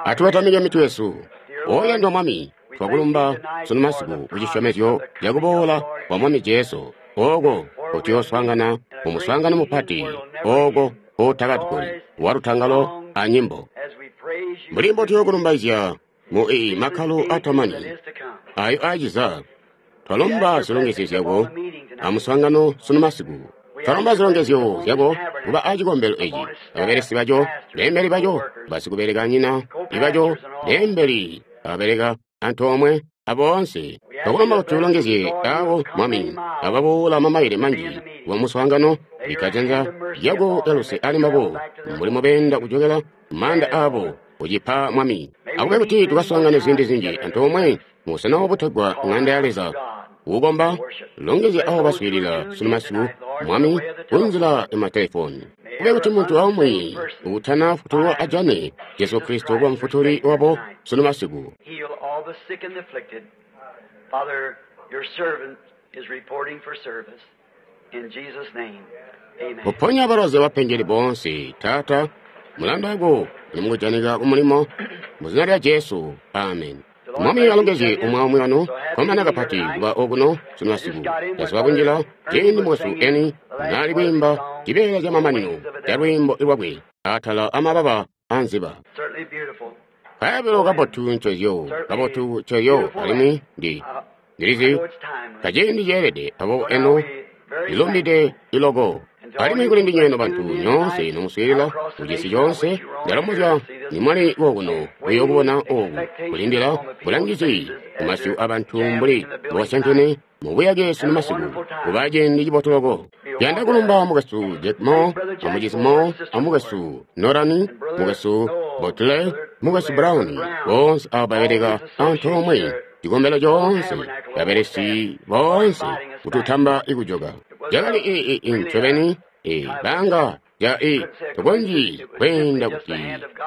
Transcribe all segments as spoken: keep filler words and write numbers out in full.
Atubatamike mitwe yesu. Oyandwa Mwami, twakulumba sunu masiku kucisyomezyo cakuboola kwa Mwami Jesu, ooko kutuyoswaangana mu muswaangano mupati, ooko kootakatugoli walutangalo anyimbo. Mbuli mbotuyokulumbaizya mu ii makkalo atamani ayo aaciza, twalomba zilongezyo zyako amuswaangano sunu masiku. Twalomba zilongezyo zyako kuba acikombelo eci, ababelesi baco, beembeli baco, basikubelekanyina ibaco, beembeli ababeleka antoomwe aboonse. Twakulomba kuti ulongezye abo Mwami ababoola mamaile manji wa muswaangano, bikka janza lyako lyaluse ali mbabo mbuli mubeenda kujokela maanda abo kucipa Mwami. Akube kuti tukaswaangane ziindi zinji antoomwe mubusena obutegwa Ŋanda ya Leza kukomba. Longezya abo baswiilila sunu masiku, Mwami, kunzila ya matelefoni. Kube kuti muntu aumwi utana futulwa ajane Jesu Kristo kuba mufutuli wabo sunu masiku. Heal all the sick and afflicted. Father, your servant is reporting for service. In Jesus' name, amen. Kuponya balwazi abapengeli boonse, Taata, mulanda wako uli mukujanika kumulimo mu zina lya Jesu, amen. Mwami alongezye umwi aumwi wanu. Komana kapati kuba okuno sunu masiku. Ndasola kunjila ciindi mukwesu Eni naali kwiimba cibeela camamanino ca lwiimbo lwakwe atala amababa anziba. Certainly beautiful. Kaabilo kabotu ncozyo, kabotu ncozyo, alimwi ndi ndilizi kaciindi ceelede abo eno lilumbide iloko. Alimwi kuli ndinywe nobantu nyoonse nomuswiilila kucisi coonse, ndalombozya nimwali kokuno kuyokubona oku kulindila bulangizi kumasyu abantu mbuli mbowasyankene mubuyake sunu masiku kuba ciindi cibotu loko. Yanda kulumba mukwesu Jack Moore, amucizi Moore, amukwesu Norani, mukwesu Butler, mukwesu Brown, boonse abo babeleka antoomwe cikombelo coonse, babelesi boonse kututamba ikujoka. Cakali ii ii ncobeni ii banga ja ii tukonzyi kweenda kuti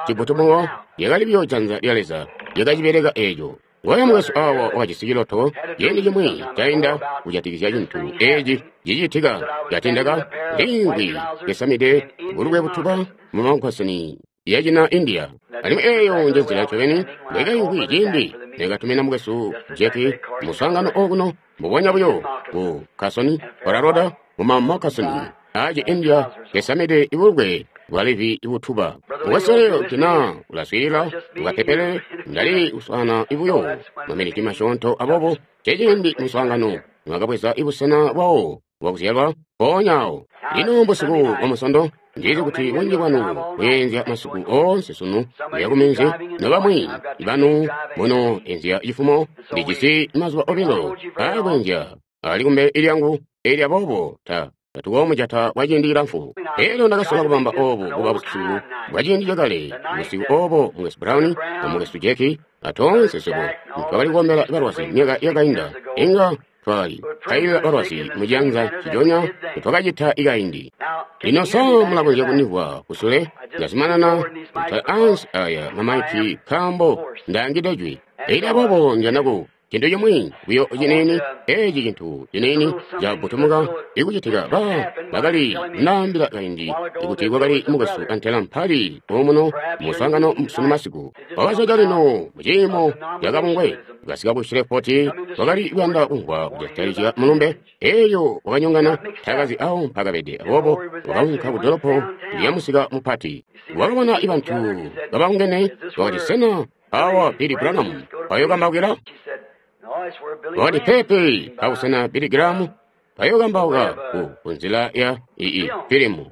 cibutumuwo lyakali buyo janza lya Leza lyakacibeleka eeco. Ngoyo mukwesu awa wakajisi ciloto ciindi cimwi cainda kujatikizya cintu eci cicitika catindaka liimvwi lyasamide bulukwe butuba mu mankosini yacina India. Alimwi eeyo njenzila ncobeni mbwekaimvwi ciindi nekatumina mukwesu Jack muswaangano okuno mbubonya buyo ku Carson, Colorado, mu makasoni aaci India yasamide ibulukwe bwa Levi ibutuba. Mukwesu leo tina ulaswiilila ukapepelele ndali kuswaana ibuyo maminiti masyoonto abobo ceciindi muswaangano niwakabweza ibusena bwawo bwakuzyalwa mpoonya awo. Lino mbusiku bwa Musondo, ndizi kuti bunji bwanu bweenzya masiku oonse sunu kuya kuminzi, nobamwi banu muno enzya cifumo. Ndijisi mazuba obilo aakwenzya ali kumbele lyangu, eelyo aboobo ta tatukoomujata kwa ciindi cilamfu. Elyo ndakasola kubamba obu kuba busiku bwa ciindi cakale, busiku obo mukwesu Brown amukwesu Jack atoonse swebo twakali kukombela balwazi myaka yakainda. Inga twakali pailila balwazi mucianza ciconya twakacita ikaindi. Lino sa mulakonzya kunimvwa kusule? Ndazumanana kutala ansi aya mamaiki nkaambo ndaangide jwi. Elyo aboobo njanda ku cintu cimwi buyo ciniini, eci cintu ciniini cabutumuka ikucitika. Ba bakali ndaambila kaindi ikuti kwakali mukwesu antela mpali omuno muswaangano sunu masiku. Wakasoja lino muciimo cakabungwe kasika ku Shreveport, wakali kuyanda kumvwa kujatikizya mulumbe. Elyo wakanyongana, takazi awo mpakabede, aboobo wakaunka ku dolopo lya musika mupati. Wakabona ibantu kababungene, wakati, sena awa Billy Branham payokambaukila? Wakati, pepe, abusena Billy Graham payokambauka ku kunzila ya ii filimu.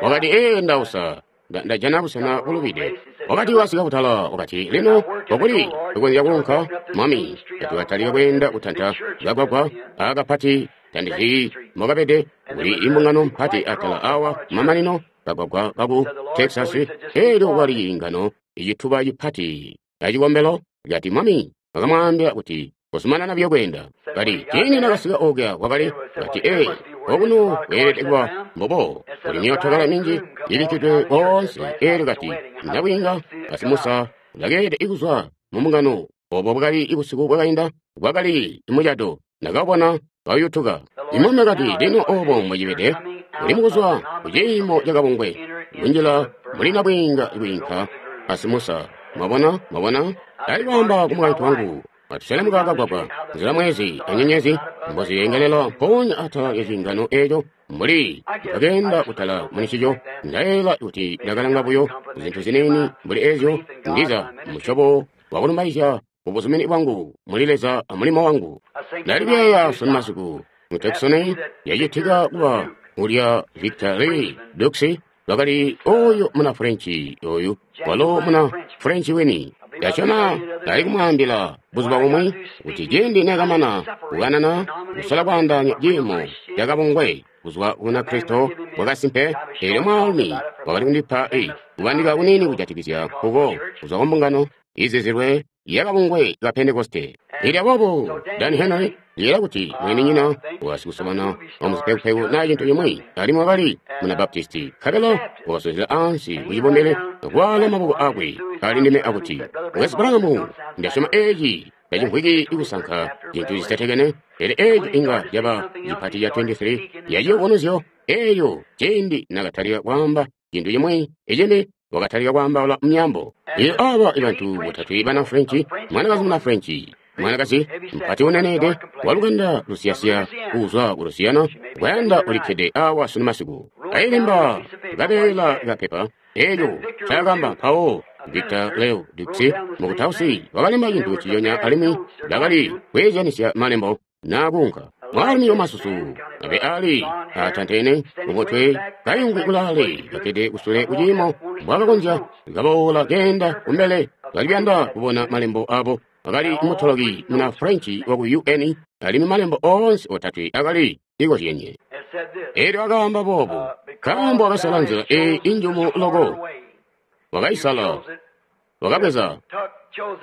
Wakati, ee, ndausa ndajana busena bulubide. Wakati wasika kutala, wakati, lino kokuli tukonzya kuunka Mwami tatukatalika kweenda kutanta kagwagwa akapati tandizi mwakabede kuli imbungano mpati atala awa mamanino kagwagwa kaku Texas. Elyo kwali ingano icituba cipati acikombelo. Kati Mwami wakamwaambila kuti kuzumanana buyo kweenda. Kati ciindi nakasika okuya kwakali, kati ee, okuno kweelede kuba mbobo kuli myootokala minji ibikkidwe koonse. Elyo kati ndabwiinga kasimusa ulakeelede ikuzwa mu mbungano. Obo bwakali busiku bwakainda bwakali mucado nakabona kayutuka. Imwami kati, lino obo mbwecibede uli mukuzwa kuciimo cakabungwe kunjila muli nabwiinga kwiinka asimusa. Mwabona? Mwabona? Ndali kwaamba ku mukaintu wangu, atuselemuka kagwagwa, nzila mwezi anyenyezi mboziyengelela mpoonya atala lya ciingano eeco, mbuli ndakenda kutala municico, ndayeeyela kuti ndakalanga buyo zintu ziniini mbuli ezyo, ndiza musyobo wakulumbaizya ubuzumini bwangu muli Leza amulimo wangu. Ndali kuyeeya sunu masiku mu Tucson yacitika kuba ulya Victor Lee Dux wakali oyo muna Frenchi oyu walo muna Frenchi wini. Ndasyoma ndali kumwaambila buzuba bumwi kuti ciindi nekamana kukanana kusala kwaandaanya ciimo cakabungwe kuzwa kuna Kristo bwakasimpe, eelyo mwaalumi wakali kundipa i kubandika kuniini kujatikizya nkuko kuzwa ku mbungano izizilwe yakabungwe ka Pentekoste. Eelyo aboobo Dan Henry ndiyeeya kuti mweninyina wasikusobana wamuzipekupeku naa cintu cimwi, alimwi wakali muna Baptisti, nkabela wakasozela ansi kucibombele akuwaala maboko akwe ali ndime akuti, Mukwesu Branham, ndasyoma eeci tacimvwiki ikusanka cintu cisitekene, pele eeco inga caba cipati ca twenty-three yaciyubunuzyo. Eelyo ciindi nakatalika kwaamba cintu cimwi icimbi, wakatalika kwaambaula myaambo. Eelyo aaba bantu botatwe bana Frenchi, mwanakazi muna Frenchi, mwanakazi mpati uneneede walukanda lusiyasiya kuzwa ku Lusiyana, kwayanda ulikkede awa sunu masiku, kayilemba kabeela kapepa eelyo ncaakamba. Mpawo Victor Leo Dux mukutausi wakalemba cintu ciyonya, alimwi bakali kweezyanisya malembo naakunka. Mwaalumi wamasusu abe ali atantene mumutwe kayungwi kulaale kakkede kusule kuciimo mbwakakonzya kaboola keenda kumbele kaliyanda kubona malembo abo. Akali mutoloki muna Frenchi waku U N, alimwi malembo oonse otatwe akali ikozyenye. Eelyo akaamba boobu, nkaambo wakasala nzila eyi injumu loko, wakaisala, wakabweza,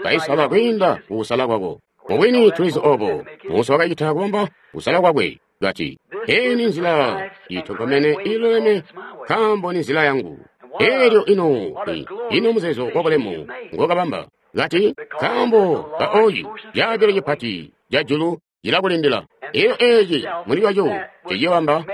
kaisala kwiinda kukusala kwako. Mubwini tulizi obo Musa wakacita kubamba kusala kwakwe, kati, eyi ni nzila itonkomene iluleme, nkaambo ni nzila yangu. Eelyo ino ino muzeezo wabulemu ngokabamba, kati, nkaambo ka oyu caabilo cipati ca julu cilakulindila. Eelyo eeci muli lwaco cicibamba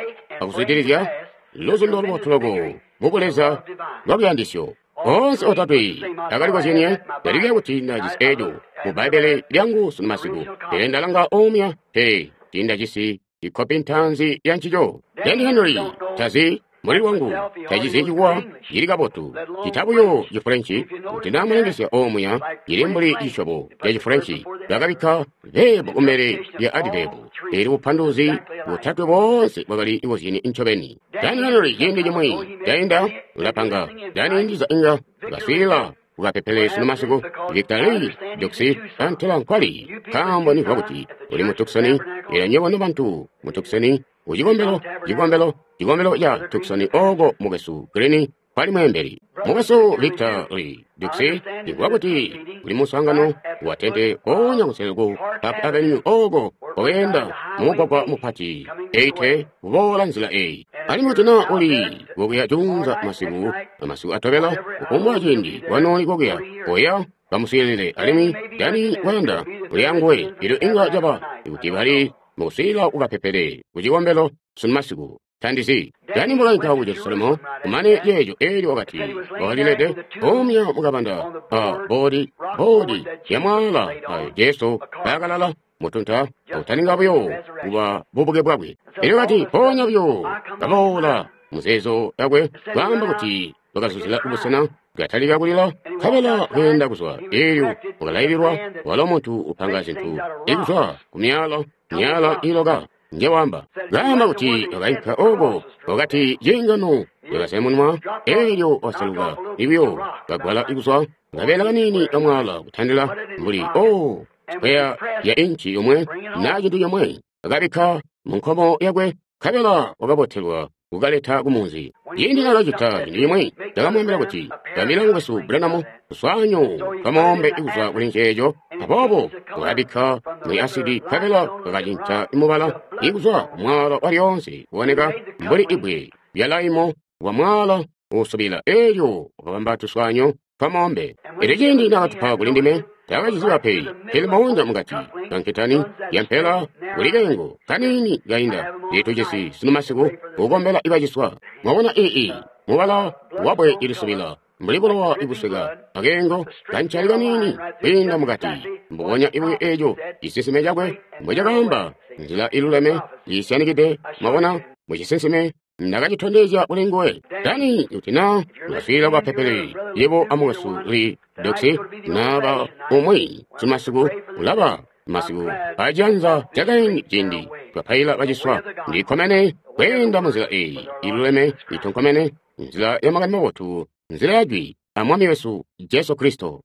akuzwidilizya luzundo lubotu loko mubuleza lwaluyandisyo. Oonse otatwe akalikozyenye. Ndalilya kuti ndajisi eeco mu Bbaibbele lyangu sunu masiku, pele ndalanga omya, pele tiindajisi ikopi ntaanzi ya ncico. Dan Henry tazi muli lwangu tacizi cikuwa cili kabotu cita buyo Cifulenci, kuti namulengesya omuya cili mbuli cisyobo ca Cifulenci. Bakabikka verbo kumbele lya adverb, eelyo bupanduluzi botatwe boonse bwakali ikozyene ncobeni. Dan Henry ciindi cimwi cainda ulapanga Dan ndiza inga ukaswiilila ukapepele sunu masiku. Victor Lee Dux antela nkwali, nkaambo nimvwa kuti uli mu Tucson. Eelyo nywebo nobantu mu Tucson, kucikombelo cikombelo cikombelo ca Tucson oko mukwesu Green kwali mweembeli. Mukwesu Victor Lee Dux, ndimvwa kuti kuli muswaangano wa tente koonya kusele ku Park Avenue oko koyenda mumugwagwa mupati eighty kuboola nzila eyi. Alimwi kuti naa uli kokuya juunza masiku amasiku atobela, kufumbwa ciindi wanooli kokuya koya kamuswiilile. Alimwi Dani kwayanda uli anguwe, elyo inga caba kuti bali mukuswiilila kukapepele kucikombelo sunu masiku. Tandizi Dani mbulainka ku Jerusalemu kumane ceeco. Eelyo wakati wakalilede omya mukabanda a boodi boodi ya mwaala ayo Jesu kaakalala mutunta akutaninga buyo kuba bubuke bwakwe. Eelyo kati mpoonya buyo kaboola muzeezo yakwe kwaamba kuti wakazuzila kubusena katalika kulila, nkabela kweenda kuzwa. Eelyo wakalaililwa walo muntu upanga zintu ikuzwa ku myala myala iloka njewamba. Kaamba kuti wakainka oko wakati ciingano yakasemunwa, eelyo waseluka ibuyo kagwala ikuzwa kabeela kaniini kamwala kutandila mbuli o sikweya ya inchi yomwe na cintu comwe, akabikka mu nkomo yakwe, nkabela wakabotelwa kukaleta kumunzi. Ciindi nakacita cintu cimwi, ndakamwaambila kuti ndambila mukwesu Branham kuswaanyo kamoombe ikuzwa kuli nceeco. Aboobo wakabikka mwi asidi, nkabela kakacinca mubala ikuzwa kumwala walyoonse kuboneka mbuli ibwe lya laimo wa mwala usubila. Eelyo wakabamba tuswaanyo twamoombe. Eelyo ciindi nakatupa kuli ndime, takaciziba pe, pele maunja mukati kanketani yampela kuli kengo kaniini kainda litujisi sunu masiku kukombela ibaciswa. Mwabona ii mubala wabwe ilisubila mbuli bulowa ibusweka akeengo kancali kaniini kwiinda mukati mbubonya ibuyo eeco cisinsime cakwe mbwe cakaamba nzila iluleme iisyanikide mwabona mucisinsime ndakacitondezya kuli nguwe dani kuti na mwaswiilila kwa pepele yebo amukwesu li doksi naba umwi simasiku ulaba masiku acianza cakaindi ciindi twapaila baciswa ndikkomene kweenda munzila eyi iluleme itonkomene nzila ya makani mabotu nzila ya jwi a mwami wesu Jesu Kristo.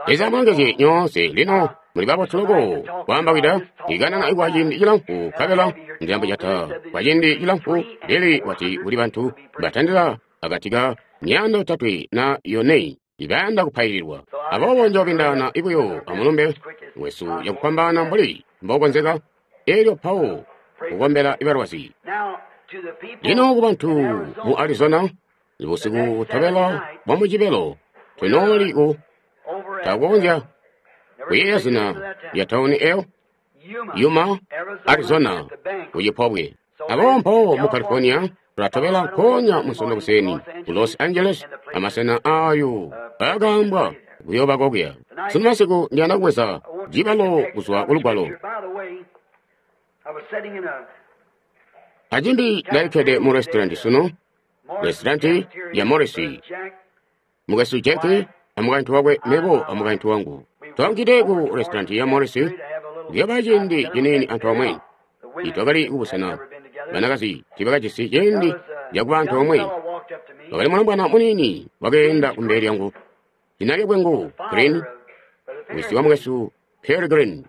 Leza amulongezye nyoonse. Lino muli babotu loko kwaambawida ikanana kwa ciindi cilamfu nkabela ndiyambujata kwa ciindi cilamfu lili wati kuli bantu batandila akati ka myaanda yotatwe na yone ibayanda kupaililwa. Aboobo njoobindaana ibuyo amulumbe wesu yakupambana mbuli mbokonzeka elyo mpawo kukombela ibalwazi. Lino kubantu mu Arizona busiku butobela bwa Mujibelo tunooli ku takukonzya kuyeeya zina lya tauni eyo Yuma, Arizona kucipobwe. Aboobo mpawo mu California tulatobela nkoonya Munsondo kuseni ku Los Angeles amasena ayo aakaambwa kuyooba kokuya. Sunu masiku ndiyanda kubweza cibalo kuzwa kulugwalo. Acimbi ndalikkede mu restaurant sunu, restaurant ya Morrissey. Mukwesu Jack amukaintu wakwe mebo amukaintu wangu. Twaankide ku restaurant ya Morrissey kuyooba ciindi ciniini antoomwe. Twakali kubusena banakazi tiibakajisi ciindi cakuba antoomwe. Wakali mulombwana muniini wakeenda kumbele lyangu. Zina lyakwe ngu Green, wisi wa mukwesu Pearl Green.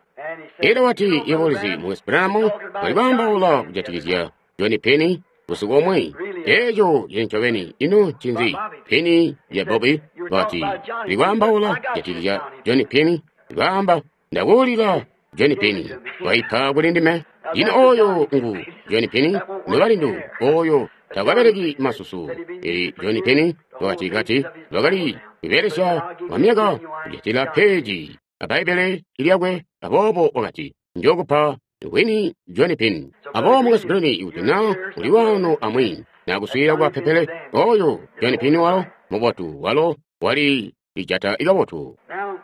Elyo wati yebo ulizi mukwesu Branham wali kwaambaula kujatikizya Johnny Penny busiku omwe. Eeco cili ncobeni. Ino ncinzi? Penny ya Bobby wati likwaambaula kujatikizya Johnny Penny. Likaamba ndakuulila Johnny Penny waipa kuli ndime. Ino oyo ngu Johnny Penny nobalindu oyo takabeleki masusu. Eli Johnny Penny wakati kati wakali kubelesya kwa myaka kujatila peji a Bbaibbele lyakwe. Aboobo wakati njokupa wini Johnny Penny. Aboobo mukwesu Green kuti na uli wano amwi nakuswiilila kwa pepele oyo Johnny Penny walo mubotu walo wali lijata ikabotu. Now,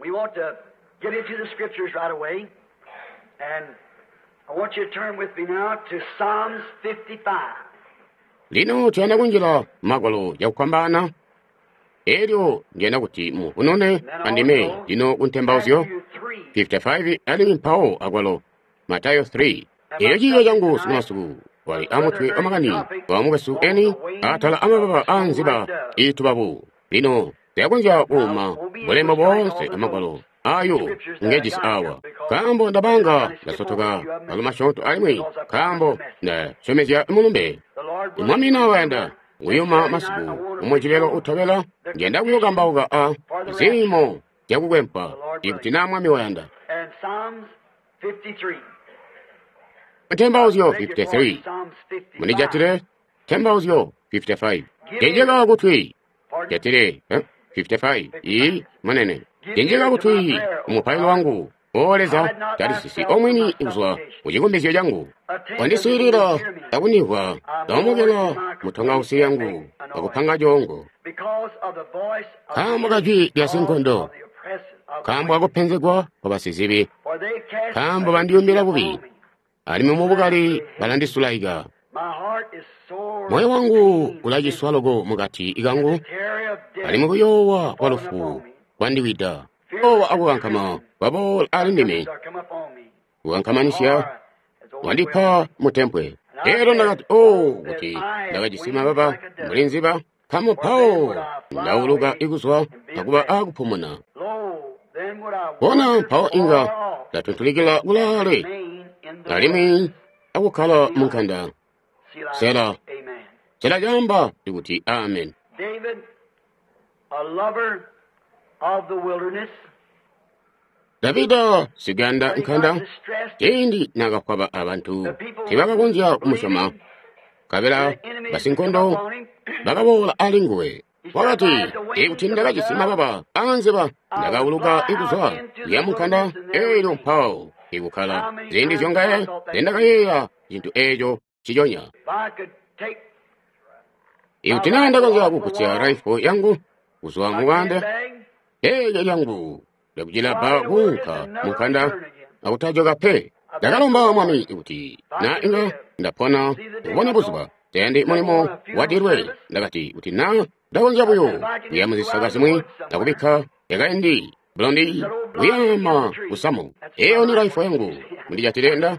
we want to get into the scriptures right away, and I want you to turn with me now to Psalms fifty-five. Lino tuyanda kunjila magwalo yakupambana. Elyo ndiyanda kuti muvunune andime lino ku ntembauzyo fifty-five alimwi mpawo akwalo Matayo three. Elyo ciiyo changu sunu masiku wali amutwe wa makani wa mukwesu eni atala amababa a nziba iitubabu. Lino tiyakonzya kuuma bulembo boonse amagwalo ayo ngejisi awa nkaambo ndabanga ndasotoka malo masyoonto alimwi nkaambo ndasyomezya mulumbe. Mwami nawayanda kuyuma masiku umwecilelo utobela ndiyanda kuyokambauka a ziimo zyakukwempa ikuti na mwami wayanda. And Psalms fifty-three. Ntembauzyo fifty-three. Munijatile ntembauzyo fifty-five. Jenjeka kutwi jatile eh? fifty-five. Iyi munene jenjeka kutwi umupailo wangu O Leza talisisi omwini kuzwa kucikumbizyo changu. Wandiswiilila akunimvwa ndaomokela mutongausi yangu akupanga congo. Nkaambo kajwi lya sinkondo, nkaambo akupenzegwa kwa basizibi, nkaambo bandiyumbila bubi, alimwi mubukali balandisulaika. Moyo wangu ulaciswa loko mukati kangu, alimwi kuyoowa kwa lufu kwandiwida. Kuyoowa akukankama kwaboola ali ndime, kukankamanisya wandipa mutempwe. Elyo ndakati o kuti ndakajisi mababa mbuli nziba, nkaambo mpawo ndauluka ikuzwa akuba akupumuna. Bona mpawo inga ndatuntulikila kulaale alimwi akukkala munkanda. Sela. Sela caamba kuti amen. David, a lover of the wilderness, Davida siganda nkanda ciindi nakakwaba abantu tibakakonzya kumusyoma nkabela basinkondo bakaboola ali nguwe. Wakati ikuti ndakajisi mababa aanziba ndakauluka ikuzwa kuya munkanda elyo mpawo ikukkala. Ziindi zyongaye zendakayeeya cintu eeco ciconya. if I could take Ikuti naa ndakonzya kugusya rifle yangu kuzwa mubanda eke lyangu lyakucilabba kuunka munkanda akutajoka pe. Ndakalomba Mwami kuti na inga ndapona kubona buzuba tayandi mulimo wadilwe. Ndakati kuti na ndakonzya buyo kuya muzisaka zimwi akubikka yakaindi blondi kuyama kusamu. Eyo ni raifo yangu mundijatile nda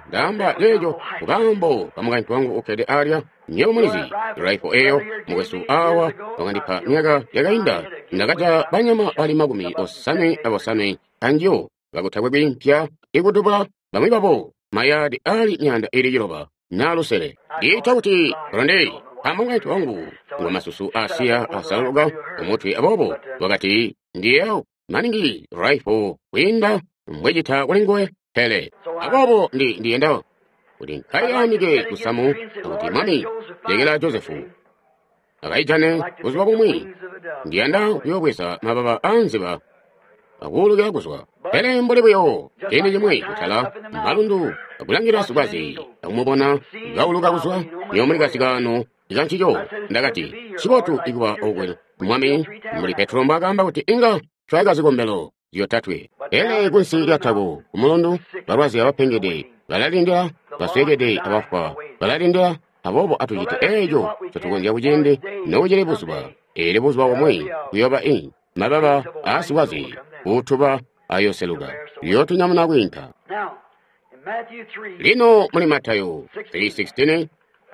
ndaamba leejo kukambo kamukaintu wangu ukkede alya. Nywebo mulizi raifo eyo mukwesu awa wakandipa myaka yakainda. Ndakaja banyama bali makumi osanwe abosanwe anjo kakutakwe kwiimpya ikutubula bamwi babo mayadi ali myanda ili ciloba na lusele. Ndiita kuti blondi amukaintu wangu ngwa masusu asiya asalaluka kumutwe, aboobo wakati ndiyeyo maningi raifo kwiinda mbwecita kulinguwe. Pele aboobo ndi ndiyenda kuti nkayanike kusamu akuti Mwami lekela Josefu akaijane buzuba bumwi. Ndiyanda kuyobweza mababa anziba akuulukila kuzwa. Pele mbuli buyo ciindi cimwi kutala malundu akulangila sikwaze akumubona kauluka kuzwa niyo muli kasikaano ikancico. Ndakati cibotu ikuba okwe Mwami mbuli Petro mbwaakaamba kuti inga twayaka zikombelo zyotatwe. Pele kunsi lyatako kumulundu balwazi abapengede balalindila, baswekede abafwa balalindila. Aboobo atucite eeco ncotukonzya kuciindi nokucili buzuba. Eelyo buzuba bumwi kuyooba i mababa aasikwaze kuutuba ayoseluka liyootunyamuna kwiinka. Lino muli Matayo three sixteen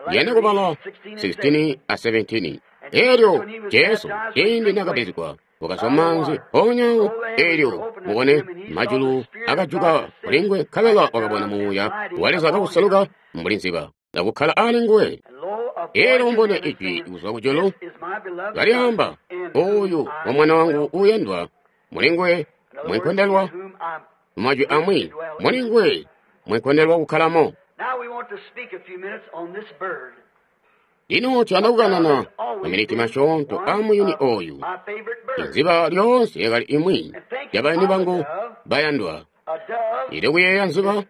ndiyanda kubala sixteen a seventeen. Eelyo Jesu ciindi naakabatizigwa wakazwa manzi mpoonya eelyo mubone majulu akajuka kulinguwe, nkabela wakabona Muuya wa Leza kauseluka mbuli nziba akukkala alinguwe. Eelyo mubone ijwi kuzwa kujulu kalyaamba, oyu wa mwana wangu uuyandwa, mulinguwe mwenkondelwa. Mumajwi amwi, mulinguwe mwenkondelwa kukkalamo. Lino tuyanda kukanana maminiti masyoonto amuyuni oyu. Inziba lyoonse yakali imwi yabayuni bangu bayandwa. Ili kuyeeya nziba,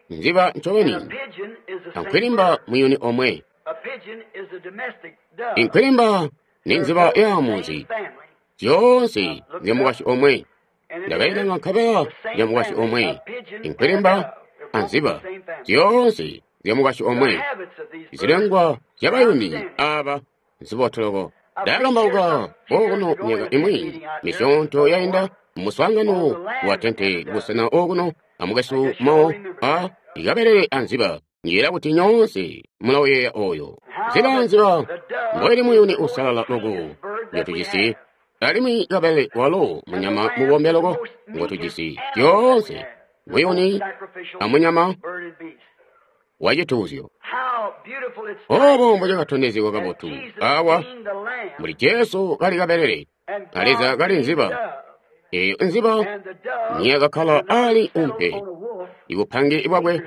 nziba ncobeni ankwilimba muyuni omwe. Inkwilimba ni nziba ya munzi, zyoonse zyamukwasyi omwe. Ndakailanga nkabela zyamukwasyi omwe. Inkwilimba anziba zyoonse zyamukwasyi omwe. Zilengwa zyabayuni aba nzibotoloko. Ndakambauka okuno myaka imwi misyoonto yainda muswaangano wa tente busena okuno amukwesu mo a ikabelele anziba. Njeera kuti nyoonse mulauyeeya oyo. Nziba nziba mboili muyuni usalala loko ngotujisi, alimwi kabelele walo munyama mubombe loko ngotujisi. Zyoonse muyuni amunyama wacituuzyo. Obo mbocakatondezegwa kabotu awa muli Jesu kali kabelele, a Leza kali nziba. Eyo nziba niyakakkala ali umpe, ibupange bwakwe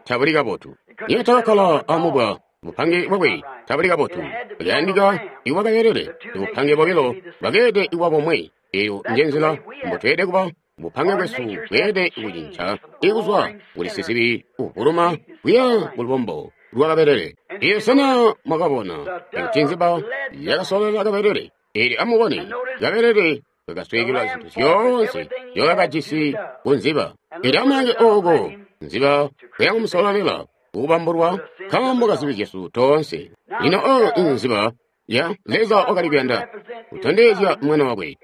tabuli kabotu. Niyatakakkala amubwa, bupange bwakwe tabuli kabotu. Kuyandika iwa kabelele, ibupange bobilo bwakeede iwa bomwe. Eyo njenzila mbotweede kuba. Bupange bwesu bweede kucinca ikuzwa kuli sizibi uvuluma kuya kulubombo lwa kabelele. Iyo sena mwakabona kuti nziba yakasololela kabelele? Eelyo amubone kabelele kakasweekelwa zintu zyoonse zyokakajisi ku nziba. Eelyo amulange ooko nziba kuyakumusololela kukubambulwa nkaambo kazibi zyesu toonse. Lino oyo inziba ya Leza wakali kuyanda kutondezya mwana wakwe,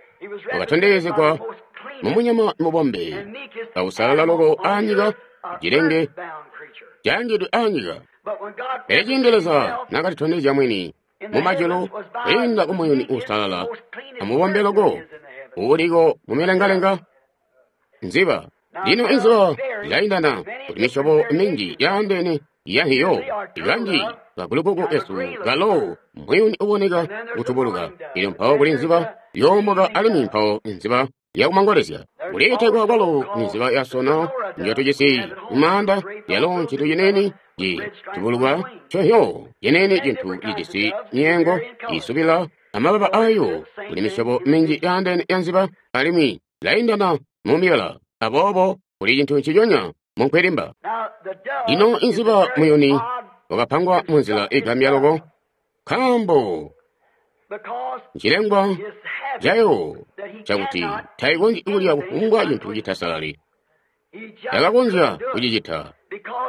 wakatondezegwa mumunyama mubombe ausalala loko anyika, cilenge caangidwe anyika. Pele ciindi Leza naakatitondezya mwini mumajulu kwiinda kumuyuni uusalala amubombe loko uuliko mumilengalenga nziba. Lino inziba zilaindana kuti misyobo minji yaandeene yahiyo ikanji kagulukuku kesu kalo muyuni uboneka kutubuluka. Ilyo mpawo kuli nziba yoomoka alimwi mpawo nziba yakumangolezya. Kuliitegwa kwalo nziba yasona njotujisi mumaanda, yalo ncintu cinene citubuluka cohyo cinene cintu cijisi nyengo isubila amababa ayo. Kuli misyobo minji yaandeene ya nziba alimwi laindana mumibala, aboobo kuli cintu nciconya munkwilimba. Lino inziba muyuni wakapangwa munzila igambya loko, nkaambo Nchilengwa cayo cakuti taikonzyi kulya kufumbwa cintu citasalali. Takakonzya kucicita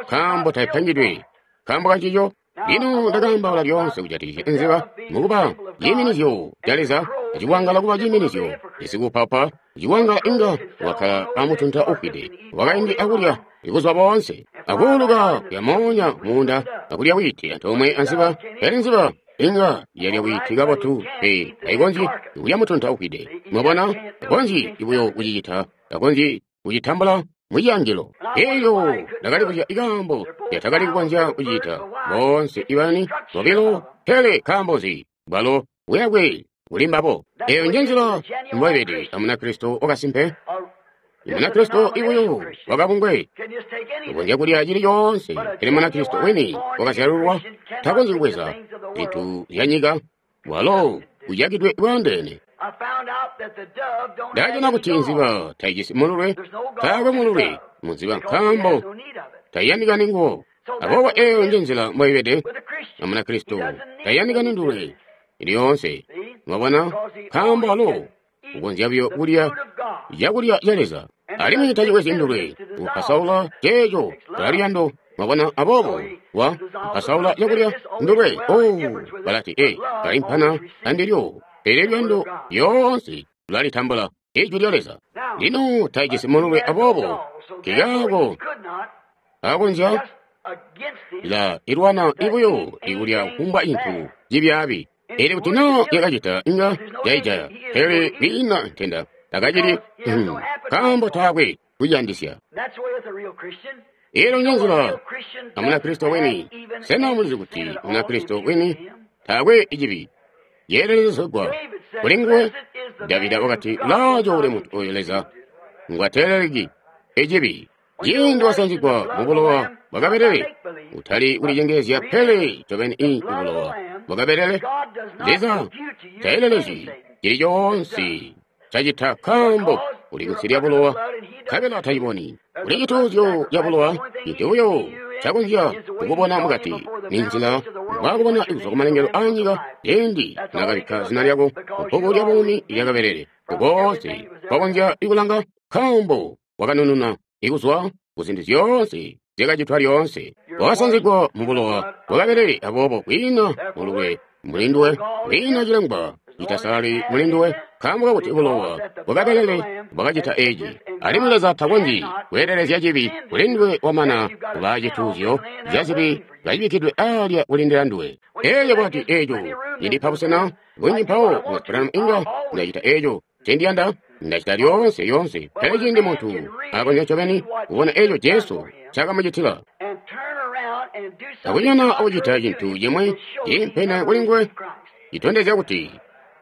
nkaambo taipangidwe nkaambo kancico. Lino ndakaambaula lyoonse kujatikizya nziba mukuba ciiminizyo ca Leza, cikwangala kuba ciiminizyo isikupapa cikwangala inga wakkala amutunta ufwide wakaindi akulya ikuzuba boonse akuuluka kuya moonya muunda akulya wiiti antoomwe anziba. Pele nziba inga yalya wiiti kabotu, pe taikonzyi kulya mutunta ufwide. Mwabona, takonzyi buyo kucicita, takonzyi kucitambula muciyangilo. Elyo ndakalibuzya ikaambo lyatakali kukonzya kucita boonse ibani bobilo, pele nkaambo nzi bwalo buyakwe buli mbabo. Eyo njenzila mbwaibede a Munakristo wakasimpe. Munakristo ibuyo wakabungwe ukonzya kulya cili coonse, pele Munakristo wini wakazyalulwa takonzyi kubweza zintu zya nyika, walo uyakidwe bwaandeene. Ndajana kuti nziba taijisi mululwe, taakwe mululwe munziba nkaambo taiyandikani nguwo. Aboobo eyo njenzila mbwaibede a Munakristo, taiyandikani ndulwe lyoonse. Mwabona, nkaambo walo ukonzya buyo kulya cakulya ca Leza, alimwi tacibwezi ndulwe kupasaula ceeco luyando. Mwabona, aboobo wa kupasaula cakulya ndulwe. Oh, balati e kalimpana andilyo, pele luyando lyoonse lulalitambula ijwi lya Leza. Lino taijisi mululwe, aboobo kikaako akonzya la ilwana ibuyo ikulya kufumbwa cintu cibyaabi. Pele kuti naa yakacita inga yaijaya, pele kwiina ntenda takacili nkaambo taakwe kuyandisya. Elo njenzila a Munakristo wini. Sena mulizi kuti Munakristo wini taakwe icibi yeelelezegwa kuli nguwe? Davida wakati, laaco uli muntu oyo Leza ngwateeleleki icibi. Ciindi wasanzigwa mubulowa bwakabelele, utali kulicengeezya pele ncobeni i bulowa bwakabelele. Leza taelelezyi cili coonse cacita nkaambo uli kunsi lya bulowa, nkabela taciboni. Kuli cituuzyo ca bulowa, cintu buyo cakonzya kukubona mukati ni nzila mbwaakubona kuzwa kumalengelo aanyika ciindi naakabikka zina lyako kubbuku lya buumi lyakabelele. Kukoonse kwakonzya ikulanga nkaambo wakanununa ikuzwa kuzintu zyoonse zyakacitwa lyoonse. Wakasanzigwa mubulowa bwakabelele, aboobo kwiina mululwe mulinduwe, kwiina cilengwa citasalali mulinduwe, nkaambo kakuti bulowa bwakabelele bwakacita eeci. Alimwi Leza takonzyi kweelelezya cibi kulinduwe wamana kubaa cituuzyo ca zibi kacibikkidwe aalya kulindila nduwe. Elyo bwati eeco cindipa busena bunji mpawo Branham inga ndacita eeco ncendiyanda, ndacita lyoonse lyoonse. Pele ciindi muntu akonzya ncobeni kubona eeco Jesu ncaakamucitila, akunyona akucita cintu cimwi ciimpene kuli nguwe, citondezya kuti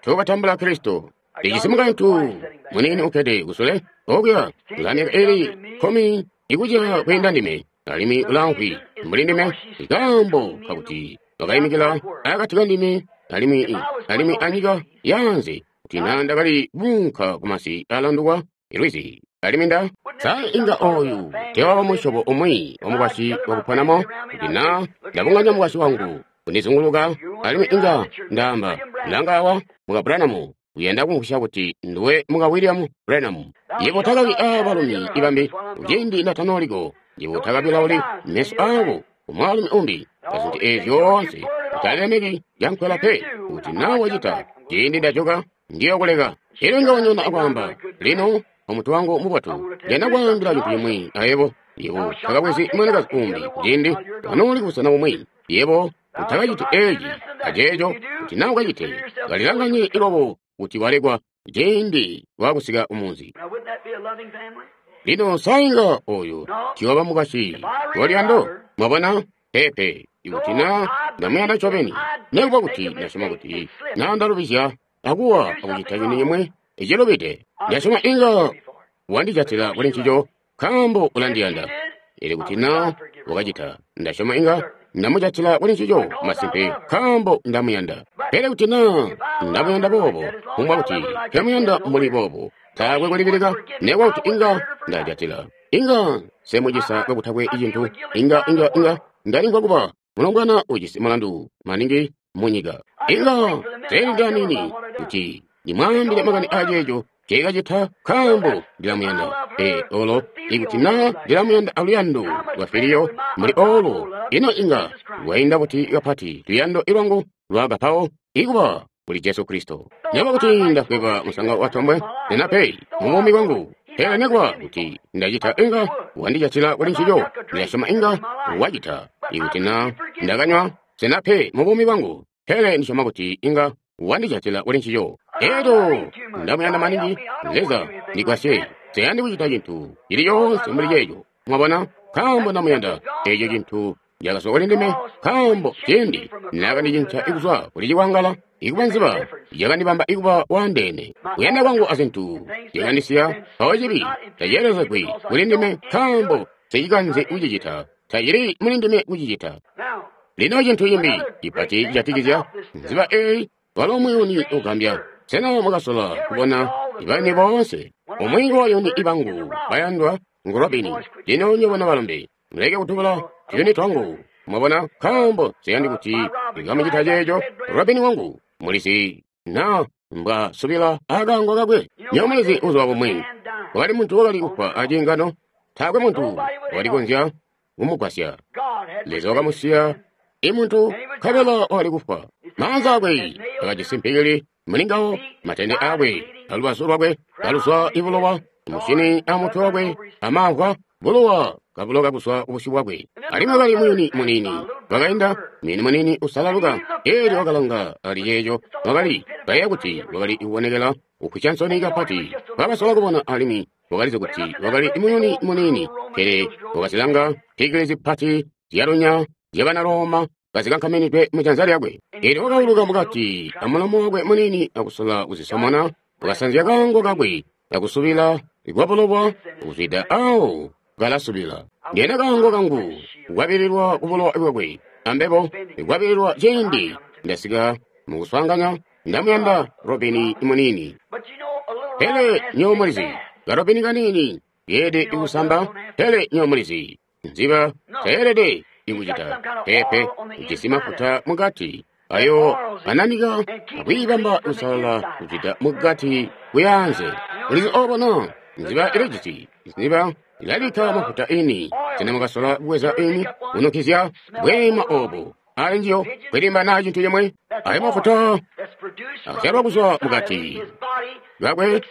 tookatambula Kristo. Lijisi mukaintu muniini ukkede kusule okuya ulamyaka ili kkumi ikucila kwiinda ndime, alimwi ulaamvwi mbuli ndime, nkaambo kakuti wakaimikila akati kandime alimwi alimwi anyika yaanze kuti naa ndakali kuunka kumasi aalandukwa lwizi. Alimwi nda sa inga oyu teewaba musyobo umwi wamukwasyi wakuponamo, kuti naa ndabunganya mukwasyi wangu kundizunguluka, alimwi inga ndaamba, langa awa muka Branham uyanda kumvwisya kuti nduwe muka William Branham. Yebo takabi aabalumi ibambi kuciindi ndatanooliko, yebo takabilauli meso aako kumwaalumi umbi azintu eezi zyoonse. Utalemeki yankwela pe, kuti naa wacita ciindi ndajoka ndiyokuleka. Elyo inga wanyona akwaamba, lino omuntu wangu mubotu, ndiyanda kwaambila cintu cimwi ayebo. Yebo takabwezi mwanakazi umbi kuciindi wanooli kubusena bumwi. Yebo utakaciti eeci aceeco, kuti naa ukacite kalilanganye ilobo kuti walekwa ciindi waakusika kumunzi. Lino sainga oyu tiwaba mukwasyi waluyando. Mwabona? Peepe. Ikuti naa ndamuyanda ncobeni, nekuba kuti ndasyoma kuti naa ndalubizya akuwa akucita cintu cimwi icilubide, ndasyoma inga wandijatila kuli ncico nkaambo ulandiyanda. Elyo kuti naa wakacita, ndasyoma inga ndamujatila kuli ncico masimpe nkaambo ndamuyanda. Pele kuti naa ndamuyanda boobo, kumbwa kuti temuyanda mbuli boobo, taakwe kulibilika, nekuba kuti inga ndajatila, inga semucisa kakutakwe cintu, inga inga inga ndalimvwa kuba mulombwana ujisi mulandu maningi mu nyika. Inga teelede aniini kuti ndimwaambile makani aceeco nceekacita nkaambo ndilamuyanda. Ee, olo ikuti naa ndilamuyanda aluyando lwa filiyo mbuli olo, ino inga lwainda buti kapati luyando lwangu lwa agapawo ikuba kuli Jesu Kristo. Nekuba kuti ndafweba musanga wa tombwe, nena pe mubuumi bwangu. Pele nekuba kuti ndacita inga wandijatila kuli ncico, ndilasyoma inga wacita. Ikuti naa ndakanywa, sena pe mubuumi bwangu. Pele ndisyoma kuti inga wandijatila kuli ncico. Elyo ndamuyanda maningi, Leza ndigwasye. Nseyandi kucita cintu cili coonse mbuli ceeco. Mwabona? Nkaambo ndamuyanda eeco cintu cakazwa kuli ndime, nkaambo cindi naakandicinca kuzwa kuli cikwangala ikuba nziba, yakandibamba ikuba waandeene. Kuyanda kwangu azintu zyakandisiya, mpawo cibi taceelezegwi kuli ndime nkaambo nsecikanzi kucicita. Tacili muli ndime kucicita. Lino cintu cimbi cipati cijatikizya nziba eeyi walo muyuni ugambya. Sena mwakasola kubona ibayuni boonse? Umwi wayuni ibangu bayandwa ngu Robini. Lino nywebo balombe, muleke kutubula tuyuni twangu. Mwabona, nkaambo nseyandi kuti ndikamucita ceeco. Robini wangu mulizi na mbwasubila akaango kakwe. Nywebo mulizi buzuba bumwi wakali muntu wakali kufwa aciingano, taakwe muntu wakali kukonzya kumugwasya. Leza wakamusiya imuntu nkabela wakali kufwa. Maanza akwe akajisi mpikili mulingawo, matende akwe alubazu lwakwe kaluzwa ibulowa, musyini amutwe wakwe amamvwa bulowa kabuloka kuzwa kubusyu bwakwe. Alimwi wakali muyuni muniini wakainda, muyuni muniini usalaluka. Eelyo wakalanga ali ceeco, wakali kayeeya kuti wakali kubonekela kufwisya nsoni kapati. Wakasola kubona alimwi wakalizi kuti wakali muyuni muniini, pele wakazilanga mpikili zipati zyalunya zyabana Roma kazikankaminidwe mujanza lyakwe. Eelyo wakauluka mukati amulomo wakwe muniini akusola kuzisomona, wakasanzya kaango kakwe akusubila kwabulowa kuzwida awo kalasubila. Ndiyena kaango kangu kukwabililwa kubulowa bwakwe, ambebo kukwabililwa ciindi ndasika mukuswaanganya. Ndamuyanda Robini muniini. Pele nywebo mulizi, karobini kaniini keelede kusamba. Pele nywebo mulizi, nziba tayeelede ikucita pepe. Ujisi mafuta mukati ayo ananika akwiibamba kusalala kuzwida mukati kuyaanze. Ulizi obo na nziba ilijisi nziba ilalika mafuta ini. Sena mukasola kubweza ini kunukizya bweema obo ali njiyo kwilimba na cintu cimwe? Ayo mafuta azyalwa kuzwa mukati kakwe.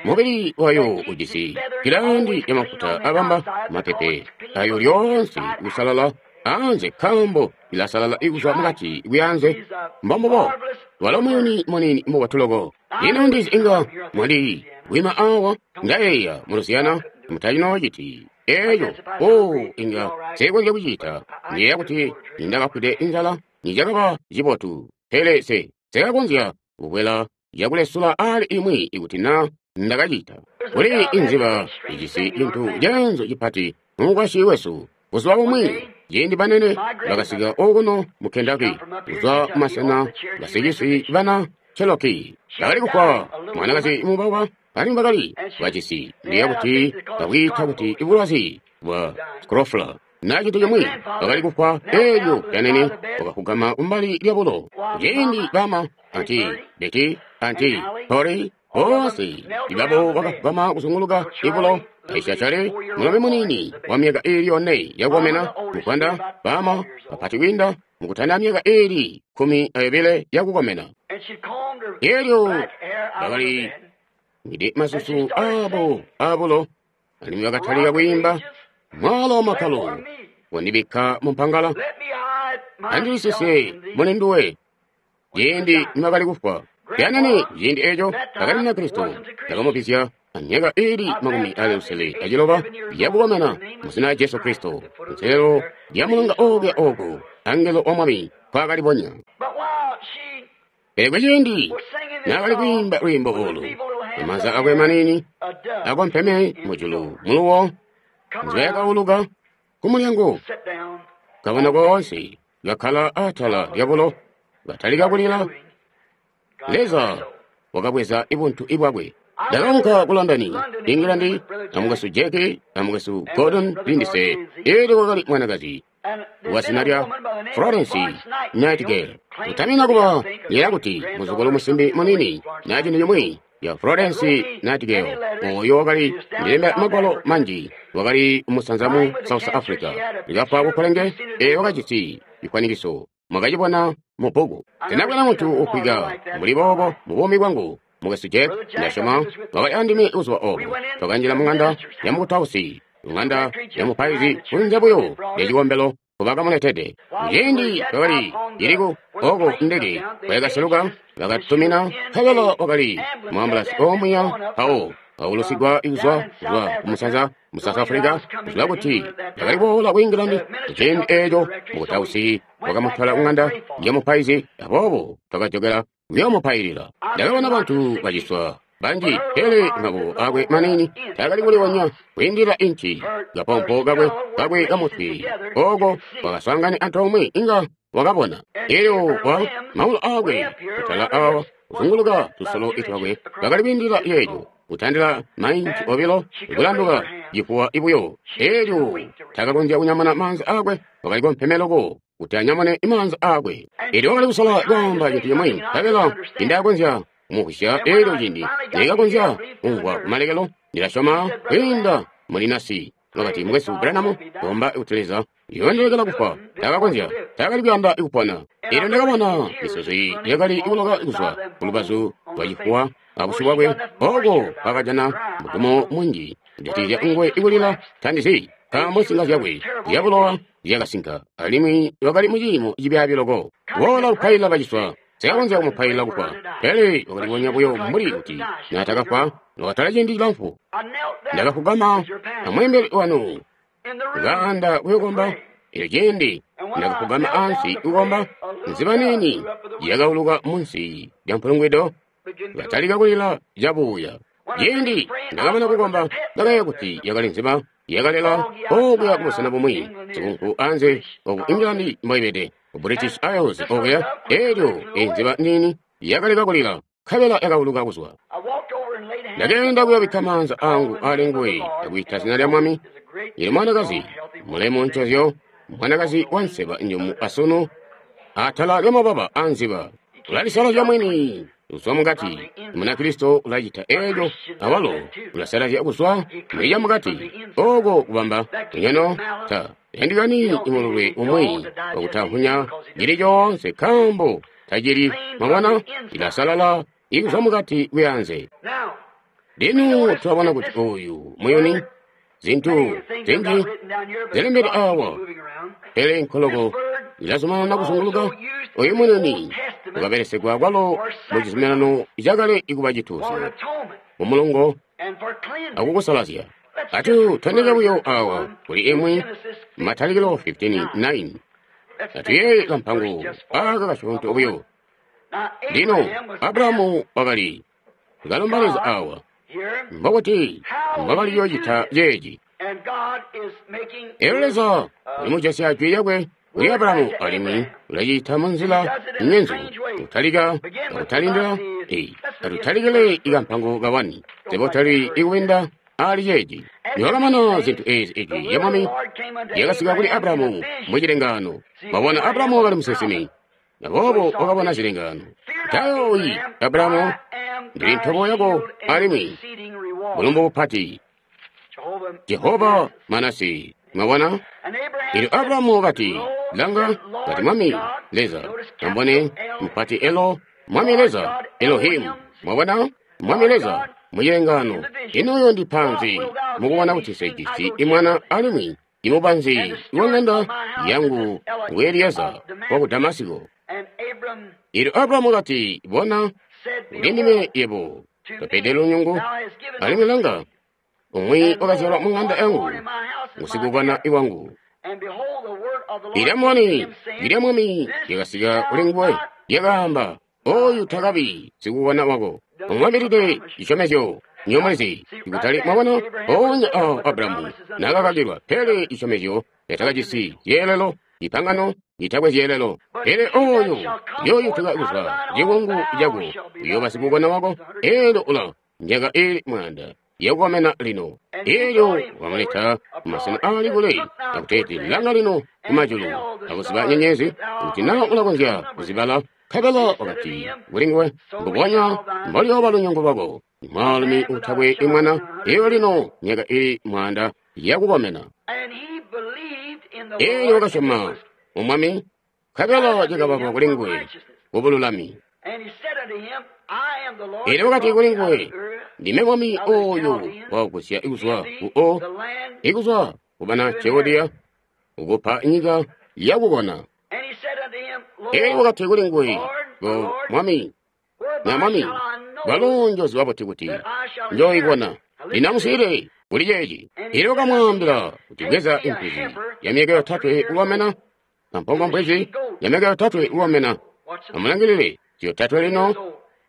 Mubili wayo ujisi gilandi ya mafuta abamba mapepe ayo lyoonse kusalala anze, nkaambo ilasalala ikuzwa mukati kuyanze. Mbombubo walo muyuni muniini mubotu loko. Ino ndizi inga mwali wima awa ndayeeya mu Lusiyana mutacinoociti eeco. O inga nsekonzya kucita. Ndiyeeya kuti nindakafwide inzala nicakaba cibotu, pele se sekakonzya kukwela yakulesula ali imwi ikuti na ndakacita. Kuli inziba ijisi cintu ceenzu cipati mumukwasyi wesu. Buzuba bumwi ciindi banene bakasika okuno mu Kentucky kuzwa kumasena basicisi bana Cherokee. Bakali kufwa mwanakazi mubawa alimwi bakali bacisi. Ndiyeeya kuti babwiita kuti ibulwazi bwa scrofula na cintu cimwi. Bakali kufwa eelyo lyanene wakafugama kumbali lyabulo. Ciindi bama anti Betty anti Tori boonse ibabo bakafugama kuzunguluka ibulo. Aisha Chale mulombe muniini wa myaka iili yone yakukomena muvwanda, bama bapati kwiinda mukutanda myaka iili kkumi ayobile yakukomena. Eelyo bakali ngide masusu abo abulo alimwi bakatalika kwiimba mwala wa makkalo wandibikka mumpangala andilisise muli nduwe. Ciindi nibakali kufwa lyanene ciindi eeco bakali muna Kristo ndakamupizya amyaka iili makumi ali lusele aciloba yakukomena muzina lya Jesu Kristo kunselelo lya mulonga okulya oku angelo wa Mwami nkwaakalibonya. Pele kuciindi naakali kwiimba lwiimbo olu, amaanza akwe maniini akompeme mujulu muluwo, nziba yakauluka kumulyango kabona koonse kakkala atala lyabulo katalika kulila. Leza wakabweza ibuntu ibwakwe. Ndakaunka ku London, England, amukwesu Jack, amukwesu Gordon Lindsay. Eelyo kwakali mwanakazi Wazina lya Florence Nightingale. Kutamina kuba yera kuti muzukulu musimbi munini na chintu chimwe ya Florence Nightingale oyo wakali ndilemba magwalo manji wakali umusanza mu South Africa likapha kukolenge e wakachitsi chikwanikiso mwakachibona mu bhuku tinabwera munthu ukhwika muli bobo mu bumi bwangu mukwesu Jack ndashoma wakali andime uzuwa obo twakanjira mung'anda ya mukutausi ng'anda ya mupaizi kunze buyo ya chikombelo kubakamuletede kuchindi wakali iliku oko ndeke wayakaseluka bakatumina kabelo wakali muambulasi omuya pawo paulusigwa ikuzwa kuzwa kumusanza mu South Africa kuzwa kuti yakali kuwola ku England kuchindi echo mukutausi wakamutwala kung'anda ya mupaizi abobo twakajokera kuyomupailira ndakabona bantu bachiswa banji pele maboko akwe manini takali kuliwonya kuyindira inchi kapompo kakwe kakwe kamutwi oko wakasangane antoomwe inga wakabona elyo wa maulo akwe kutala awa kuzunguluka tusolo itwakwe kakali kuyindira yeyo kutandila mainchi obilo kulanduka chifuwa ibuyo elyo takakonzya kunyamuna manzi akwe wakali komphemeloko kuti anyamune imanzi akwe elyo wakali kusola kwaamba cinthu chomwe kabela indakonzya kumuhwisya elyo cindi nekakonzya kumvwa kumalekelo ndilashoma kwiinda mulinasi wakati mukwesu Branham komba kuti Leza yondelekela kufa takakonzya takali kuyanda ikupona elyo ndakabona misozi yakali ikuloka kuzwa kulubazu lwa chifuwa abusyu bwakwe oko kakajana mutumo munji kujatikizya nguwe ikulila tandizi nkaambo nsinga zyakwe zyabulowa zyakasinka alimwi wakali muciimo cibyaabi loko wola kupailila baciswa sikakonzya kumupailila kufa pele wakalibonya buyo mbuli kuti natakafwa wakatala ciindi cilamfu ndakafugama amweembeli wanu kaanda kuyokomba elyo ciindi ndakafugama ansi kukomba nziba nini yakauluka munsi lya mpulungwido katalika kulila cabuya ciindi ndakamana kukomba ndakayeeya kuti yakali nziba yakalela okuya kubusena bumwi sikunku anze oku England mboibede ku British Isles okuya elyo enziba nini yakaleka kulila nkabela yakauluka kuzwa ndakenda kuyabikka maanza angu ali nguwe akuyita zina lya mwami ili mwanakazi mulemu ncozyo mwanakazi wa nseba njumu asunu atala lya mababa a nziba ulalisalazya mwini kuzwa mukati munakristo ulacita eco awalo ulasalazya kuzwa muli mukati oko kubamba lunyono ta yandikani imululwe umwi wakutampunya cili coonse nkambo tacili mwabona ilasalala ikuzwa mukati kuyanze lino tulabona kuti oyu muyuni zintu zinji zilembedwe awa pele nkoloko ilazumanana kuzunguluka oyu muyuni ukabelesegwa kwalo mu cizuminano cakale ikuba cituuzyo mumulongo akukusalazya atu tondeka buyo awa kuli imwi matalikilo fifteen nine atuyeeye kampango aka kasyoonto buyo lino Abrahamu wakali kalomba Leza awa mbokuti mbwakali yoocita ceeci elyo Leza ulimujasya jwi lyakwe kuli Abrahamu alimwi ulacita munzila nyenzu kutalika akutalindila atutalikile ikampango kawani zebotali ikuwinda ali ceeci niwakamana zinthu ezi ijwi lya mwami lyakasika kuli Abrahamu mucilengano mwabona Abrahamu wakali musinsimi aboobo wakabona cilengano tayoyi Abrahamu ndili ntobo yako alimwi bulumbu bupati Jehova Manasi mwabona elyo Abrahamu wakati langa kati mwami Leza ambone mpati elo mwami Leza Elohimu mwabona mwami Leza mucilengano inoyo ndi panzi mukubona kuti sejisi imwana alimwi imubanzi wang'anda yangu ngu Elieza waku Damasiko elyo Abrahamu wakati bona ulindime yebo topede lunyungu alimwi langa umwi wakazyalwa mung'anda yangu ngusikukwana iwangu ilya mwami ilya mwami lyakasika kuli nguwe lyakaamba oyu takabi sikukwana wako umwambilide cisyomezyo nyomulizi ikutali mwabona onya awo Abrahamu nakakakilwa pele cisyomezyo yatakajisi zyeelelo ipangano litakwe zyeelelo pele oyo yoyutuka kuzwa cikungu cako uyoba sikukona wako elyo ula myaka ili mwanda yakukomena lino. Elyo wakamuleta kumasena aali kule, akuteeti langa lino kumajulu, akuziba nyenyezi, kuti naa ulakonzya kuzibala. Nkabela wakati kuli nguwe, mbubonya mboliyooba lunyungu lwako. Mwaalumi utakwe mwana, iyo lino myaka ili mwaanda yakukomena. Elyo wakasyoma mu Mwami, nkabela cakabalwa kuli nguwe kubululami. Elyo wakati kuli nguwe, ndime Mwami oyo wakugusya ikuzwa ku O, ikuzwa ku bana Chaldea, ukupa nyika yakukona. Elyo wakati kuli nguwe, go Mwami, na Mwami, balo njoziba buti kuti njoyikona. Linamusile kuli ceeci. Elyo wakamwaambila kuti bweza impwizi ya myaka yotatwe kukomena, ampongo mpwizi ya myaka yotatwe kukomena. Amulangilile yotatwe lino,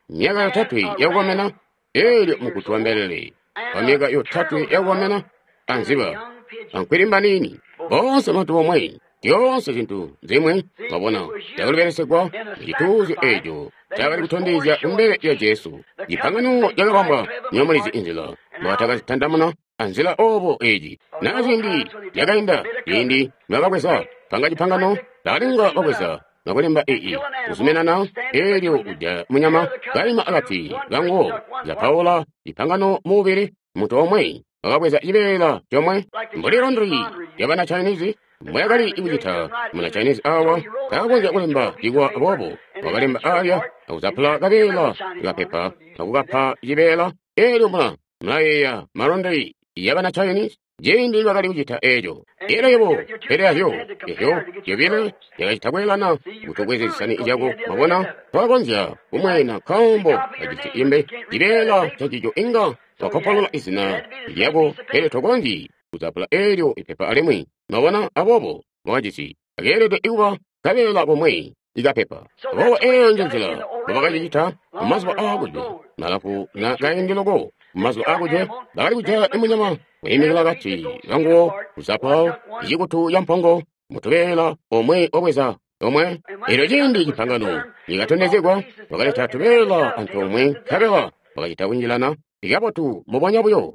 myaka yotatwe yakukomena. Elyo mukutu wa mbelele wa myaka yotatwe yakukomena, anziba ankwilimba nini, boonse bantu bomwe, zyoonse zintu zimwe. Mwabona, cakali mucituuzyo eeco cakali kutondezya kumbele lya Jesu. Cipangano cakabambwa nyomulizi inzila mbwatakazitandamuna anzila obo eeci. Na ciindi lyakainda, ciindi nibakabweza panga cipangano, bakalinga babweza nakulemba ii kuzuminana. Elyo uja munyama kalima akati kanguwo, zapaula cipangano mubili. Muntu omwe wakabweza cibeela comwe, mbuli londri yabana Chinese mbwayakali kucita. Muna Chinese awa takakonzya kulemba cikwa, boobo wakalemba alya akuzapula kabeela kapepa akukapa cibeela. Elyo mula mulayeeya malondri yabana Chinese ciindi bakali kucita eeco. Elyo yebo pele azyo ezyo zyobile zyakacita kweelana kuti ubweze zisani zyako. Mwabona, twakonzya kumwena nkaambo kajisi imbe cibeela cacico inga wakopolola izina lyako, pele tokonzyi kuzapula elyo ipepa alimwi. Mwabona, aboobo mwakajisi akeelede kuba kabeela komwe ikapepa. Aboobo eeyo nje nzila mbobakacicita mumazuba aakujwe malafu na kaindi loko. Mumazuba aakujwe bakali kujaya imunyama kwiimikila akati kanguwo, kuzapa icikutu ca mpongo mutubeela omwe wabweza omwe. Elyo ciindi cipangano nikatondezegwa, bakaleta tubeela antoomwe, nkabela bakacita kunjilana ikabotu mbubonya buyo.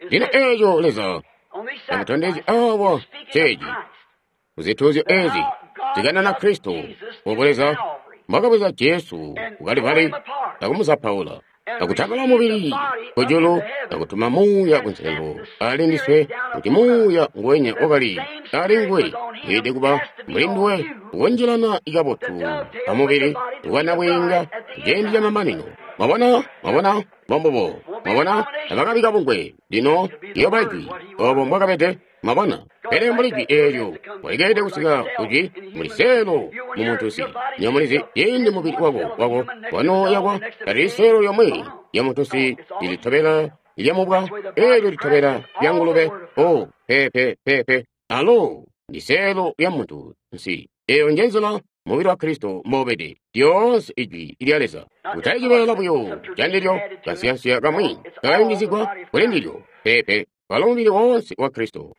Lino eeco Leza amutondezye awa ceeci kuzituuzyo eezi zikanana Kristo, obo Leza mbwakabweza Jesu ku Kalivali akumuzapaula, akutambala mubili kujulu, akutuma Muuya kunselelo ali ndiswe, kuti Muuya nguwenya wakali ali nguwe weelede kuba muli nduwe, ukunjilana ikabotu amubili wanabwiinga ciindi camamanino. Mwabona, mwabona, mbombubo. Mwabona, tabakabika bungwe. Lino liyoba jwi obo mbwakabede. Mwabona, pele mbuli jwi eelyo walikeelede kusika kujwi muli seelo mu muntunsi. Nyomulizi ciindi mubili wako wako wanoyakwa, talili seelo yomwe ya muntunsi ilitobela lyamubwa, eelyo litobela lya ngulube. O pepe pepe, alo ndi seelo lya muntu nsi. Eeyo nje nzila mubili wa Kristo mboubede, lyoonse ijwi lya Leza. Kutali cibeela buyo candilyo, kansiyansiya kamwi kakayungizigwa kuli ndilyo, pepe, walo mubili woonse wa Kristo.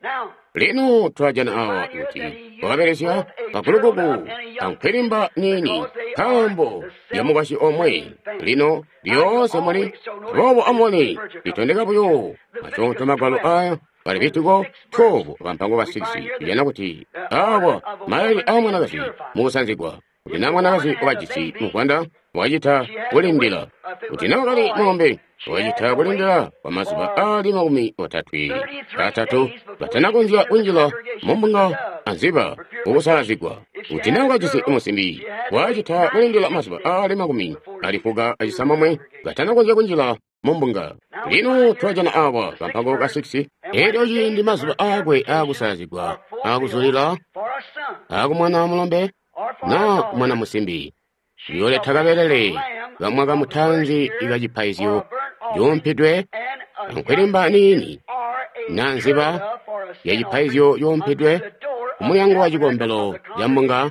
Lino twajana awa kuti wakabelesya kagulugugu ankwilimba niini nkaambo ya mukwasyi omwe. Lino lyoonse muli boobo amubone litondeka buyo masyoonto magwalo aya. Ka Levitiko twelve kampango ka six tujana kuti awa malayilile aa mwanakazi mukusanzigwa, kuti naa mwanakazi wakajisi muvwanda wakacita kulindila, kuti naa wakali mulombe wakacita kulindila kwa mazuba aali makumi otatwe atatu katanakonzya kunjila mumbunga anziba kukusalazigwa, kuti naa wakajisi musimbi wakacita kulindila mazuba aali makumi ali fuka acisamomwe katanakonzya kunjila mumbunga. Lino twajana awa kampango ka six. Elyo ciindi mazuba aakwe aakusalazigwa aakuzulila aakumwana mulombe naa mwana musimbi, uyooleta kabelele kamwaka mutanzi ikacipaizyo cuumpidwe ankwilimba niini naa nziba yacipaizyo cuumpidwe kumulyango wa cikombelo ca mbunga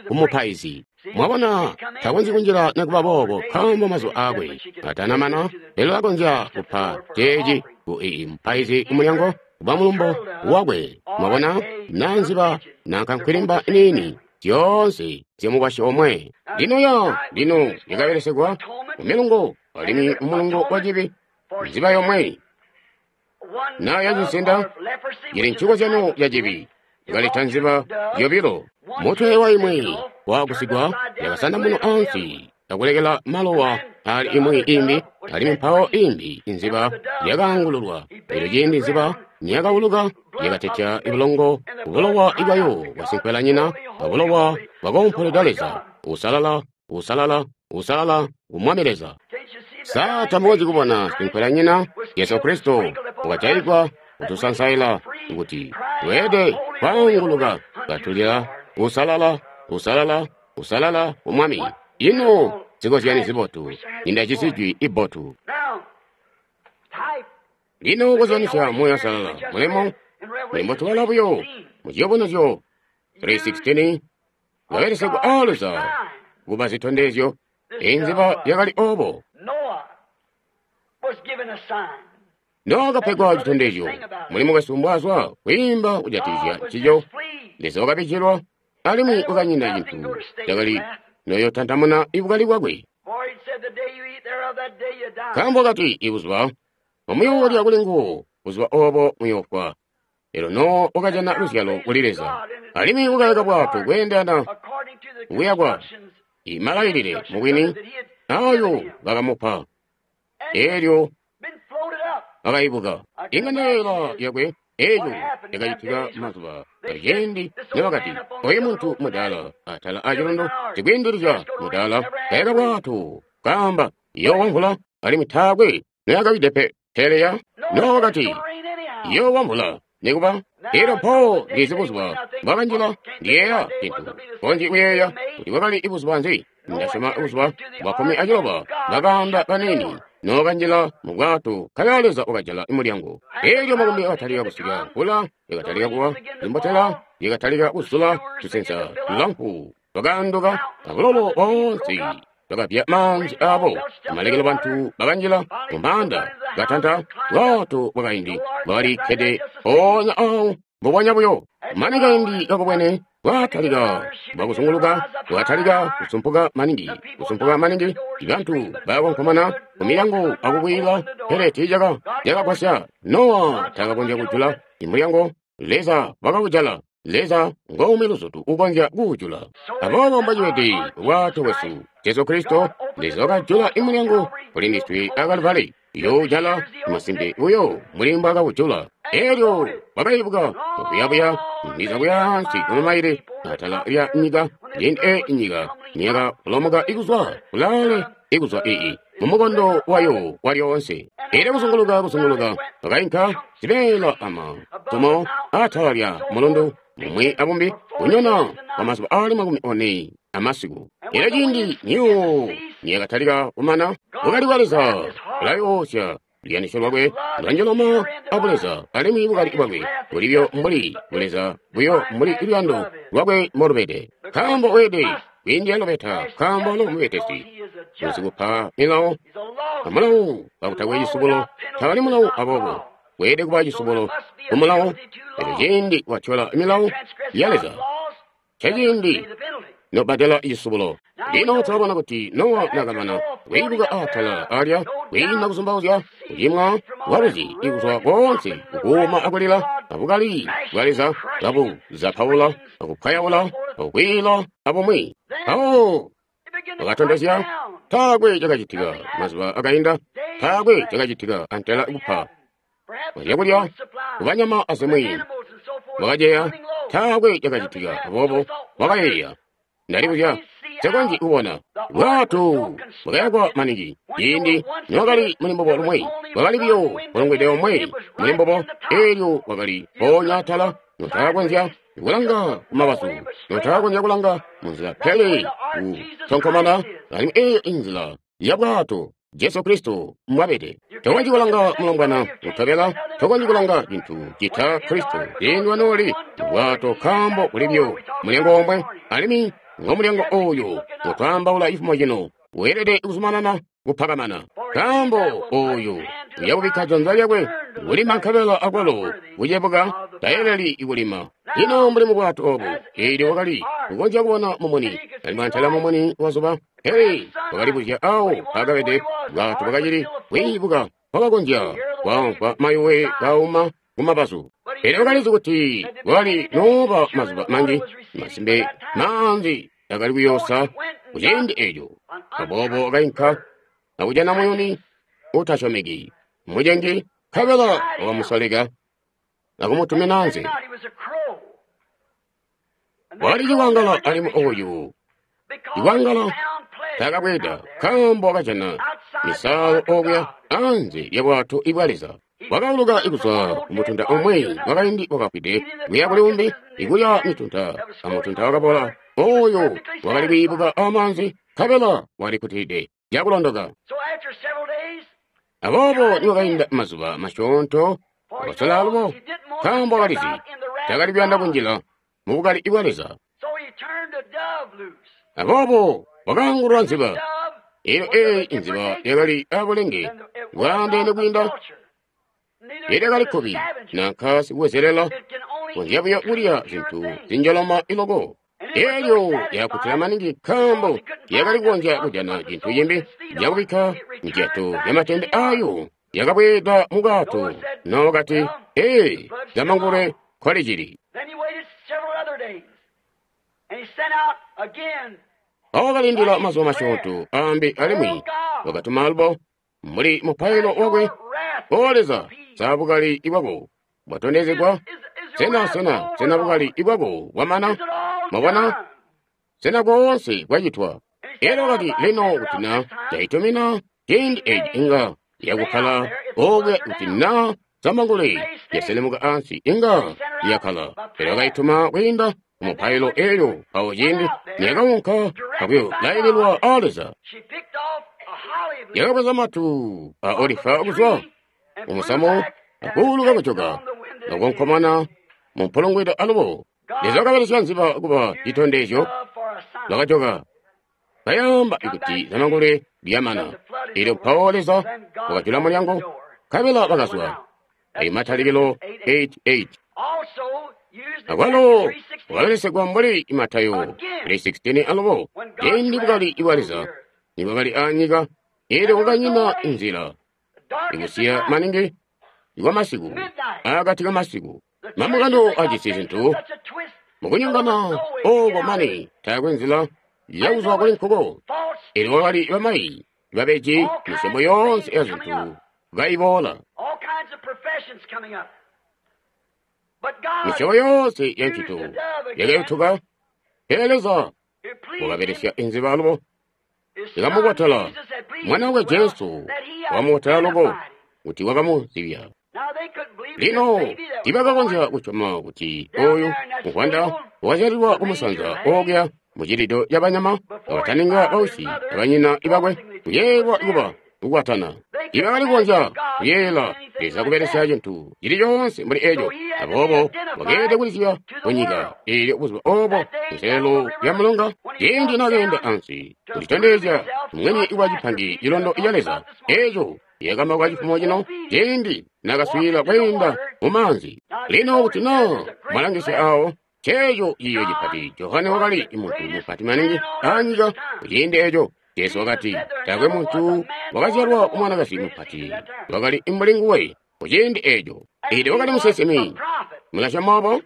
kumupaizi. Mwabona, takonzyi kunjila nikuba boobo nkaambo mazuba aakwe atanamana. Lelo akonzya kupa ceeci ku ii mupaizi kumulyango kuba mulumbo wakwe. Mwabona, naa nziba nanka nkwilimba niini Zyoonse zyamukwasyi omwe. Lino ya lino yakabelesegwa mumilungo alimwi mumulungo wa cibi nziba yomwe na yacinsenda ili ncikozyano ya cibi yakaleta nziba yobilo. Mutwe wa imwi wakusigwa yakasandamuna ansi akulekela malowa ali imwi imbi, alimwi mpawo imbi inziba yakaangululwa. Elyo ciindi nziba niyakauluka yakatetya ibulongo bulowa ibwayo bwasinkwelanyina abulowa bwakoompoledwa Leza. Usalala, usalala, usalala ku Mwami Leza. Sa tamukonzyi kubona sinkwelanyina Yesu Kristo wakajayigwa kutusansaila kuti tweede kwaanguluka katulila usalala, usalala, usalala ku Mwami. Ino zikozyani zibotu indajisi jwi ibbotu. Lino kozyanisya Muuya Uusalala mulimo mulimo tubala buyo mu Ciyubunuzyo three sixteen kabelesegwa a Leza kuba zitondezyo. Inziba yakali obo. Nowa wakapegwa citondezyo. Mulimo wesu mbwazwa kwiimba kujatikizya ncico. Leza wakabijilwa alimwi wakanyina cintu cakali noyotantamuna ibukali bwakwe. Nkaambo kati ibuzuba omuyoolya kuli nguwo, buzuba obo muyoofwa. Elyo Nowa wakajana luzyalo kuli Leza, alimwi wakayaka bwato kweendelana kuyakwa imalailile mubwini ayo bakamupa. Elyo akaibuka ing'anda yakwe. Eco yakacitika mazuba aciindi nibakati oyu muntu mudaala atala acilundu cikwiindilizya mudaala kayaka bwato kaamba iyoowa mvula alimwi taakwe noyakawide pe. Peleya Nowa wakati iyoowa mvula nikuba. Elyo mpawo ndizi buzuba bwakanjila ndiyeeya cintu konji kuyeeya kuti bwakali buzuba nzi. Ndasyoma buzuba bwa kkumi aciloba bakaanda kanini nokanjila mu bwato kaya Leza wakajala mulyango. Elyo makumbi akatalika kusika, mvula yakatalika kuwa, zimbotela yakatalika kuzula, tusensa tulamfu twakaanduka, abulolo boonse twakapya maanzi abo. Amalekelo bantu bakanjila mu maanda katanta bwato bwakaindi bwakali kkede mpoonya awo mbubonya buyo. Mane kaindi kakubwene bwatalika bwakuzunguluka, bwatalika kusumpuka maningi, kusumpuka maningi. Bantu bakonkomana ku milyango akukwiila, pele tiicaka yakagwasya. Nowa takakonzya kujula imulyango, Leza wakawujala. Leza ngomwe luzutu ukonzya kuwujula. Aboobo mbocibede bwato bwesu Jesu Kristo, Leza wakajula imulyango kuli ndiswe a Kalivali. Yoojala masimpe buyo mbuli mbwaakawujula. Elyo wakaibuka buyabuya ndiza buyaansi kumamaile atala lya nyika, ciindi e nyika niyakapolomoka ikuzwa kulaale ikuzwa ii mumukondo wayo walyoonse. Elyo kuzunguluka kuzunguluka wakainka zibeela ama tumo atala lya mulundu mumwi abumbi kunyona kwa mazuba aali makumi one amasiku. Elyo ciindi niyo niyakatalika kumana, bukali bwa Leza bulayoosya luyandisyo lwakwe lwanjoloma abuleza, alimwi bukali bwakwe bulibyo mbuli buleza buyo mbuli luyando lwakwe mbolubede. Nkaambo weede kwiindila lubeta, nkaambo lo mubetesi usikupa milawo amulawo kakutakwe cisubulo tawali mulawo, aboobo weede kuba cisubulo kumulawo. Elyo ciindi watyola milawo ya Leza ceciindi nobbadela cisubulo. Lino tulabona kuti Nowa nakamana kwiibuka atala alya kwiina kuzumbauzya kucimwa kwaluzi ikuzwa koonse kukuuma akulila abukali bwa Leza kabuzapaula akupwayaula akukwiila abumwi. Mpawo wakatondezya taakwe cakacitika mazuba akainda, taakwe cakacitika antela kupa zyakulya kubanyama azimwi wakaceya, taakwe cakacitika. Aboobo wakayeeya, ndalibuzya nsekonzyi kubona bwato bwakayakwa maningi. Ciindi nowakali muli mbubo lumwi, bwakali buyo bulongwede omwe muli mbubo. Elyo bwakali mpoonya atala, notakakonzya kulanga kumabazu, notakakonzya kulanga munzila, pele kutonkomana. Alimwi eyo inzila ya bwato Jesu Kristo mwabede. Tokonzyi kulanga mulombwana utobela, tokonzyi kulanga cintu cita Kristo ciindi wanooli bwato, nkaambo kulibyo mulyango omwe, alimwi ngomulyango oyo utwaambaula cifumo cino weelede kuzumanana kupakamana, nkaambo oyo Uya kubikka janza lyakwe kulima nkabela akwalo kucebuka tayeleli kulima. Lino mbuli mubwato obu, eelyo wakali kukonzya kubona mumuni, alimwi antela mumuni wazuba, pele wakalibuzya awo mpaakabede. Bwato bwakacili kwiibuka, wakakonzya kwamvwa mayuwe kauma kumabazu. Pele wakalizi kuti kwakali nooba mazuba manji, masimpe maanzi akali kuyoosa kuciindi eeco. Aboobo wakainka akujana muyuni utasyomeki, mucengi, nkabela wakamusoleka akumutumina anze. Wakali cikwangala alimwi oyu cikwangala taakabweeda, nkaambo wakajana misaalo okuya anze lya bwato ibwa Leza. Wakauluka kuzwa kumutunta umwi wakaindi wakafwide kuya kuli umbi, ikulya mitunta, amutunta wakabola oyo wakali kwiibuka amaanzi, nkabela walikkutilide cakulondoka. Aboobo niwakainda mazuba masyoonto wakasola alubo, nkaambo wakalizi takali kuyanda kunjila mubukali bwa Leza. Aboobo wakaangulula nziba. Eelyo eeyi nziba yakali abulenge bwaandeene kwiinda lyakali kkubi nanka sikubwezelela, konzya buyo kulya zintu zinjoloma iloko. Eelyo yakutila maningi nkaambo yakali kukonzya kujana cintu cimbi cakubikka njato yamatende ayo. Yakabweeda mu bwato Nowa kati, ee, zamangulwe nkolicili. Awo wakalindila mazuba masyoonto ambi alimwi wakatuma alubo mbuli mupailo wakwe. O Leza, sa bukali bwako bwatondezegwa? Sena, sena, sena bukali bwako bwamana? Mwabona? Sena koonse kwacitwa? Elyo wakati, lino kuti na ndaitumina ciindi eci inga yakukkala okuya, kuti na zamangule yaselemuka ansi inga yakkala. Elyo wakaituma kwiinda mupailo elyo mpawo ciindi niyakaunka akuyolaililwa a Leza, yakabweza matu a olifa kuzwa mumusamu akuuluka kujoka akunkomana mumpulungwida alubo. Leza wakabelesya nziba kuba citondezyo. Lwakajoka kayamba kuti zamangule lyamana. Elyo mpawo Leza wakajula mulyango, nkabela bakazwa. Ayo Matalikilo eight eight. Akwalo wakabelesegwa mbuli Matayo three sixteen alubo. Ciindi bukali bwa Leza nibwakali anyika, elyo kwakanyina nzila ikusiya maningi ikwa masiku, akati kamasiku. Mamukano ajisi zintu mukunyongana oko mane taakwe nzila yakuzwa kuli nkuko. Elyo kwakali bamayi babeji misyobo yoonse ya zintu kaiboola, misyobo yoonse ya ncito yakayutuka. Pele Leza wakabelesya inziba alubo ikamubotela mwana wakwe Jesu, wakamubotela loko kuti wakamuzibya. Lino tiibakakonzya kusyoma kuti oyu muvwanda wakazyalilwa kumusanza okuya mucilido cabanyama kabataninga bausyi abanyina bakwe kuyeeyelwa kuba kukwatana. Tiibakali kukonzya kuyeeyela Leza kubelesya cintu cili coonse mbuli eco. Aboobo wakeelede kulizibya kunyika eelyo buzuba obo kunselelo lya mulonga, ciindi nakeenda ansi kulitondezya mwini wa cipangi cilondo ca Leza eco yakamba cifumo cino ciindi nakaswiila kweenda mumaanzi. Lino kuti na mwalangisya awo, ceeco ciiyo cipati. Johane wakali muntu mupati maningi anyika kuciindi eco. Jesu wakati taakwe muntu wakazyalwa kumwanakazi mupati wakali mbuli nguwe kuciindi eco. Ili wakali musinsimi. Mulasyoma obo?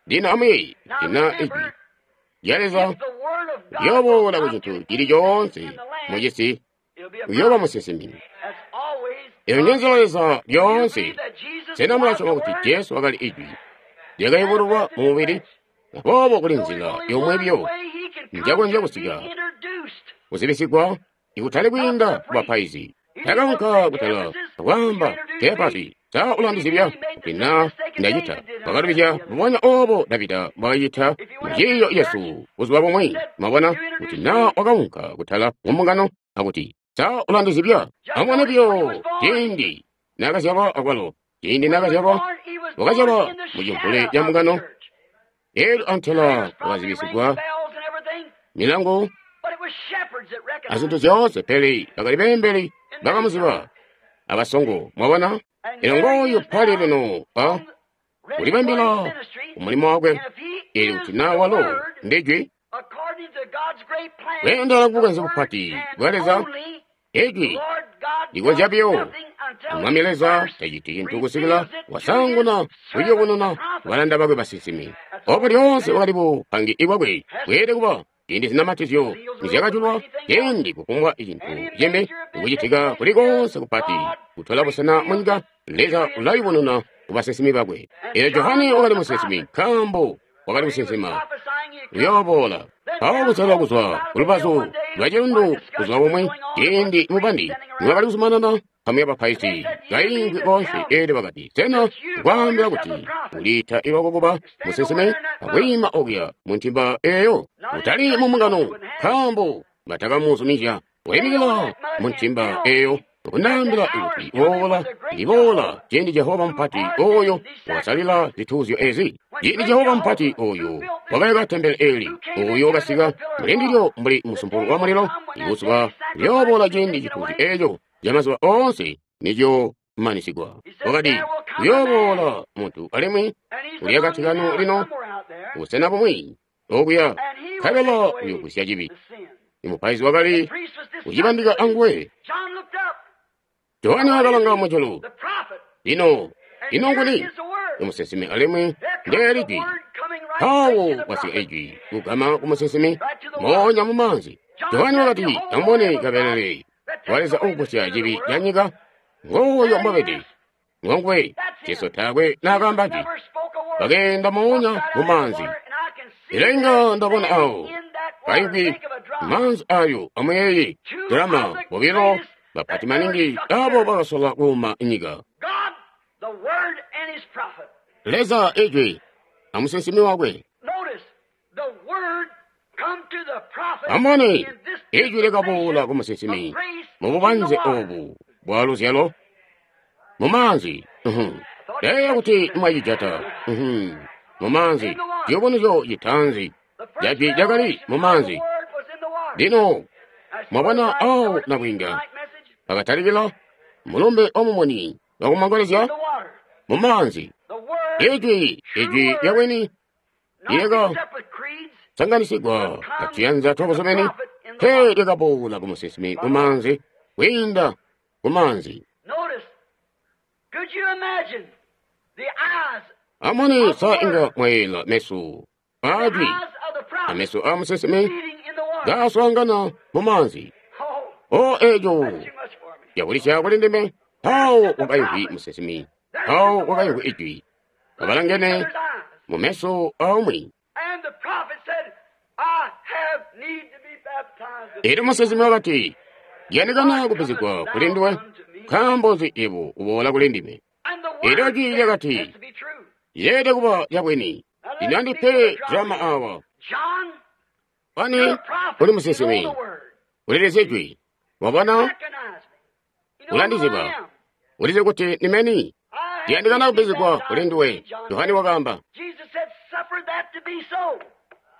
Lino amwi lina ijwi lya Leza liyoboola ku cintu cili coonse mucisi, uyooba musinsimi. Eyo nje Leza lyoonse. Sena mulasyoma kuti Jesu wakali ijwi lyakayubululwa mu mubili? Aboobo kuli nzila yomwe biyo njakonzya kusika kuzibisigwa ikutali kwiinda kubapaizi. Takaunka kutala akwaamba Kefasi, sa ulandizibya kuti na ndacita. Wakalubizya mbubonya obo Davida mbwakacita muciiyo Yesu buzuba bumwi. Mwabona kuti na wakaunka kutala mumbungano akuti sa ulandizibya. Amubone biyo ciindi nakazyalwa akwalo ciindi nakazyalwa wakazyalwa mucimvule ca mbungano. Elyo antela wakazibisigwa milangu azintu zyoonse, pele bakali beembeli bakamuziba. abasongo. Mwabona? Eno ngooyu pali lino a kulibambila umulimo wakwe. Ili kuti na walo ndijwi kweendela kubukanze bupati bwa Leza, ijwi likonzya biyo. Mwami Leza taciti cintu kusikila wasanguna kuyubununa balanda bakwe basinsimi. Obo lyoonse wakali bupangi bwakwe bweelede kuba ciindi zinamatizyo nizyakajulwa, ciindi kufumbwa cintu cimbi kucitika kuli konse kupati kutola busena munyika, Leza ulayubununa kubasinsimi bakwe. Elyo Johane wakali musinsimi nkaambo wakali kusinsima uyooboola. Mpawo kusalwa kuzwa kulubazu lwa cilundu kuzwa bumwi, ciindi mubandi niwakali kuzumanana nkamu ya bapaizi kaingwi boonse, eelyo bakati, sena nkwaambila kuti uliita lwako kuba musinsimi akwiima okuya mu ntimba eeyo? Utali mu mbungano, nkaambo batakamuzumizya kuyimikila mu ntimba eeyo. Kundaambila kuti boola, ndiboola ciindi Jehova mupati oyo wakasalila zituuzyo ezi. Ciindi Jehova mupati oyo wakayaka tempele eli, oyo wakasika mulindilyo mbuli musumpulo wa mulilo, ibuzuba lyooboola ciindi cituuzyo eeco camazuba oonse nicyomanisigwa. Wakati uyooboola muntu alimwi uli akati kanu lino busena bumwi okuya, nkabela uyogwisya cibi. Imupaizi wakali kucibandika anguwe. Johane wakalanga mujulu. Lino, ino nguni? Umusinsimi alimwi ndeeli jwi. Mpawo kwasika ijwi kugama ku musinsimi moonya mu maanzi. Johane wakati, amubone kabelele wa Leza uugusya cibi ca nyika. Ngooyo mbwabede. Ngonguwe. Jesu taakwe naakaamba jwi. Bakeenda moonya mu maanzi. Elo inga ndabona awo kaingwi maanzi ayo amuyeeye drama bobilo bapati maningi abo bakasola kuuma nyika. Leza ijwi amusinsimi wakwe. Amubone ijwi lyakaboola ku musinsimi mu bubanze obu bwa luzyalo mu maanzi. Ndayeeya kuti mwacijata mu maanzi. Ciyubunuzyo citaanzi ca jwi cakali mu maanzi. Lino mwabona awo nabwiinga pakatalikila mulumbe wamumuni wakumangolezya mu maanzi. Ijwi, ijwi lyabwini lyaka sanganisigwa atuyanza twabuzumini, pe lyakaboola ku musinsimi mu maanzi, kwiinda ku maanzi. Amone sa inga mwayela meso ajwi ameso a musinsimi gaswaangana mu maanzi. O ejo yakulisya kuli ndime. Mpawo wakaimvwi musinsimi, mpawo wakaimvwi ijwi, kabalangene mu meso aumwi. Elyo musinsimi wakati, yandikana kupezegwa kuli nduwe, nkaambo nzi yebo uboola kuli ndime? Elyo jwi lyakati, yeelede kuba lyabwini. Lino andipe drama awa. Ani uli musinsimi, ulilizye jwi. Wabona? Ulandiziba. Ulizi kuti nimeni? Ndiyandikana kupezegwa kuli nduwe. Yohane wakaamba.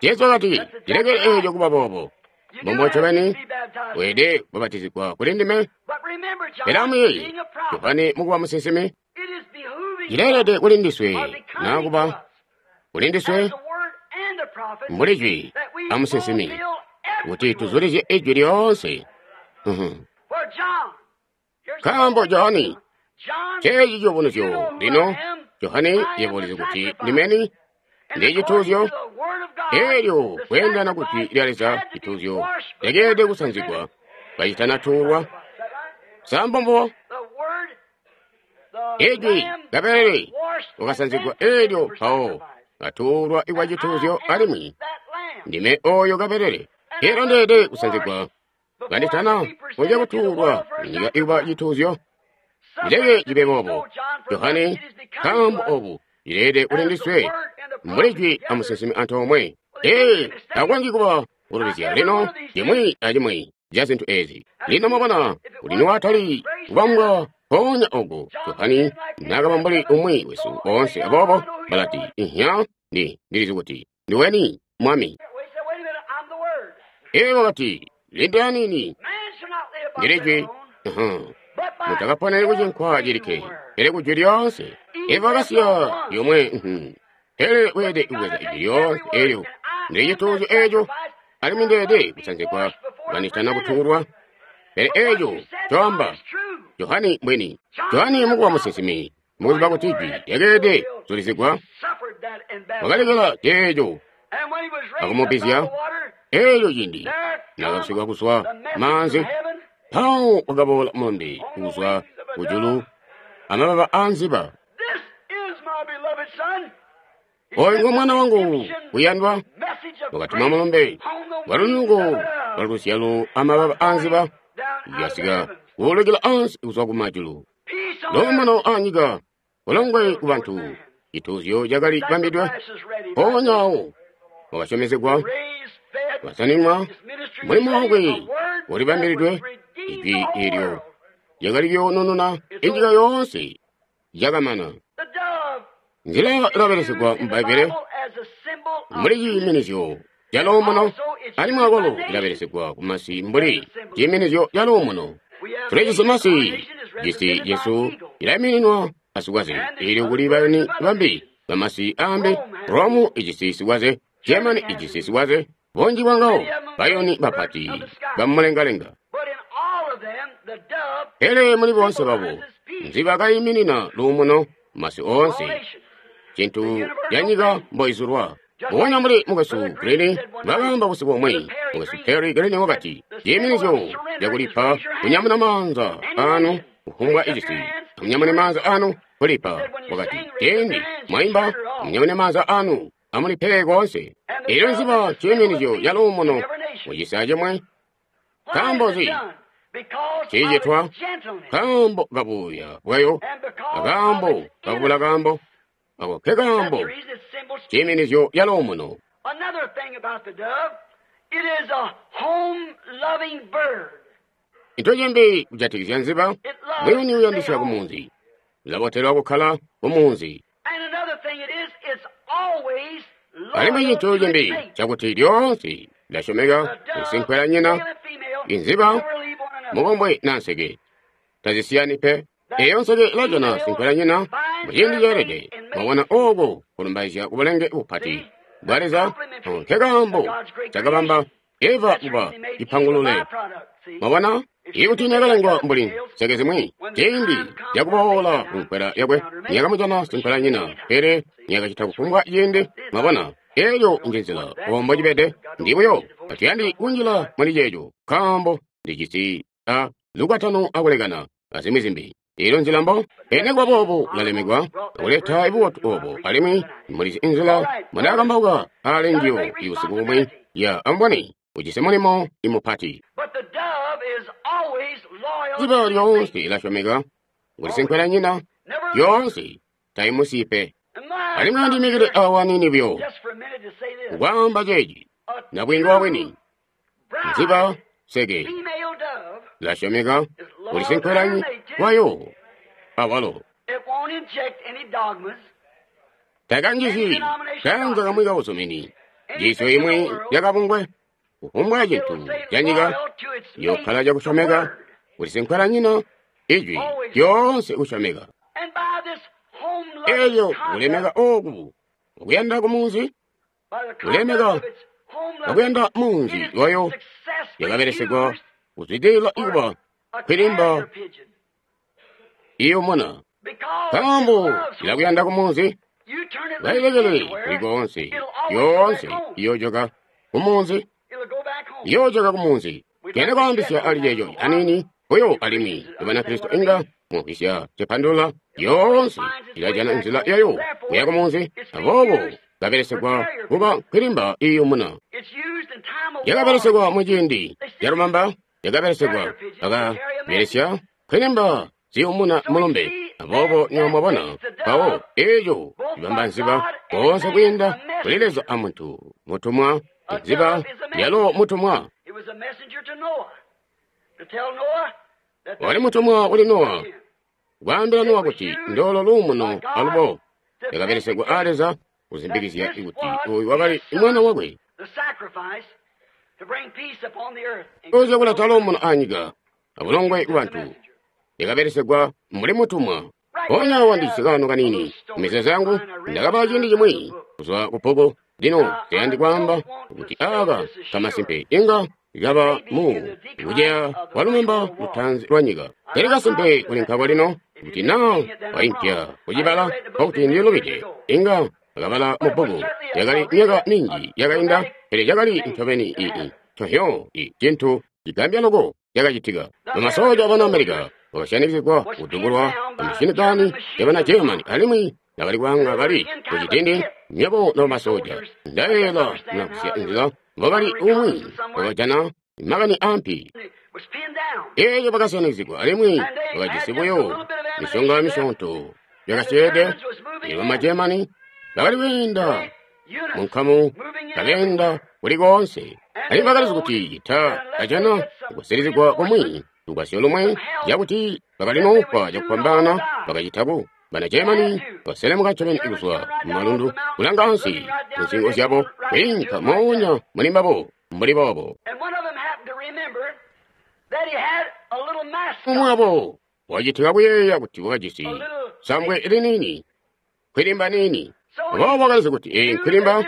Jesu wakati, ndilekele eeco kuba boobo. Mbombo ncobeni weelede kubabatizigwa kuli ndime. Pele amuyeeye, Yohane mukuba musinsimi, cileelede kuli ndiswe naakuba kuli ndiswe mbuli jwi amusinsimi kuti tuzulizye ijwi lyoonse. Nkaambo Johane, ceeci ciyubunuzyo lino. Johane yebo ulizi kuti ndimeni ndi cituuzyo. Elyo kweendana ku jwi lya Leza, cituuzyo lyakeelede kusanzigwa kacitanatuulwa. Sambombo ijwi kabelele wakasanzigwa elyo mpawo katuulwa ikwa cituuzyo, alimwi ndime oyo kabelele. Elyo ndeelede kusanzigwa kanditana konzya kutuulwa munyika ikuba cituuzyo. Ndileke cibe boobo, Johane, nkaambo obu cileelede kuli ndiswe mbuli jwi amusinsimi antoomwe. Ee, takonzyi kuba kulubizya lino cimwi acimwi ca zintu ezi. Lino mwabona kuti niwatali kubambwa mpoonya oku, Johane naakaba mbuli umwi wesu boonse. Aboobo balati, ihya, ndi ndilizi kuti ndiweni Mwami. Ee, wakati, lindila nini, ndili jwi. Mutakaponeni ku cinkwa cilikke, pele ku jwi lyoonse. Eva wakasiya yomwe, pele weelede kubweza ijwi lyoonse eelyo. Ndili cituuzyo eeco, alimwi ndeelede kusanzigwa kanditana kutuulwa. Pele eeco coamba Johani mbwini. Johani mukuba musinsimi, mukuziba kuti ijwi lyakeelede kuzulizigwa, wakalekela ceeco akumubizya. Eeco cindi naakabusigwa kuzwa maanzi, mpawo wakaboola mulumbe kuzwa kujulu amababa aanziba. Oyu ngo mwana wangu uyandwa, wakatuma mulumbe walunuko lwaluzyalo amababa aanziba, yasika kuulukila ansi kuzwa kumajulu. Luumuno anyika, bulongwe ku bantu, cituuzyo cakali bambidwe, mpoonya awo wakasyomezegwa, wasaninwa, mulimo wakwe ulibambilidwe, ijwi eelyo lyakali kuyoonununa inyika yoonse yakamana. Nzila ilabelesegwa mu Bbaibbele mbuli ciiminizyo ca luumuno, alimwi akwalo ilabelesegwa kumasi mbuli ciiminizyo ca luumuno. Tulijisi masi, cisi cesu cilaimininwa asikwaze, eelyo kuli bayuni bambi bamasi aambi. Rome ijisi sikwaze, Germany ijisi sikwaze, bunji bwangawo bayuni bapati bamulengalenga. Pele muli boonse babo, nziba kayiminina luumuno masi oonse, cintu canyika mboizulwa. Mbubonya mbuli mukwesu Green bakaamba busiku bumwi, mukwesu Terry Green wakati, ciiminizyo cakulipa kunyamuna maanza anu kufumbwa icisi, amunyamune maanza anu kulipa. Wakati, ciindi mwaimba, amunyamune maanza anu amulipe koonse. Eelyo nziba ciiminizyo ca luumuno mucisi acimwe. Nkaambo nzi ciicitwa? Nkaambo kabuuya bwayo, akaambo kakubula kaambo, ako ke kaambo ciiminizyo ca luumuno. Into cimbi kujatikizya nziba, muyuni uyandisya kumunzi, ulabotelwa kukkala kumunzi. Alimwi cintu cimbi cakuti lyoonse lilasyomeka kusinkwela nyina. Inziba mukombwe na nseke tazisiyani pe. Eyo nseke ilajana sinkwela nyina muciindi ceelede. Mwabona ooko kulumbaizya kubulenge bupati bwa Leza, nke kaambo cakabamba Eva kuba cipangulule. Mwabona ikuti nakalengwa mbuli nseke zimwi, ciindi cakuboola kunkwela yakwe niyakamujana sinkwela nyina, pele niyakacita kufumbwa ciindi. Mwabona eyo njenzila ombo cibede. Ndi buyo tatuyandi kunjila muli ceeco, nkaambo ndijisi a lukwatano akulekana azimwi zimbi. Eelyo nzila mbo pele nikuba boobo ulalemekwa akuleta bubotu obo, alimwi mulizi inzila mwanaakambauka aali njiyo ibusiku bumwi ya amubone ujisi mulimo imupati. Nziba lyoonse ilasyomeka kuti sinkwela nyina lyoonse taimusiyi pe. Alimwi andimikile awa aniini buyo kukwaamba ceeci, nabwiinga wabwini nziba seke lasyomeka kuti sinkwela wayo awalo takanjizi kaanza kamwi kauzumini njiisyo imwi yakabungwe kufumbwa cintu canyika yokkala cakusyomeka kuti sinkwela nyina ijwi lyoonse kusyomeka. Elyo kulemeka oku ukuyanda kumunzi, kulemeka akuyanda munzi wayo yakabelesegwa kuzwidilila ikuba kwilimba iyomona. Nkaambo ilakuyanda kumunzi, bailekele kuli koonse, yoonse iyojoka kumunzi, iyojoka kumunzi. Kuyanda kwaambisya ali ceeco aniini buyo alimwi Banakristo inga mumvwisya cipandulula yoonse ilajana nzila yayo kuya kumunzi, aboobo kabelesegwa kuba nkwilimba iyumuna. Yakabelesegwa muciindi calumamba, yakabelesegwa akabelesya nkwilimba ziyumuna mulumbe. Aboobo nywebo mwabona mpawo eeco cibamba nziba koonse kwiinda kuli Leza a muntu mutumwa, nziba yalo mutumwa. Wali mutumwa kuli Nowa, kwaambila Nowa kuti ndolo luumuno alubo yakabelesegwa a Leza kuzimbikizya kuti oyu wakali mwana wakwe. Oza kuleta luumuno anyika abulongwe ku bantu. lyakabelesegwa mbuli mutumwa. Mpoonya awa ndijisi kaano kaniini mumizeezo yangu ndakabala ciindi cimwi kuzwa ku bbuku. Lino nsiyandi kwaamba kuti aaka kamasimpe inga kaba mu kuceya kwa lumamba lutaanzi lwa nyika. Pele kasimpe kuli nkako lino kuti naa waimpya kucibala nkokuti ndilubide. Inga akabala mu bbuku yakali myaka minji yakainda, pele cakali ncobeni ii ncohyo i cintu cigambya loko cakacitika. Bamasoja abana America bakasyanikizigwa kudubulwa amashini yabana Germany alimwi bakali kwaanga bali kucidindi. Nywebo nobasoja ndayeeyela munakusya nzila mbobali umwi wakajana makani ampi. Eeyo bakasyanikizigwa alimwi bakajisi buyo misonga misyoonto yakasyeede. Bama Germany bakali kweenda munkamu kabeenda kuli koonse, alimwi bakalizi kuti cita kajana kusilizigwa kumwi lugwasyo lumwe cakuti bakali noofwa cakufwambaana bakacitaku. Bana Germany baselemuka ncobeni kuzwa mumalundu kulanga ansi munsingo zyabo kwiinka moonya muli mbabo mbuli boobo. Umwi wabo wacitika kuyeeya kuti wakajisi sambwe liniini, nkwilimba niini. Aboobo wakalizi kuti eyi nkwilimba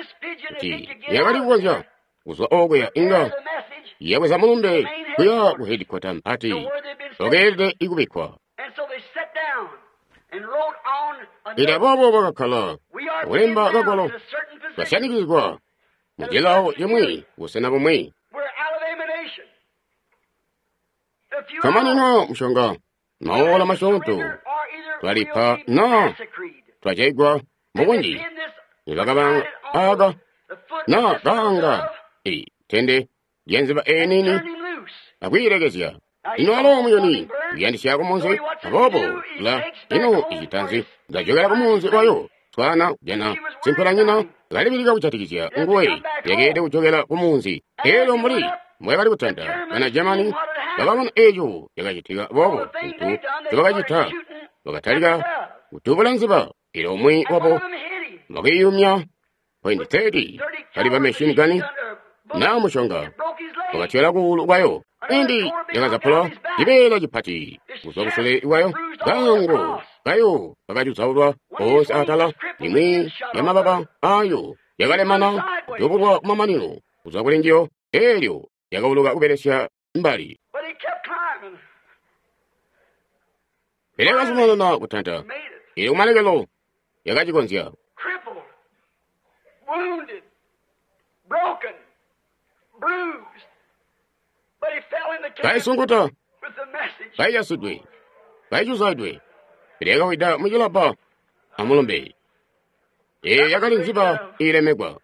kuti yakali kukonzya kuzwa okuya inga yabweza mulumbe kuya ku hedikwata mpati wakeelede ikubikkwa. Pele aboobo bakakkala akulemba kagwalo kasyanikizigwa mu cilawo cimwi busena bumwi. Kamanino mushonga maola masyoonto twalipa naa twajaigwa mubunji. Nibakabanga aka naa kaanga i tende lyanziba eenini akwiilekezya. Ino alo muyuni uyandisya kumunzi, aboobo la ino icitanzi ndajokela kumunzi wayo twana kujana simpelanyina kalibilika kujatikizya nguwe yakeelede kujokela kumunzi. Eelyo mbuli mbwakali kutanda bana Germany bakabona eeco cakacitika boobo cintu ncobakacita bakatalika kudubula nziba. Eelyo umwi wabo wakiyumya point thirty kali ba machine gun naa mushonga wakatyola kuulu kwayo. Indi yakazapula cibeela cipati kuzwa kusule kwayo, kaango kayo kakacuzaulwa koonse atala. Imwi yamababa ayo yakalemana kudubulwa kumamanino kuzwa kuli njiyo, eelyo yakauluka kubelesya mbali. Pele yakazumanana kutanta, eelyo kumalekelo yakacikonzya. Kaisunkuta, kaiyasidwe, kaicuzaidwe, pele yakawida mucilabba amulumbe. Eeyo yakali nziba iilemekwa.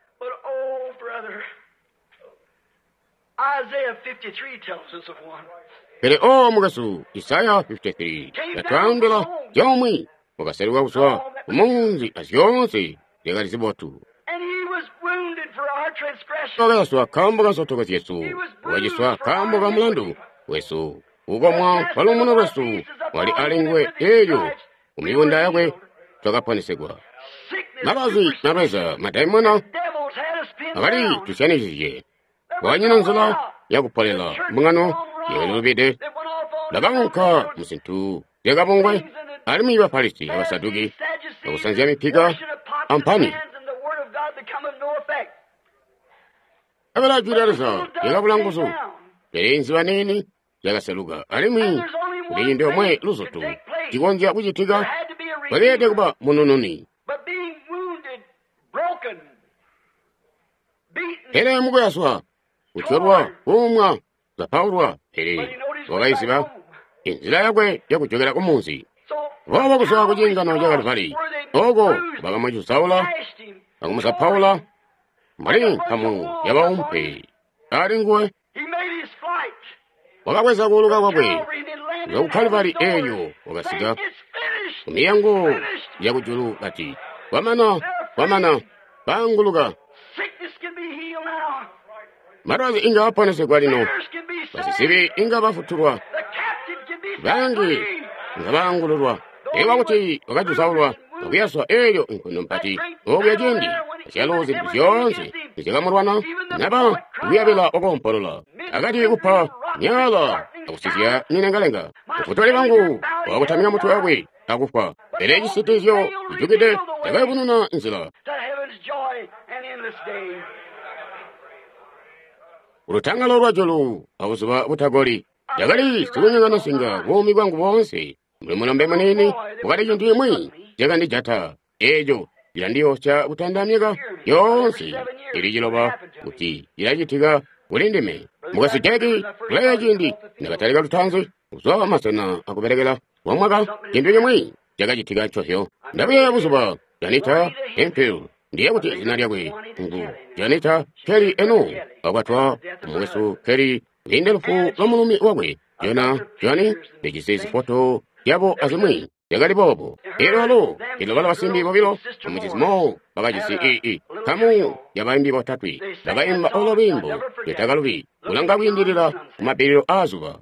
Pele o mukwesu, Isaya fifty-three yatwaambila zyomwe wakaseluka kuzwa kumunzi azyoonse zyakali zibotu. Wakayaswa nkaambo ka nsotoko zyesu, wakaciswa nkaambo ka mulandu wesu. Kukomwa kwa luumuno lwesu wali alinguwe, eelyo kumibunda yakwe twakaponesegwa. Malwazi malweza madaimona akali tusyanikizye. Kwakanyina nzila yakupolela mbungano yakalilubide. Bakaunka muzintu zyakabungwe alimwi Bafarisi abasaduki bakusanzya mipika ampani. Abela jwi lya Leza lyakabula nguzu, pele nziba niini yakaseluka alimwi kuli ciindi omwe luzutu cikonzya kucitika bakeelede kuba munununi. Pele mukuyaswa, kutyolwa, kuumwa, zapaulwa, pele wakayiziba inzila yakwe yakujokela kumunzi. Boobo kuzwa ku ciingano ca Kaluvali, oko bakamucuzaula akumuzapaula mbuli nkamu yabaumpe ali nguwe. Wakabweza kuuluka kwakwe kuzwa ku Kaluvali, eelyo wakasika kumiyango yakujulu kati, kwamana, kwamana, baanguluka. Malwazi inga aponesegwa lino, basizibi inga bafutulwa, bangi nga baangululwa. Ewa kuti wakacuzaulwa akuyaswa eelyo inkondo mpati okuya ciindi azyalo zintu zyoonse nizyakamulwana naba kuyabila okoompolola akati kupa myaala akusizya milengalenga. Mufutuli wangu wakutamika mutwe wakwe akufwa, pele cisitilizyo cijukide cakayubununa nzila. Ulutangalo lwa julu abuzuba butagoli. Ndakali sikunyongana nsinga buumi bwangu boonse. Mbuli mulombe muniini wakali cintu cimwi cakandijata eeco cilandiyoosya kutanda myaka yoonse ili ciloba kuti cilacitika kuli ndime. Mukwesu Jeki kuleya ciindi ndakatalika lutanzi kuzwa masena akubelekela kwa mwaka cintu cimwi cakacitika ncozyo. Ndabuyeeya buzuba Janita Hemphill, ndiye kuti zina lyakwe ngu Janita Kelly eno wakwatwa mukwesu Kelly kwiinde lufu lwa mulumi wakwe Jona Johnny. Ndijisi zifoto zyabo azimwi zyakali boobo. Elyo alo ilo bala basimbi bobilo omucizi Mo bakajisi ii kamu yabaimbi botatwe bakaimba olo lwiimbo lwetakalubi kulanga kwiindilila kumabbililo aazuba.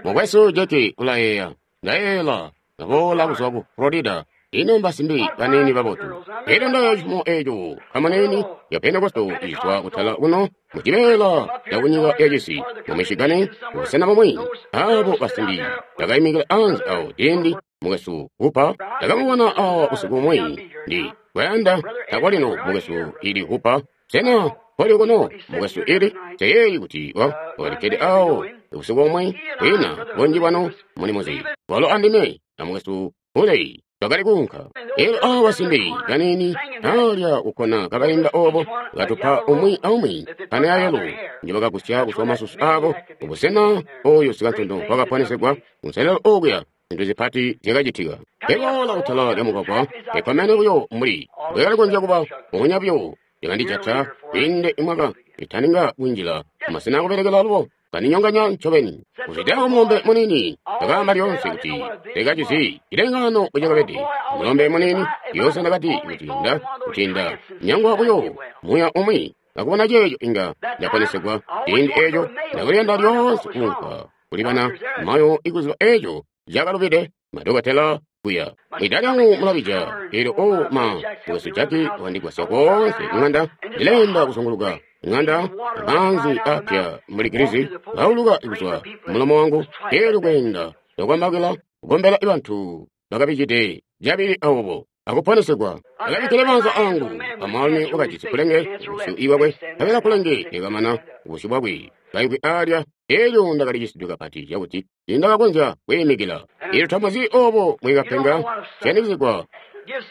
Mukwesu Jeki ulayeeya, ndayeeyela kaboola kuzwa ku Florida. Ino mbasimbi baniini babotu. Elyo ndayeeya cifumo eeco kamuniini ya Pentekosto izwa kutala kuno mucibeela cakunyika yacisi mu Michigan kubusena bumwi. Abo basimbi bakaimikila anze awo ciindi mukwesu Hooper ndakamubona awa busiku bumwi. Ndi kuyanda takwalino mukwesu ili Hooper. Sena koli kuno mukwesu ili seyeeyi kuti wa wakalikkede awo busiku bumwi kwina bunji bwanu mulimuzi walo andime na mukwesu Huley twakali kuunka. Elyo awa basimbi baniini alya kukkona kabaimba obo katupa umwi aumwi pane ayelo njibakagusya kuzwa masusu abo kubusena oyo sikantondo wakaponesegwa kunselelo okuya. Zintu zipati zyakacitika. Eboola kutala lya mugwagwa ekomene buyo mbuli bwekali konzya kuba mbubonya buyo yakandijata kwiinde imwaka itaninga kunjila mumasena akubelekela alubo kandinyonganya ncobeni. Kuzwidako mulombe muniini ndakaamba lyoonse kuti ndikacizi cilengano bwecakabede. Mulombe muniini lyoonse ndakati kuti nda kuti nda nyangwa buyo muya umwi akubona ceeco inga ndaponesegwa. Ciindi eeco ndakuliyanda lyoonse kuunka kuli bana mayo ikuziba eeco cakalubide madokotela kuya. Mwida lyangu mulabija elyo o ma mukwesu Jaki wandigwasya koonse kung'anda. Ndileenda kuzunguluka ng'anda amaanzi apya mbuli gilizi kauluka kuzwa mulomo wangu. Elyo kweenda ndakwambakila kukombela bantu bakabijide cabili awobo akuponesegwa. Akabikkile maanza angu amwaalumi wakajisi kulenge busyu iwakwe kabela kulenge likamana busyu bwakwe kaimvwi alya. Elyo ndakalicisidwe kapati cakuti tiindakakonzya kwiimikila. Elyo tamuzi obo mwikapenga syanikizigwa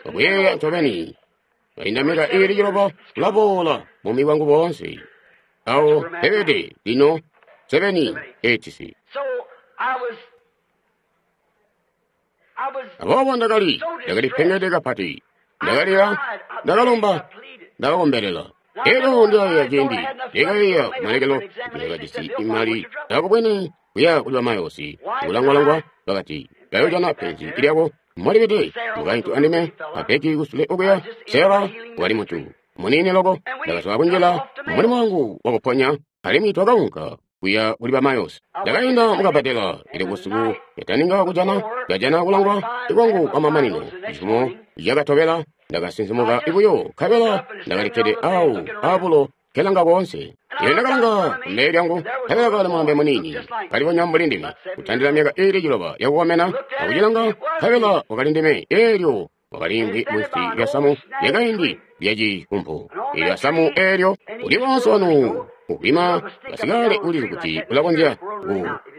akuyeeya ncobeni. Kainda myaka iili ciloba kulaboola buumi bwangu boonse. Awo pebede lino seveni eightisi. Aboobo ndakali ndakalipengede kapati. Ndakalira, ndakalomba, ndakakombelela. Elyo ndilayeeya ciindi ndikayeeya kumalekelo ndakajisi imali ndakubwene kuya kuli bamayosi kulangwalangwa bakati kayojana penzi lyako molibede mukaintu andime apeki kusule okuya. Sera wali muntu muniini loko. Ndakazwa kunjila mulimo wangu wakuponya alimwi twakaunka kuya kuli bamayosi. Ndakainda mukabadela ili busiku yataninga kujana ndajana kulangwa ikwangu kwamamanino. Cifumo cakatobela ndakasinzimuka ibuyo nkabela ndakalikkede awo abulo kelanga koonse. Elyo ndakalanga kumbele lyangu nkabela kali mulombe muniini kalibonya mbuli ndime kutandila myaka iili ciloba yakukomena. Akucilanga nkabela wakali ndime. Elyo wakaliimvwi munsi lya samu lyakaindi lyacikumpu. Elyo asamu eelyo uli woonse wanu ukwima kasikale ulizi kuti ulakonzya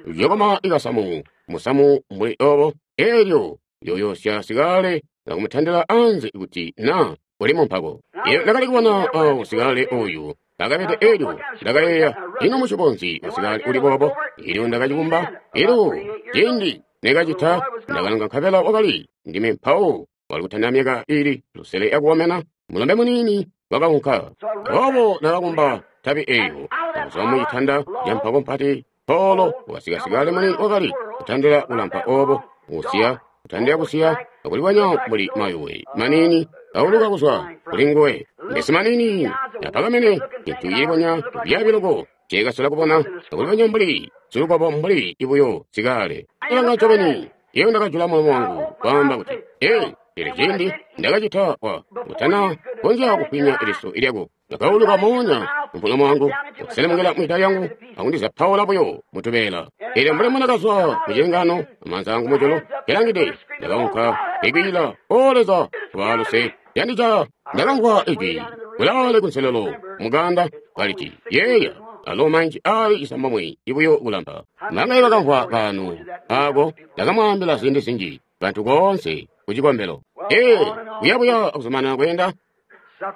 kuyokoma ikasamu musamu mbuli obo. Elyo yoyosya sikale akumutandila anze kuti na uli mumpako. Elyo ndakali kubona awo sikale oyu akabede. Elyo ndakayeeya, ino mucikonzi usikale uli boobo? Elyo ndakacikumba. Elyo ciindi nekacita ndakalanga nkabela wakali ndime mpawo wali kutandila myaka ili lusele yakukomena. Mulombe muniini wakaunka. Aboobo ndakakumba tabi eyo akuzwa mucitanda campako mpati polo wakasikasikale muni wakali kutandila kulampa obo kusiya kutandila kusiya akulibonya mbuli mayuwe maniini kauluka kuzwa kuli nguwe. Mbesi maniini apakamene cintu cilibonya kubyabi loko cekasola kubona akulibonya mbuli silukobo mbuli ibuyo sikale. Alanga ncobeni iyo ndakajula mulomo wangu kwaamba kuti, ee, Pele cindi ndakacita wa utana konzya kufwinya liso lyako, ndakauluka moonya mumulomo wangu, kuselemukila mwida lyangu, akundizapaula buyo mutubeela. Elyo mbuli mbundakazwa mucilengano, amaanza angu mujulu kelangide, ndakaunka ikwiila, O Leza, waluse, yandijaya. Ndakamvwa ijwi kulaale kunselelo muganda kaliti, yeeya, alo manji ali cisambomwe ibuyo kulampa. Bangaye bakamvwa kaano ako, ndakamwaambila ziindi zinji bantu koonse ku cikombelo. Ee, kuyabuya akuzumanana kweenda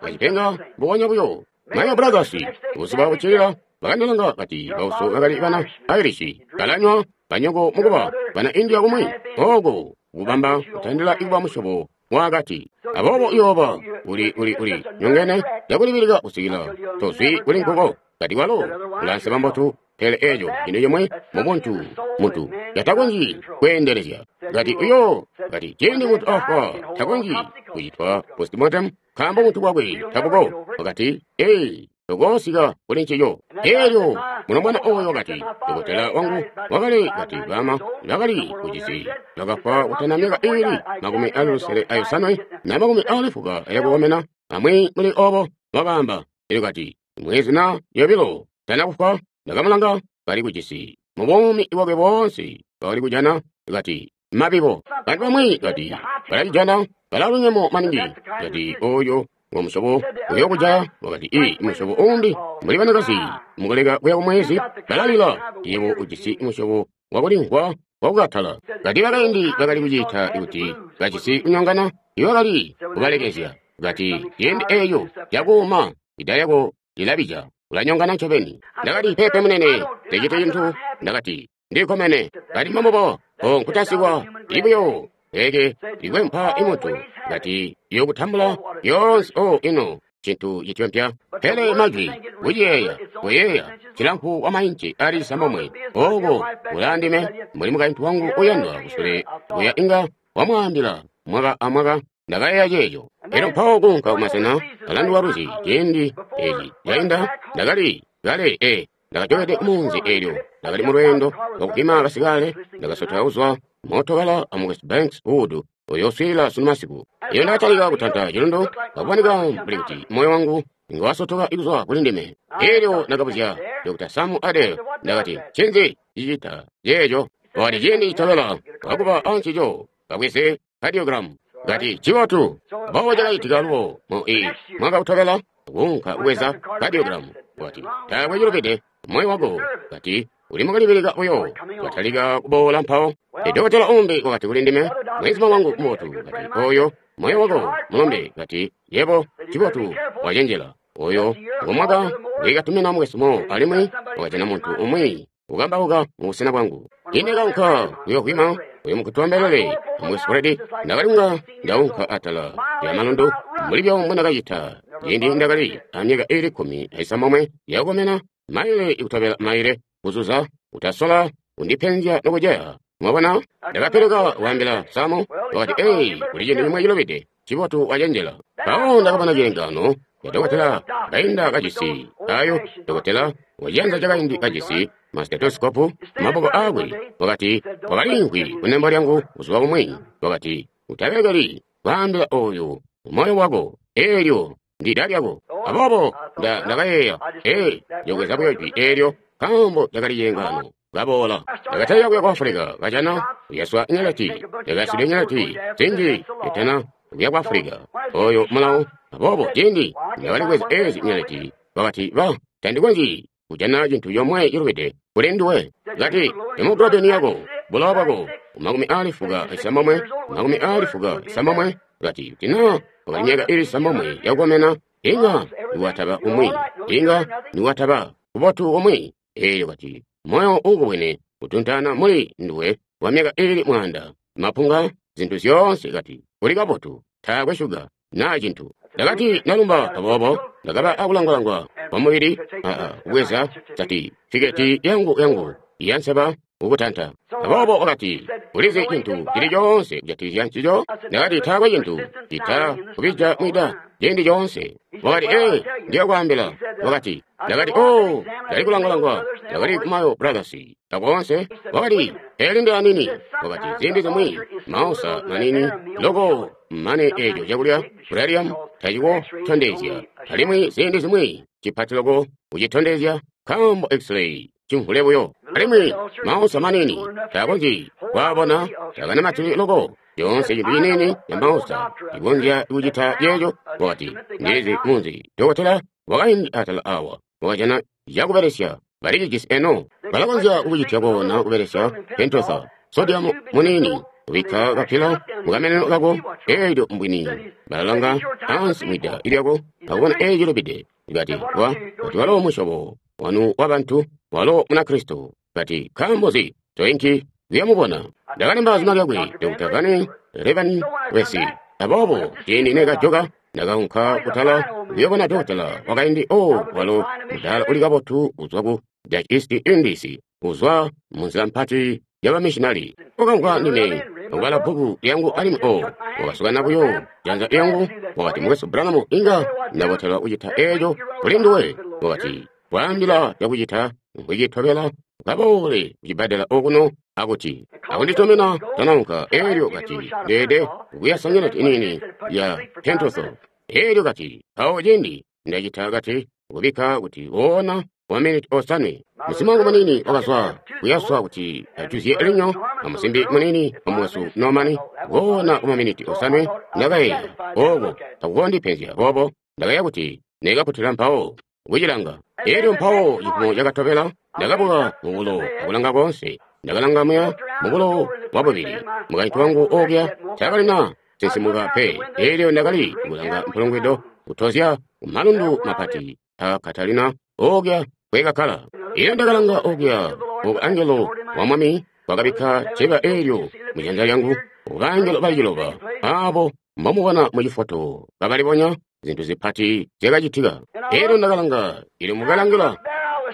kacipenga mbubonya buyo. Mayo Brothers buzuba buccilila bakandilanga kati bauso bakali bana Irish balanywa banyoko mukuba bana India kumwi oko kubamba kutandila ikuba musyobo wakati. Aboobo uyooba uli uli uli nyongene yakulibilika kusikila tozwi kuli nkuko kati kwalo ulanseba mbotu, pele eco cintu cimwe mubuntu muntu yatakonzyi kweendelezya. Kati uyo kati cindi muntu afwa takonzyi kucitwa postmortem nkaambo muntu bwakwe tabuko. Wakati ee, tokoosika kuli ncico. Elyo mulombwana oyo wakati dokotela wangu wakali kati bama bakali kucisi bakafwa kutana myaka ibili makumi ali lusele ayosanwe na makumi ali fuka ayakukomena amwi muli obo wakaamba. Elyo kati mwezi na yobilo tana kufwa ndakamulanga kali kucisi mubuumi bwakwe boonse bakali kujana kati mabibo. Bantu bamwi kati balacijana balalunyemo maningi kati oyo ngo musyobo uyokujaya. Wakati i musyobo umbi mbuli banakazi mukuleka kuya kumwezi balalila, yebo ujisi musyobo wakulimvwa wakukatala. Kati bakaindi bakali kucita kuti bajisi kunyongana ibakali kubalekezya. Kati ciindi eeyo yakuuma ida lyako lilabija ulanyongana ncobeni. Ndakati pepe munene ndicite cintu. Ndakati ndikomene. Kati mambobo o nkutasikwa ibuyo eke likwempa imutu. Kati yokutambula yonse o ino cintu cityompya. Pele majwi kuciyeeya kuyeeya cilamfu wa mainci ali cisambomwe oko ulaandime mbuli mukaintu wangu uyandwa kusule kuya inga wamwaambila mwaka amwaka. Ndakayeeya ceeco. Elyo mpawo kuunka kumasena alanduka lwizi ciindi eci cainda ndakali kale e ndakajokede munzi eelyo ndakali mulweendo lwakupima basikale. Ndakasotela kuzwa mootokala amu West Banks Wood uyoswiila sunu masiku. Iyo ndakatalika kutanta cilundu kakuboneka mbuli kuti moyo wangu inga wasotoka kuzwa kuli ndime. Elyo ndakabuzya Doctor Sam Adair, ndakati ncinzi cicita ceeco? Wakati ciindi citobela wakuba ancico kabweze cardiogram. Kati cibotu. Mbobo cakacitika lubo mu i mwaka utobela kuunka kubweza cardiogram. Wakati taakwe cilubide moyo wako. Kati uli mukalibilika buyo watalika kuboola mpawo. Dokotela umbi wakati kuli ndime, mwezima wangu mubotu, kati oyo moyo wako mulombe. Kati yebo cibotu wacenjela. Oyo ngomwaka ngwikatumina mukwesumo alimwi wakajana muntu umwi ukambauka mubusena bwangu. Ine kaunka kuyokwima uyo mukutwambelele mukwesu Fred. Ndakalinga ndaunka atala lya malundu mbuli byo mbundakacita ciindi ndakali amyaka ili kkumi aisambomwe yakukomena, maile ikutobela maile kuzuza utasola undipenzya nokujeya. Mwabona, ndakapereka kuambila Samu. Wakati ei, kuli cintu cimwe cilubide, cibotu wacenjela. Mpawo ndakabona cilengano ya dokotela kainda kajisi ayo dokotela waciyanza cakaindi kajisi mastetosikopu maboko akwe. Wakati wakalimvwi kunembo lyangu buzuba bumwi. Wakati utabelekeli kwaambila oyu moyo wako eelyo ndida lyako. Aboobo ndakayeeya ee ndiyobweza buyo jwi eelyo nkaambo cakali cilengano. Kaboola ndakatalika kuya ku Afulika kajana kuyaswa nyeleti ndakayaswidwe nyeleti zinji etana kuya ku Afulika oyo mulawo. Aboobo ciindi ndakali kubweza ezi nyeleti wakati ba tandikonzyi kujana cintu comwe cilubide kuli nduwe. Kati hemoglobin yako bulowa bwako makumi ali fuka isambomwe makumi ali fuka isambomwe. Kati tina wakali myaka ili isambomwe yakukomena inga niwataba umwi inga niwataba kubotu umwi. Elyo kati moyo ukubwene kutuntana muli nduwe wa myaka ili mwanda mapunga zintu zyoonse. Kati uli kabotu taakwe shuga naa cintu. Ndakati nalumba. Aboobo ndakaba akulangwalangwa kwa mubili aa kubweza satifiketi yangu yangu yanseba kukutanta. Aboobo wakati, ulizi cintu cili coonse kujatikizya ncico? Ndakati, taakwe cintu cita kubija mwida ciindi coonse. Wakati, ee, ndiyo kwaambila. Wakati, ndakati, oh, ndali kulangalangwa, ndakali ku Mayo Brothers, akoonse. Wakati, eli ndi anini. Wakati, ziindi zimwi, mausa manini, loko mane eco cakulya, Bradium, taciko tondezya. Alimwi ziindi zimwi, cipati loko kucitondezya, nkaambo X-ray cimvule buyo. Alimwi mausa manini, takonzyi kwaabona, takanamatili loko. Yoonse cintu ciniini ya mausa ikonzya kucita ceeco. Wakati, ndilizi munzi dokotela wakaindi atala awa wakajana cakubelesya balicijisi eno balakonzya kukucitya koona kubelesya pentosa sodium muniini kubikka kapila mukameneno kako eelyo mbwini balalanga ansi mwida ilyako akubona eeco lubide. Kati wa kuti walo musyobo wanu wa bantu walo Munakristo. Kati nkaambo nzi toinki kuyamubona? Ndakalemba zina lyakwe Doctor Van Revan Wesi. Aboobo ciindi nekajoka ndakaunka kutala kuyobona dokotela wakaindi o walo mudala uli kabotu kuzwa ku Dutch East Indies kuzwa munzila mpati yabamishinali. Wakamvwa ndime akubala bbuku lyangu alimwi o wakasukana buyo janza lyangu. Wakati, Mukwesu Branham, inga ndabotelwa kucita eeco kuli nduwe. Wakati, kwaambila cakucita nkucitobela kaboole kucibbadela okuno akuti akunditomena tanaunka. Eelyo kati ndeede kuyasa nyeleti iniini ya pentoso. Eelyo kati awo ciindi ndacita kati kubikka kuti woona wa miniti osanwe. Musimangu munini wakazwa kuyaswa kuti ajuzye linyo amusimbi munini wamwesu Normani woona kwa maminiti osanwe. Ndakayeeya ooko takukondipenzya boobo. Ndakayeeya kuti nekaputila mpawo kucilanga. Eelyo mpawo cipumo cakatobela ndakabuka mubulo akulanga koonse. Ndakalanga muya mubulo wabubili. Mukaintu wangu ookya takalina sinsimuka pe. Eelyo ndakali kulanga mpulungwido kutozya kumalundu mapati a Katalina ookya kwekakkala. Eelyo ndakalanga ookya oku angelo wa Mwami wakabikka ceba eelyo mujanza lyangu. Bangelo bali ciloba aabo mbomubona mucifoto kabalibonya zintu zipati zyakacitika. Eelyo ndakalanga ili mukalangila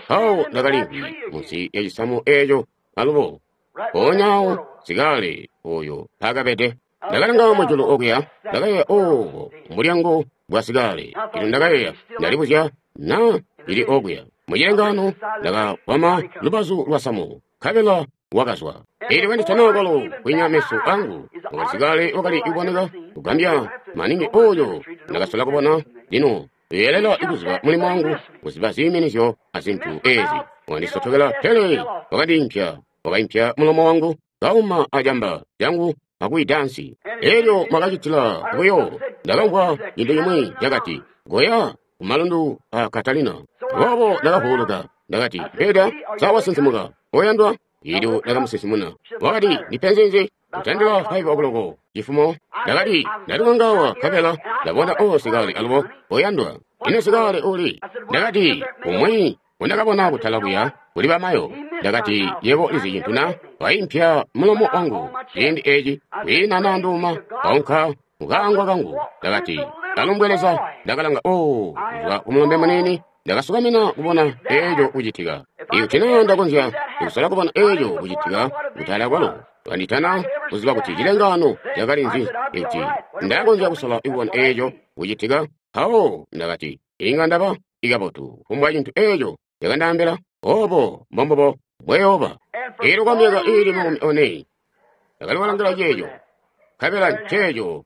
mpawo ndakalimvwi munsi ya cisamu eeco alubo mpoonya sikale oyo mpaakabede. Ndakalanga mujulu okuya, ndakayeeya obo mulyango bwa sikale. Elyo ndakayeeya, ndalibuzya na ili okuya. Mucilengaano ndakakwama lubazu lwa samu, nkabela wakazwa. Eelyo kanditana kwalo kwinya meso angu, wakati sikale wakali kuboneka kugambya maningi oyo ndakasola kubona. Lino yeelela kuziba mulimo wangu, kuziba ziiminizyo azintu ezi. Wandisotokela pele wakandiimpya, wakaimpya mulomo wangu, kauma ajamba lyangu akuidansi. Eelyo mwakacitila buyo, ndakamvwa cintu cimwi cakati, goya kumalundu a Katalina. Aboobo ndakavuuluka, ndakati, Peda, sawasinsimuka, oyandwa. Eelyo ndakamusinsimuna. Wakati, ndipenzi nzi? Kutandila five o'clock chifumo. Ndakati, ndaliwangawa nkabela ndabona o sikale alubo oyandwa. Ino sikale uli? Ndakati, umwi undakabona kutala kuya kuli bamayo. Ndakati, yebo ulizi cintu na? Waimpya mulomo wangu ciindi eci kwiina nanduma kaunka mukaangwa kangu. Ndakati, kalumbwe Leza. Ndakalanga o kuzwa kumulombe munini. Ndakasukamina kubona eeco kucitika. Ikuti naa ndakonzya kusola kubona eeco kucitika kutala kwalo kanditana kuziba kuti cilengaano cakali nzi. Ikuti ndakonzya kusola kubona eeco kucitika, mpawo ndakati inga ndaba ikabotu kufumbwa cintu eeco cakandaambila. Obo mbombubo bweyooba. Eelyo kwa myaka iili makumi one ndakali kulangila ceeco, nkabela nceeco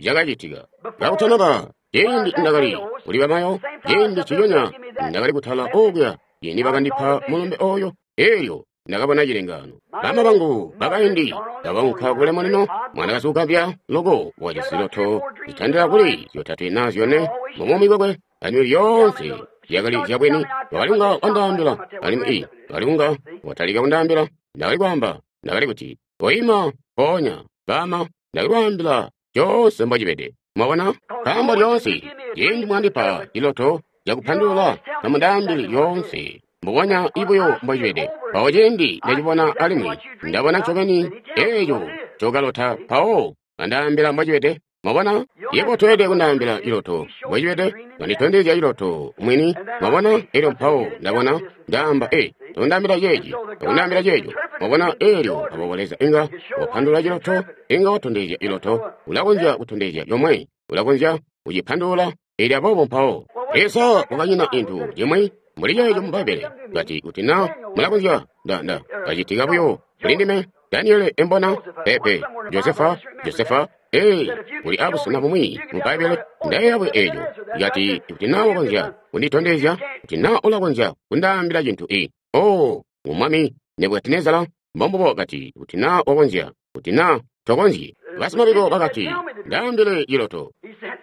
cakacitika. Kakutanaba ciindi ndakali kuli bamayo, ciindi ciyonya ndakali kutala okuya ciindi bakandipa mulumbe oyo. Eelyo ndakabona cilengaano. Bama bangu bakaindi ndakaunka kulemo lino mwanakazi ugambya loko wacisiloto zitandila kuli zyotatwe na zyone mubuumi bwakwe alimwi lyoonse zyakali zyabwini. Wakali kunga wandaambila alimwi i wakali kunga watalika kundaambila. Ndakali kwaamba, ndakali kuti koima mpoonya bama. Ndakali kwaambila coonse mbocibede. Mwabona, nkaambo lyoonse ciindi mwandipa ciloto cakupandulula tamundaambili lyoonse mbubonya ibuyo mbocibede. Mpawo ciindi ndacibona alimwi ndabona ncobeni eeco cokalota, mpawo andaambila mbocibede. Mwabona? Yebo toyelede kundaambila ciloto mbocibede, kanditondezya ciloto mwini. Mwabona? Elyo mpawo ndabona, ndaamba, e, tondaambila ceeci, tokundaambila ceeco. Mwabona? Elyo aboobo Leza inga wapandulula ciloto, inga watondezya ciloto, ulakonzya kutondezya comwe, ulakonzya kucipandulula. Elyo aboobo mpawo Leza wakanyina cintu cimwi mbuli ceeco mu Bbaibbele, kati kuti na mulakonzya nda nda kacitika buyo kuli ndime Daniele embona pepe Josefa Josefa ee kuli abusena bumwi mu Bbaibbele ndayeeya buyo eeco kati kuti na wakonzya kunditondezya kuti na ulakonzya kundaambila cintu i oh umwami Nebukadinezara mbombubo kati kuti na wakonzya kuti na tokonzyi. Basimabiko bakati ndaambile ciloto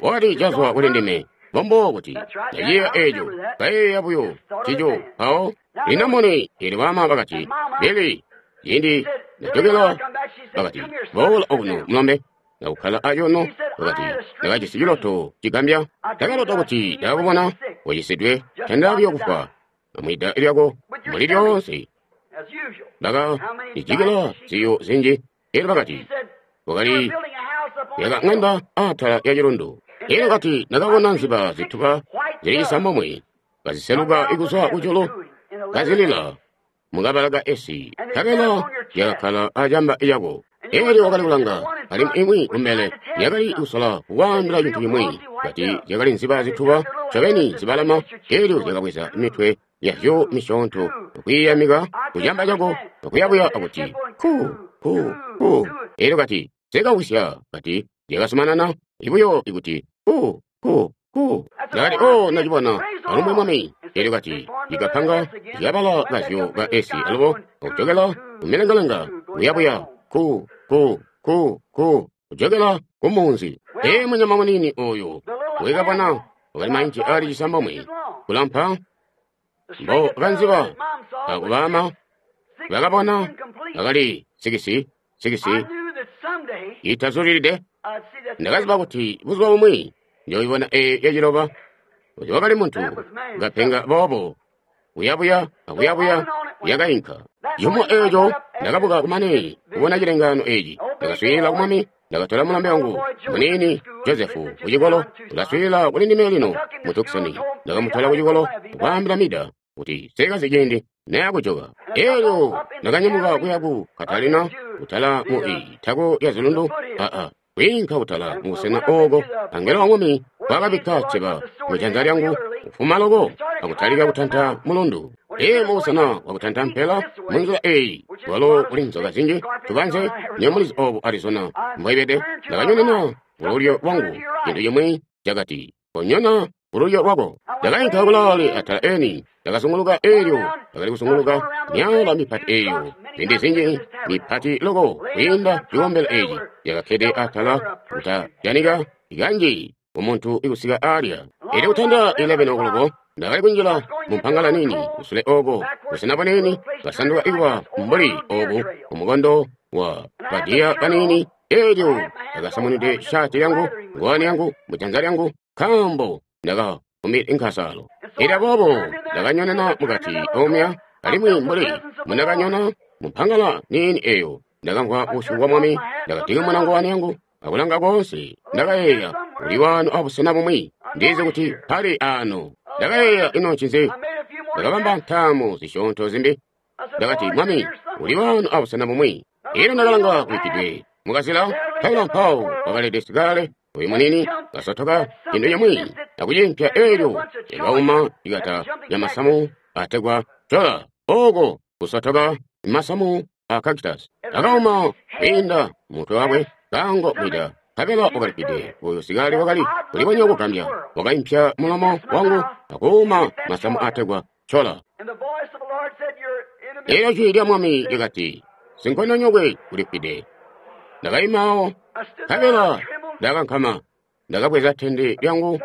wakati cazwa kuli ndime mbombubo kuti ndaciyeeya eeco kayeeya buyo cico mpawo lino mone eelyo baama bakati Bili ciindi ndajokela bakati boola okuno mulombe ndakukkala acuuno bakati ndakajisi ciloto cigambya ndakalota kuti ndakakubona wacisidwe tanda buyo kufwa amwida lyako mbuli lyoonse ndaka lijikila ziyo zinji. Eelyo bakati wakali yaka ŋanda atala ya cilundu. Eelyo kati ndakabona nziba zituba zili cisambomwe kaziseluka kuzwa kujulu kazilila mukabala ka esi nkabela yakakkala acamba lyako. Eelyo wakali kulanga alimwi imwi kumbele yakali kusola kukwaambila cintu cimwi kati zyakali nziba zituba ncobeni zibalama. Eelyo zyakabweza mitwe yazyo misyoonto okwiiyamika kucamba cako okuyabuya akuti ku ku ku. Eelyo kati zikawisya kati zyakasumanana ibuyo ikuti ku ku ku. Ndakati o ndacibona alumbwe mwami. Eelyo kati ikapanga zyabala kazyo ka esi alubo okujokela kumilengalenga kuyabuya ku ku ku ku kujokela kumunzi. Ee munyama munini oyo wekabona wakali mainci ali cisambomwe kulampa mbo kanziba akubama bakabona akali sikisi sikisi itazulilide. Ndakaziba kuti buzuba bumwi njoyibona eyo yaciloba kuti wakali muntu kapenga boobo kuyabuya akuyabuya yakainka. Cihumo eeco ndakabuka kumane kubona cilengaano eeci. Ndakaswiilila ku Mwami, ndakatola mulambe wangu muniini Jozefu kucikolo, ulaswiilila kuli ndime lino mu Tucson. Ndakamutola kucikolo akwaambila Mida kuti sekazi ciindi nayakujoka. Eelyo ndakanyamuka kuya ku Catalina kutala mu itako lya zilundu aa kwiinka kutala mubusena ooko angelo wa Mwami wakabikka cceba mujanza lyangu kufuma loko akutalika kutanta mulundu. Ee mubusena wakutanta mpela munzila eeyi walo kuli nzoka zinji tubanze nyomulizi oobu Arizona mbwaibede. Ndakanyonena kululyo lwangu cintu cimwi cakati konyona kululyo lwako. Ndakainka kulaale atala eni ndakazunguluka eelyo ndakali kusunguluka myala mipati eeyo ziindi zinji mipati loko kwiinda cikombelo eeci yakakkede atala kutajanika kanji kumuntu ikusika alya. Eelyo kutanda eleveni okoloko ndakali kunjila mumpangala nini kusule ooko busena bunini kasanduka ikuba mbuli oobu kumukondo wa badiya kanini. Eelyo ndakasamunide shati lyangu ngowani yangu mujanza lyangu nkaambo ndakakumbi inkasalo. Eelyo aboobo ndakanyonena mukati omya alimwi mbuli mundakanyona mumpangala nini eyo ndakamvwa busyu bwa Mwami. Ndakatikimuna ngowani yangu akulanga koonse. Ndakayeeya uli wano abusena bumwi ndizi kuti pali ano. Ndakayeeya ino ncinzi. Ndakabamba ntaamu zisyoonto zimbi. Ndakati Mwami uli wano abusena bumwi. Eelyo ndakalanga kubikkidwe mukazila nkabela mpawo wakalede sikale uyu munini kasotoka cintu cimwi akucimpya. Eelyo yakauma ikata ya masamu ategwa cola ooko kusotoka masamu a cactus akauma kwiinda mutwe wakwe kango mwida nkabela wakalipide. Uyu sikale wakali kulibonya kugambya wakaimpya mulomo wangu akuuma masamu ategwa cola. Eelyo jwi lya Mwami lyakati sinkondonyokwe ulifwide. Ndakaimaawo nkabela ndakankama ndakabweza tende lyangu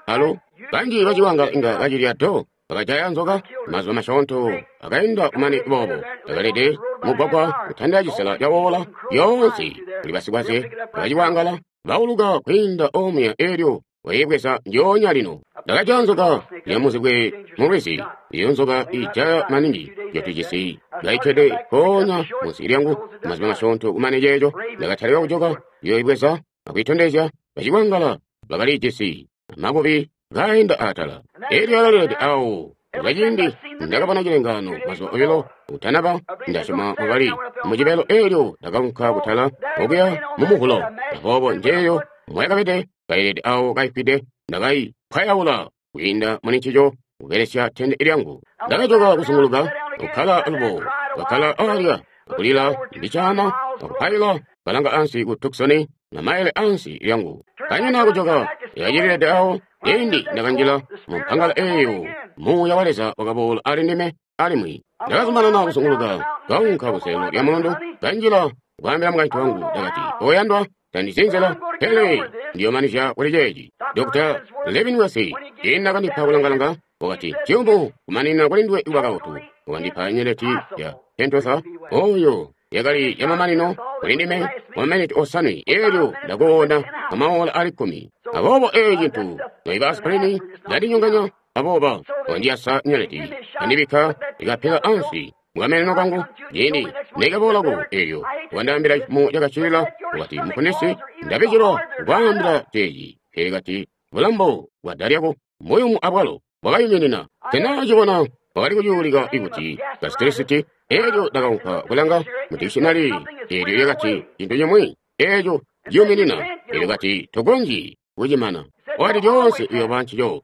alo banji baciwanga inga kacilya do bakajaya nzoka mazuba masyoonto akainda kumane boobo. Ndakalede mugwagwa kutanda cisela cawoola yoonse kuli basikwaze baciwangala bauluka kwiinda omuya. Eelyo wayibweza njoonya lino. Ndakajaya nzoka yamuzibwe mulwizi iyo nzoka ijaya maningi yatujisi kaikkede mpoonya munsi lyangu mazuba masyoonto kumane ceeco. Ndakatalika kujoka yoyibweza akuyitondezya Bacikwangala bakali jisi makubi kainda atala. Elyo akalilede awo. Kaciindi ndakabona cilengaano mazuba obilo utanaba, ndasyoma wakali mujibelo elyo ndakaunka kutala okuya mu Muvulo. Aboobo njeeyo mwakabede kailede awo kaifwide, ndakaipwayaula kwiinda muli ncico kubelesya tende lyangu. Ndakajoka kuzunguluka, kukkala alubo, kakkala alya, akulila mbicaana, akupaila, kalanga ansi ku Tucson, na maile ansi lyangu. Kanyina kujoka, yakacililede awo, ciindi ndakanjila mu mpangala eeyo, Muuya wa Leza wakaboola ali ndime alimwi. Ndakazumanana kuzunguluka, kaunka kuseelo lya mulundu, kanjila kwaambila mukaintu wangu, ndakati, oyandwa, tandizi nzila, pele ndiyomanizya kuli ceeci. Doctor Levin Wesi, ciindi nakandipa kulangalanga, wakati, ciyumu kumanina kuli nduwe kuba kabotu. Wakandipa nyeleti ya Pentosa, oyo yakali yamamanino kuli ndime maminiti osanwe, elyo ndakoona amaola ali kkumi. Aboobo eeci cintu noiba aspirini ndandinyonganya, abooba wandiyasa nyeleti, andibikka ikapela ansi mukameneno kangu. Ciindi nekaboolako elyo wandaambila cifumo cakacilila, wakati, muponesi, ndabijilwa kukwaambila ceeci. Pele kati, bulambo bwa da lyako mbuyumu abwalo bwakayuminina. Tenacibona wakali kucuulika ikuti gastritis. Elyo ndakaunka kulanga mu dictionary, elyo lyakati cintu cimwi eeco ciyuminina. Elyo kati tokonzyi kucimana, wakati lyoonse uyooba ncico.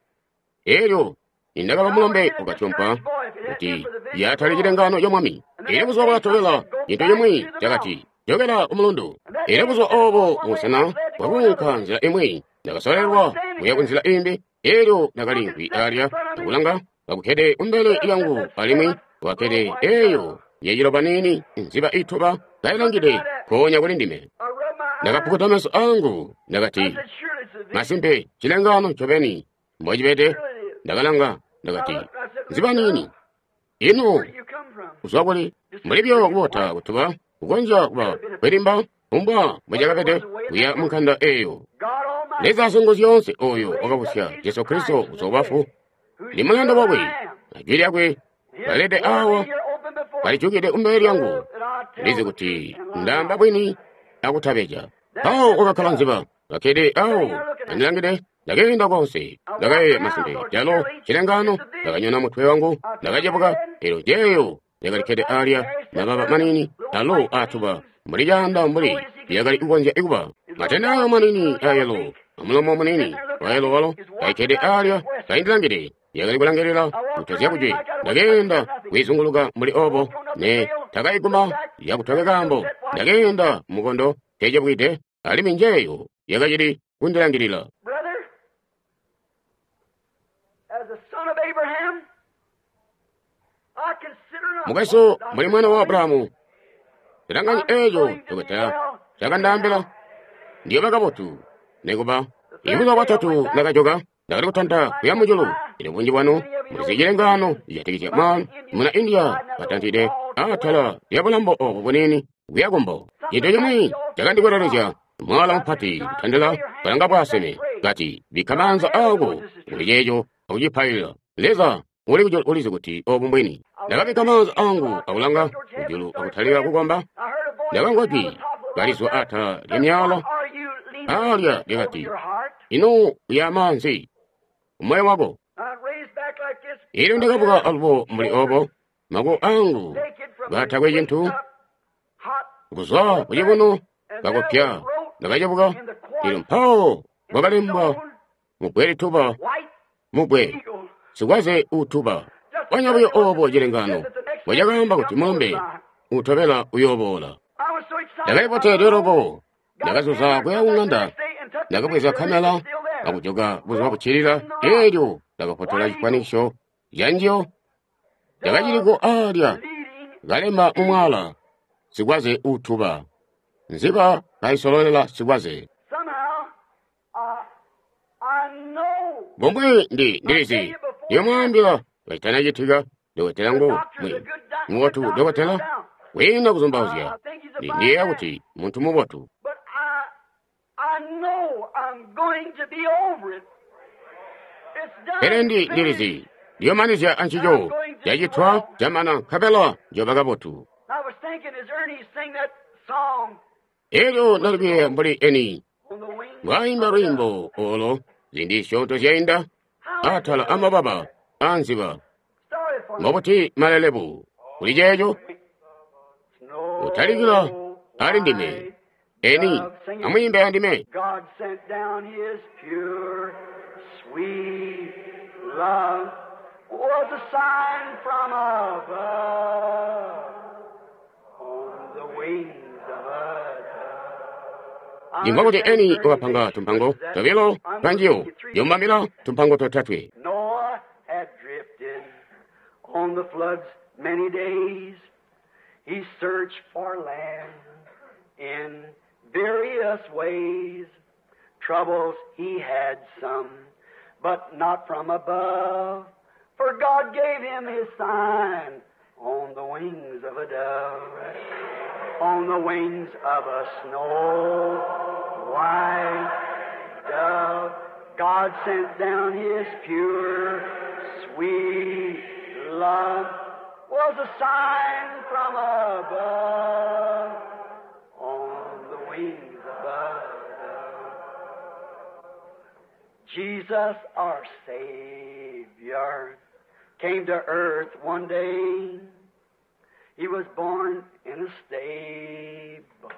Elyo nindakaba mulombe wakatyompa kuti yatali cilengaano ca Mwami. Elyo buzuba bwakatobela cintu cimwi cakati jokela ku mulundu. Elyo buzuba oobo busena bwakuunka nzila imwi, ndakasolelwa kuya ku nzila imbi. Elyo ndakaliimvwi alya akulanga kakukkede kumbele lyangu, alimwi wakakkede eeyo yaciloba niini nziba ituba kailangide nkoonya kuli ndime. Ndakapukuta meso angu, ndakati, masimpe cilengaano ncobeni mbocibede. Ndakalanga, ndakati, nziba niini, ino kuzwa kuli? Mbuli buyo kubota kutuba kukonzya kuba kwilimba kumbwa mbocakabede kuya mu nkanda eeyo. Leza Singuzyoonse oyo wakabusya Jesu Kristo kuzwa kubafu, ndi mulanda wakwe, na jwi lyakwe kalilede awa kalijukide kumbele lyangu. Ndizi kuti ndaamba bwini akutabeja. Mpawo kwakakkala nziba kakkede awo kandilangide. Ndakeenda konse, ndakayeeya masimpe calo cilengaano. Ndakanyona mutwe wangu, ndakacebuka, elyo jeeyo yakalikkede alya mababa maniini alo atuba mbuli caanda mbuli lyakali kukonzya kuba. Matende ayo maniini ayelo amulomo muniini wayelo walo kaikkede alya kaindilangide, yakali kulangilila kutozya kujwe. Ndakeenda kwiizunguluka mbuli obo, ne takaiguma yakutweka kaambo. Ndakeenda mukondo tecebwide, alimwi njeeyo yakacili kundilangilila. Brother, as the son of Abraham, I consider not Mukwesu, mbuli mwana wa Abrahamu, tilanganyi eeco dokotela cakandaambila, ndiyoba kabotu. Nikuba ibuzuba bwatatu ndakajoka, ndakali kutanta kuya mujulu. Elyo bunji bwanu mulizi cilengaano cijatikizya mwana muna India katantide atala lya bulambo obo buniini kuya kumbo. Cintu cimwi cakandikwelelezya mwala mupati kutandila kalanga bwaaseme, kati bikka maanza aako kuli ceeco akucipailila. Leza uli kujulu ulizi kuti obu mbwini. Ndakabikka maanza angu akulanga kujulu akutalika kukomba. Ndakamvwa jwi kalizwa atala lya myala alya lyakati, ino uya maanzi umoyo wako. Elyo ndakabuka alubo mbuli obo, makuko angu katakwe cintu kuzwa kucibuno kakupya. Ndakacebuka, elyo mpawo kwakalembwa mubbwe lituba, mubbwe sikwaze utuba. Kwanya buyo obo cilengaano mbocakaamba kuti mulumbe utobela uyooboola. Ndakaliboteledwe loko, ndakazuza kuya kuŋanda, ndakabweza kamela akujoka buzuba buccilila. Elyo ndakafotola cifwanikiso canjiyo cakaciliko alya kalemba mumwala, sikwaze utuba, nziba kaisololela sikwaze. Somehow, uh, I know Bomwe ndi ndilizi ndiyomwaambila kacitanacitika. Dokotela ngu mwi mubotu, dokotela wina kuzumbauzya, ndi ndiyeeya kuti muntu mubotu. but I, I know I'm going to be over it. It's done. Pele ndi ndilizi ndiyomanizya ancico cacitwa camana nkabela njoba kabotu. I was thinking as Ernie sang that song Elyo ndali kuyeeya mbuli eni on the wings mbwaimba lwiimbo olo ziindi zisyoonto zyainda atala amababa anziba. Mbobuti malelebu kuli ceeco utalikila ali ndime eni amwiimbe andime. God sent down his pure, sweet love was a sign from above on the wings of a dove. Ndimva kuti eni wakapanga tumpango tobilo twanjiyo yombamira tumpango totatwe. Noah had drifted on the floods many days. He searched for land in various ways. Troubles he had some, but not from above. For God gave him his sign on the wings of a dove, on the wings of a snow white dove. God sent down his pure, sweet love was a sign from above on the wings of a dove. Jesus, our Savior, came to earth one day. He was born in a stable,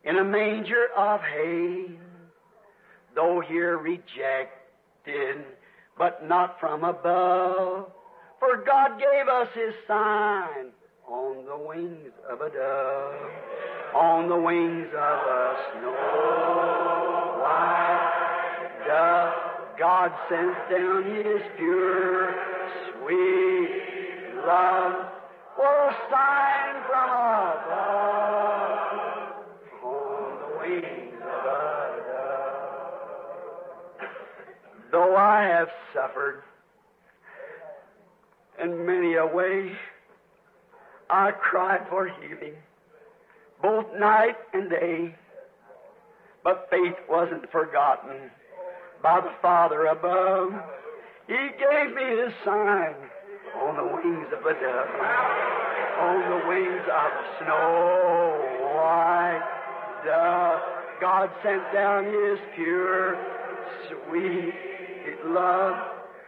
in a manger of hay. Though here rejected, but not from above. For God gave us His sign on the wings of a dove, on the wings of a snow white dove. God sent down His pure, sweet love for a sign from above, on the wings of a dove. Though I have suffered in many a way, I cried for healing, both night and day. But faith wasn't forgotten by the Father above. He gave me His sign on the wings of a dove, on the wings of a snow white dove. God sent down His pure, sweet love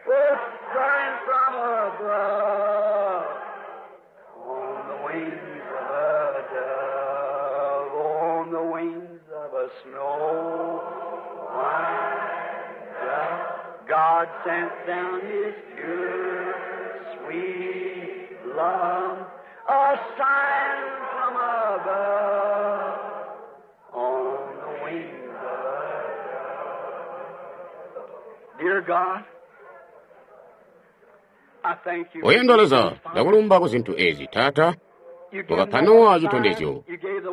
with sign from above. On the wings of a dove, on the wings of a snow white dove, God sent down His pure, sweet love, a sign from above, on the wings of a dove. Dear God, I thank you. Oyendwa Leza, ndakulumba ku zinthu ezi Tata, wakapa Nowa chitondezyo,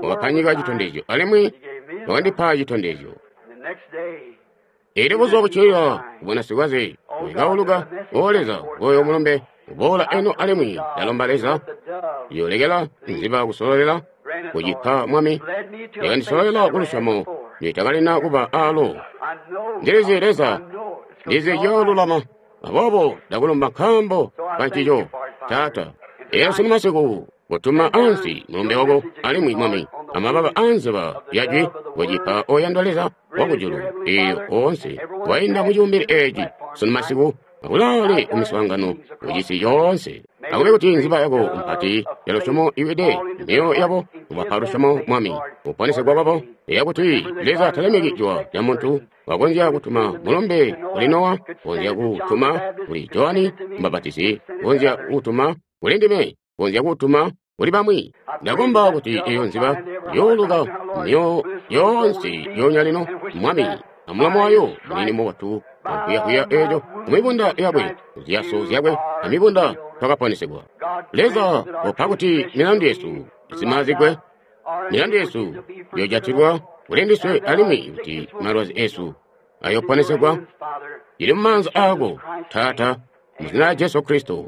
wakapa nyika chitondezyo, alimwi wakandipa chitondezyo. The next day, Eri buzuba bucilila kubona sikwaze wekauluka o Leza oyo mulumbe uboola eno alimwi ndalomba Leza yolekela nziba kusololera kucipa Mwami yakandisololera ku lusyomo nditakalina kuba alo. I know, Ndilizi Leza I know it's ndizi yoolulama aboobo ndakulumba nkaambo kancico Tata. Ero sunu masiku kutuma ansi mulumbe wako alimwi Mwami amababa anziba yajwi kucipa oyandwa Leza wakujulu iyo oonse wainda mucibumbili eci sunu masiku akulaale kumiswaangano kucisi yoonse. Akube kuti nziba yako mpati ya lusyomo iwide mioyo yabo kubapa lusyomo Mwami kuponesegwa kwabo yakuti Leza talemeki jwa lya muntu wakonzya kutuma mulumbe kuli Nowa, konzya kutuma kuli Johani Mbapatizi, konzya kutuma kuli ndime, konzya kutuma kuli bamwi. Ndakomba kuti iyo nziba yooluka mioyo yoonse yonya lino Mwami amulomo wayo munini mubotu ankwiyakuya eco kumibunda yakwe ziyaso zyakwe amibunda twakaponesegwa. Leza upa kuti milandu yesu isimazigwe, milandu yesu yojatilwa kuli ndiswe alimwi kuti malwazi esu ayoponesegwa. Ili mumaanza ako Tata, mu zina lya Jesu Kristo,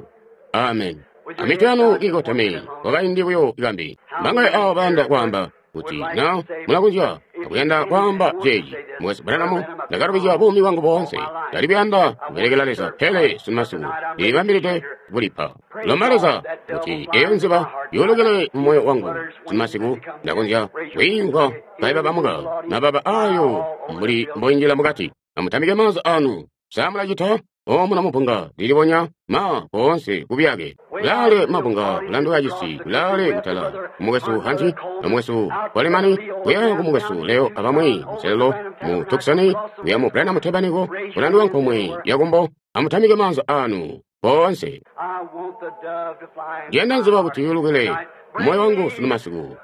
amen. Amitwe yanu ikotame kwakaindi buyo ikambi. Mbangaye awo bayanda kwaamba kuti na mulakonzya akuyanda kwaamba ceeci Mukwesu Branham Ndakalubizya buumi bwangu boonse. Ndali kuyanda kubelekela Leza, pele sunumasiku ndilibambilide kulipa. Lomba Leza kuti eyo nziba yolokele mu moyo wangu. Sunumasiku ndakonzya kwiimvwa kaibabamuka mababa ayo mbuli mboinjila mukati. Amutamike maanza anu. Sa mulacita? Omuno mupunga lilibonya ma koonse kubyake. Kulaale mabunga kulanduka cisi, kulaale kutala kumukwesu Hanti, nomukwesu Coleman, kuya kumukwesu Leo abamwi muselelo mu Tucson, kuya mu Branham Tabernacle, kulanduka nkomwe yakumbo. Amutamike maanza anu koonse. I want the dove to fly in Ndiyanda my nziba heart kuti yulukile tonight. moyo wangu sunu masiku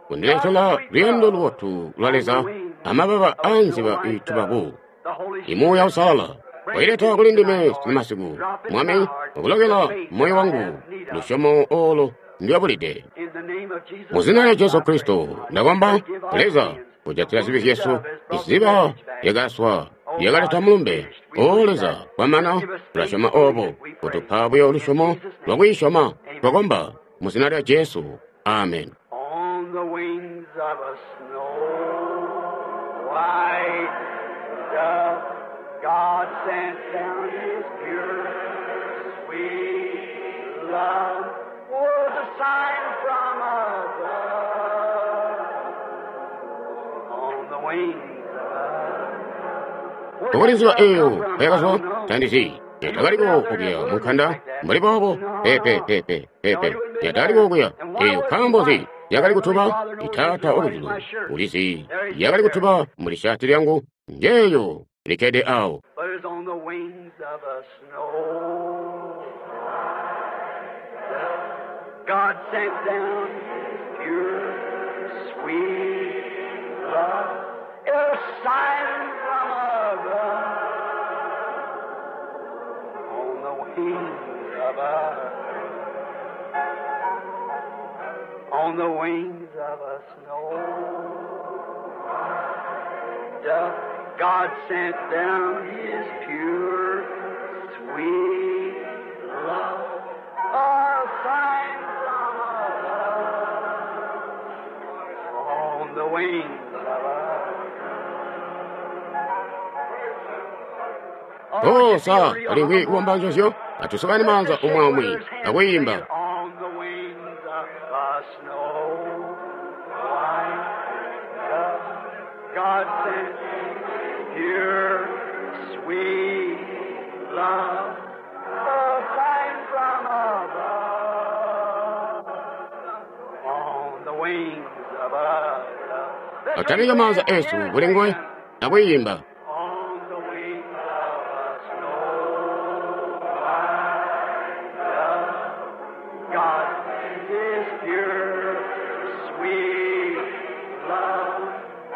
kundiletela luyando lubotu lwa Leza amababa a nziba iitubaku. The Holy Imuuya Uusalala waileta kuli ndime sunu masiku, Mwami, wakulokela moyo wangu lusyomo olo ndwabulide. In the name of Jesus Mu zina lya Christ, Jesu I pray. Kristo ndakomba Leza kujatila zibi zyesu. Iziba lyakaswa lyakaleta mulumbe. O Leza, kwamana tulasyoma obo kutupa buyo lusyomo lwakuisyoma. Twakomba mu zina lya Jesu, amen. On the wings of a snow white dove, God sent down His pure, sweet love. Was a sign from above. On the wings of a Kukuli nziba eyo yakazwa tandizi yatakaliko kuya munkanda mbuli boobo pepe pepe pepe yataliko kuya eyo nkaambo nzi yakali kutuba itaata wakujulu ulizi yakali kutuba muli shati lyangu njeyo likkede awo. But it's on the wings of a snow dove. God sent down His pure, sweet love, a sign from above. On the wings of a, on the wings of a snow dove, God sent down His pure, sweet love, a sign from above, on the wings of a. O sa alingwi kuwomba nzozyo atusukani maanza umwe umwe akuyimba. On the wings of a snow white dove, God sent pure, sweet love, a sign from above. On the wings of a dove. Atamike maanza esu kuli nguwe akuyimba. On the wings of a snow white dove, God sent His pure, sweet love, a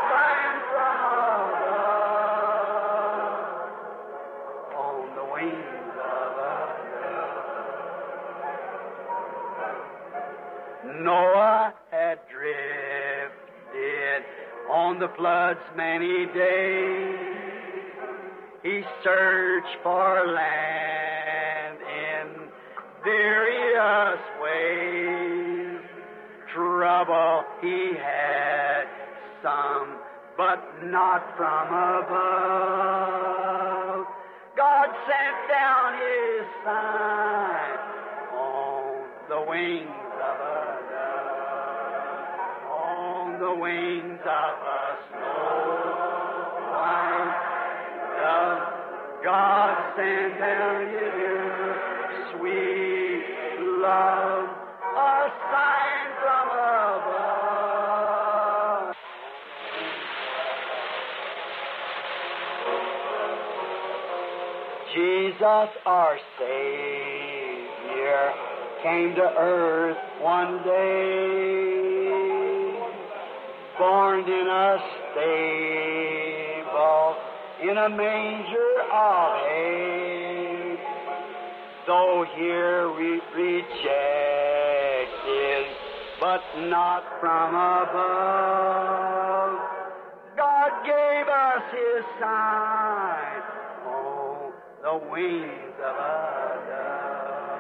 sign from above. On the wings of a dove. Noah had drifted on the floods many days. He searched for land in various ways. Trouble he had some, but not from above. God sent down his sign on the wings of a dove, on the wings of a snow white dove. God sent down his sweet love, a sign from above. Jesus our Savior came to earth one day, born in a stable, in a manger of hay. Though here we rejected, but not from above. God gave us His sign on the wings of a dove.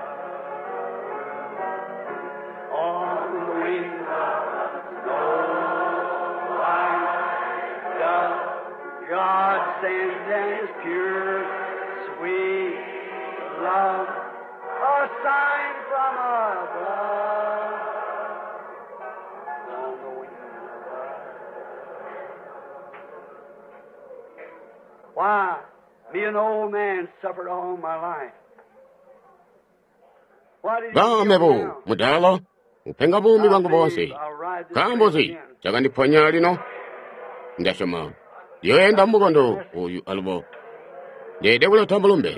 On the wings of a snow white dove, God sends His pure, sweet love, a sign from above. On the wings of love. Why, me an old man suffered all my life. Why did he ba kill me mebo now? mudala upenga buumi I bwangu believe boonse I'll ride this nkaambo trail nzi again. cakandiponya lino ndasyoma ndiyoyenda mumukondo oyu alubo ndeede kuleta mulumbe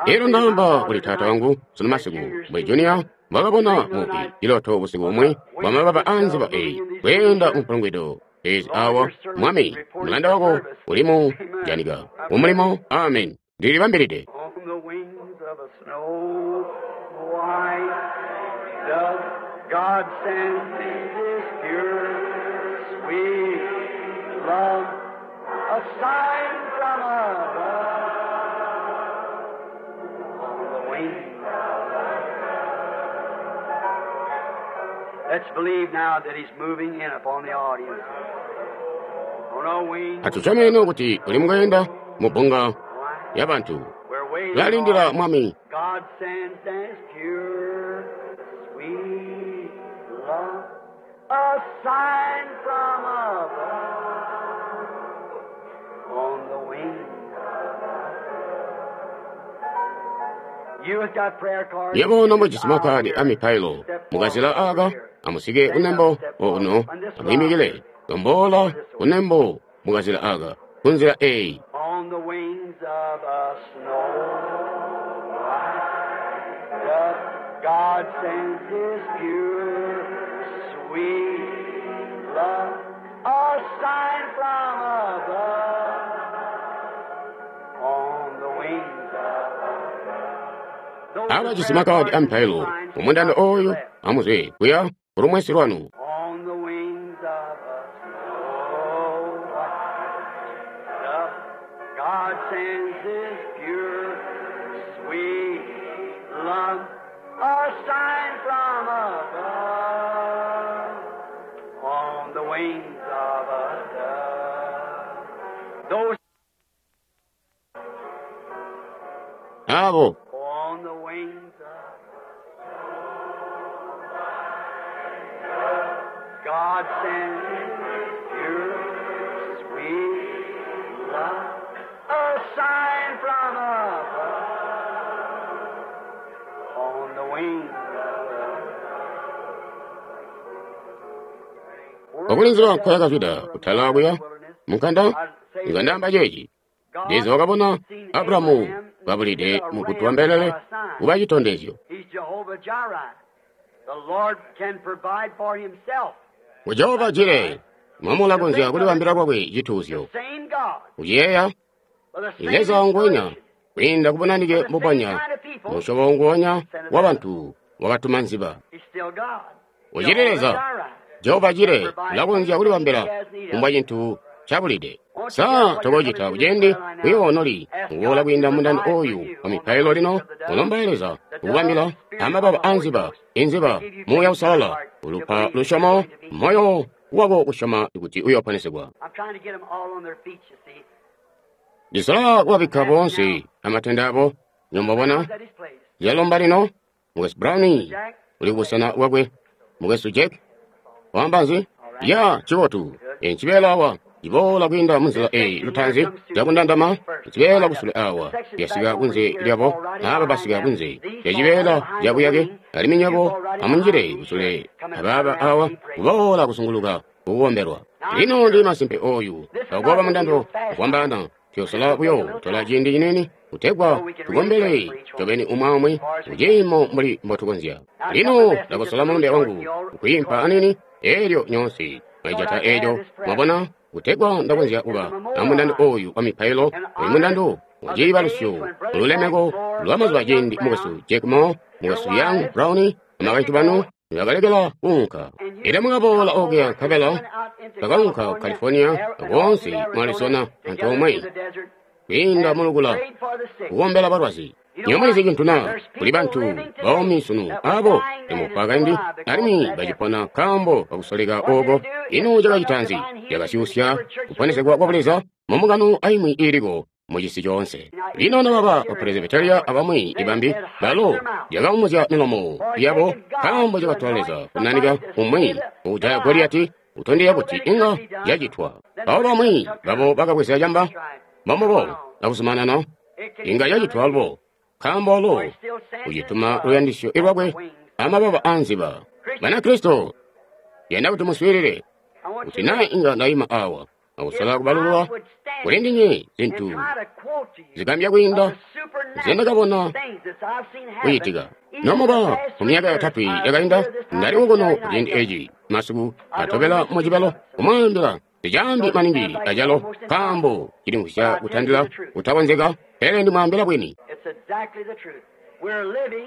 I elo see my ndaamba father kuli taata tonight wangu sunu that masiku Junior mbwe seen junior mbwakabona dream the other mupi night ciloto busiku of bumwe the bwa wings mababa of a dove nziba moving eyi in these kweenda rooms here. mumpulungwido ezi Lord, awa your servant mwami is reporting mulanda for wako service. ulimu Amen. janika I'm mumulimo ready. amen ndilibambilide On the wings of a snow white dove, God sends His pure, sweet love, a sign from above. On the wings. Let's believe now that He's moving in upon the audience. On our wings atusyome kuti uli mukuyenda mu bbunga of ya bantu We're waiting tulalindila on mwami God sends His pure, sweet love, a sign from above on the wings. You have got prayer cards yebo in this nomujisi aisle makadi a here. mipailo Step forward mukazila over aka here. amusike Stand up, kunembo step forward. okuno On this aisle amuyimikile here. lombola This way. kunembo mukazila aka kunzila eyi On the wings of a snow white dove, God sends His pure, sweet love, a sign from above. On the wings of those with abajisi prayer makadi cards a in this mipailo line, step mumundando out to your oyu left. amuzwe kuya kulumwesi lwanu On the wings of a snow white dove, God sends His pure, sweet love, a sign from above. On the wings of a dove. Those abo on the wings of God sends His pure, sweet love, a sign from above, on the wings of okulinzira nkoyakazwida kutala kuya munkanda ngandamba ceeci Leza wakabona Abulahamu kabulide mugutu mbelele kuba chitondezyo He's Jehovah Jireh. The Lord can provide for himself. ku Jehova Jire mwamulakonzya kulibambila kwakwe chituuzyo The same God, kuciyeeya with the same Leza nguwenya inspiration, kwiinda kubonanike with the same mbubonya kind of people, musyobo nguwonya wa bantu wakatuma nziba He's still God. Uchili Jehovah Leza Jireh. Jehova Jire Provide ulakonzya anything kulibambila he has need of. kumbwa chinthu chabulide Won't you sa get what you're tokocita coming to this kucendi prayer line now? kuyonoli Ask kuwola God to kwiinda mundando provide for oyu you wa on the mipailo wings lino of the dove, ulomba Leza the kukubambila dove, Spirit of amababa the a Holy nziba Ghost, inziba to give you muuya faith in your usalala heart to ulupa believe that you're lusyomo going to be healed. moyo wako kusyoma kuti uyoponesegwa I'm trying to get them all on their feet, you see. ndisola kuwabikka I'm asking now, boonse amatenda abo nyombabona Brown's at his place. lyalomba lino mukwesu Brown Jack, uli kubusena bwakwe mukwesu Jack wamba nzi all right, ya chibotu good. encibeela awa ciboola kwiinda munzila This eyi section here lutanzi comes to lyakundandama first, ncibeela lined up. kusule The awa sections back lyasika over kunze here lyabo fall right in aba behind basika them. kunze These fall right lyacibeela behind the lyabuyake wing. alimwi You nyabo fall right in amunjile behind these kusule here. Come and turn abaaba around awa and be prayed. kuboola kusunguluka kukukomberwa Now I'm lino ndi sure masimpe oyu this is not akuopa going to be mundando no fast time. kukwambana tuyosola This will take a buyo little tola time ciindi cinene kutegwa so we can really pray tukombele for each one tobeni umwe omwe as far as we can. kuciimo mbuli mbotukonzya Now, I've got my lino message just ndakosola a little mulumbe short. wangu You all kuyimpa record that. anini elyo nyonse So mwaijata I'd like to have ejo this prayer. mwabona kutegwa ndakonzya This is kuba a memorial amundando line oyu wa mipailo in oyu honor mundando of the days waciibalusyo when Brother Jack ululemeko Moore, lwa mazuba Brother Young ciindi mukwesu Brown, Jack Moore your mukwesu Young wives, Brown amakaintu banu Mexico, nibakalekela kuunka and you ila mukaboola come okuya over and nkabela went out into bakaunka ku California California and all koonse through mu Arizona Arizona together antoomwe to the desert kwiinda mulukula kukombela balwazi. Nyomulizi cintu na kuli bantu baumi sunu abo bamufwa kaindi alimwi bacipona nkaambo kakusoleka ooko. Ino cakacita nzi? Cakasyusya kuponesegwa kwa Buleza mumbungano aimwi iiliko mucisi coonse. Lino nababa bapresbyteria abamwi ibambi balo yakaumuzya milomo yabo nkaambo cakatola Leza kunanika umwi ukujaya Goliyati utondezya kuti inga yacitwa. Abo bamwi babo bakabweza camba mbombubo akuzumanana inga yacitwa alubo nkaambo alo ucituma luyandisyo lwakwe amababa anziba. Banakristo, yanda kuti muswiilile kuti naa inga ndaima awa akusola kubalulwa kuli ndinywe zintu zigambya kwiinda nzendakabona kucitika. Nomuba mumyaka yotatwe yakainda ndali kuno kuciindi eci masiku atobela mucibalo kumwaambila sicaambi maningi acalo nkaambo cilimvwisya kutandila kutakonzeka, pele ndimwaambila bwini.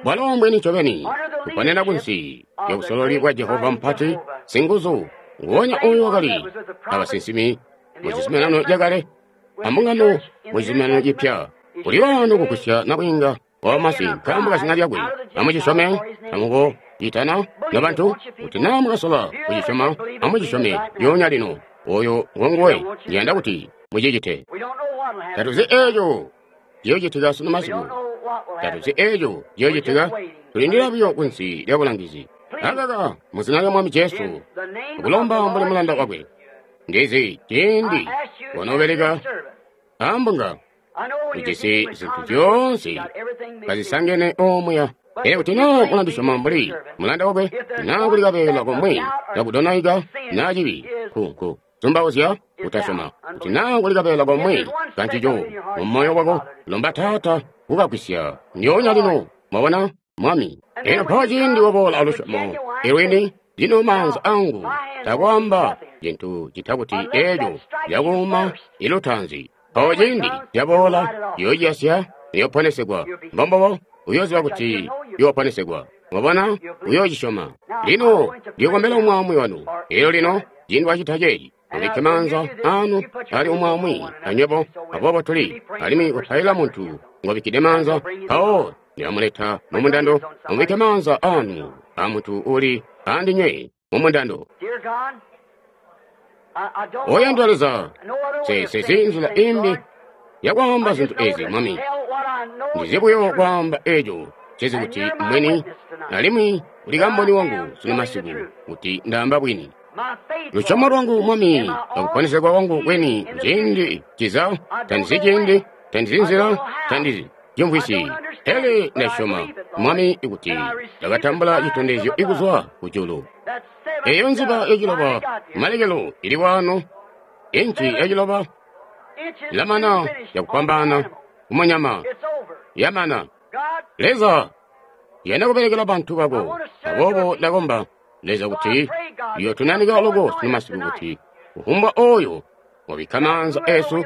Bwalo mbwini ncobeni kuponena kunsi ya busololi bwa Jehova mpati singuzu nguwonya oyo wakali abasinsimi mucizuminano cakale ambungano mucizuminano cipya. Kuli wano kugusya nabwiinga wamasi nkaambo kazina lyakwe. Amucisyome amuko itana nobantu kuti naa mukasola kucisyoma amucisyome lyoonya lino. Oyo ngonguwe ndiyanda kuti mucicite. Tatuzi eeco ciyoocitika sunu masiku. Tatuzi eeco ciyoocitika. Tulindila buyo kunsi lya bulangizi. Akaka muzina lya Mwami Jesu kulomba mbuli mulanda wakwe. Ndizi ciindi wanoobeleka ambunga ujisi zintu zyoonse kazisangene omuya. Pele kuti naa mulandisyoma mbuli mulanda wakwe, naa kuli kabeela komwe kakudonaika naa cibi nkunku zumbauzya kutasyoma, kuti naa kuli kabeela komwe kancico mumoyo wako, lomba Taata kukagwisya ndyoonya lino. Mwabona Mwami. Eno mpawo ciindi waboola alusyomo ilwini, lino maanza angu takwaamba cintu cita kuti eeco lyakuuma ilutaanzi. Mpawo ciindi lyaboola yoociyasya iyoponesegwa. Mbombobo uyooziba kuti yooponesegwa. Mwabona, uyoocisyoma. Lino ndiyokombela umwaamwi wanu. Elyo lino ciindi wacita ceeci, mubikke maanza anu ali umwaamwi anywebo. Aboobo tuli alimwi kupaila muntu ngobikkide maanza, mpawo ndilamuleta mumundando. Mubikke maanza anu amuntu uli andinywe mumundando. Oyandwa Leza, sesezi nzila imbi yakwaamba zintu ezi Mwami. Ndizi buyo kwaamba eco cezi kuti mwini, alimwi uli kamboni wangu sunu masiku kuti ndaamba bwini. Lusyomo lwangu Mwami akuponesegwa kwangu kweni ciindi ciza, tandizi ciindi, tandizi nzila, tandizi cimvwisi, pele ndasyoma Mwami kuti ndakatambula citondezyo ikuzwa kujulu. Eyo nziba yaciloba malekelo ili wano, inci yaciloba ilamana yakupambana kumunyama yamana. Leza yanda kubelekela bantu bako, aboobo ndakomba Leza kuti yotunanika loko sunu masiku kuti kufumbwa oyo wabikka maanza esu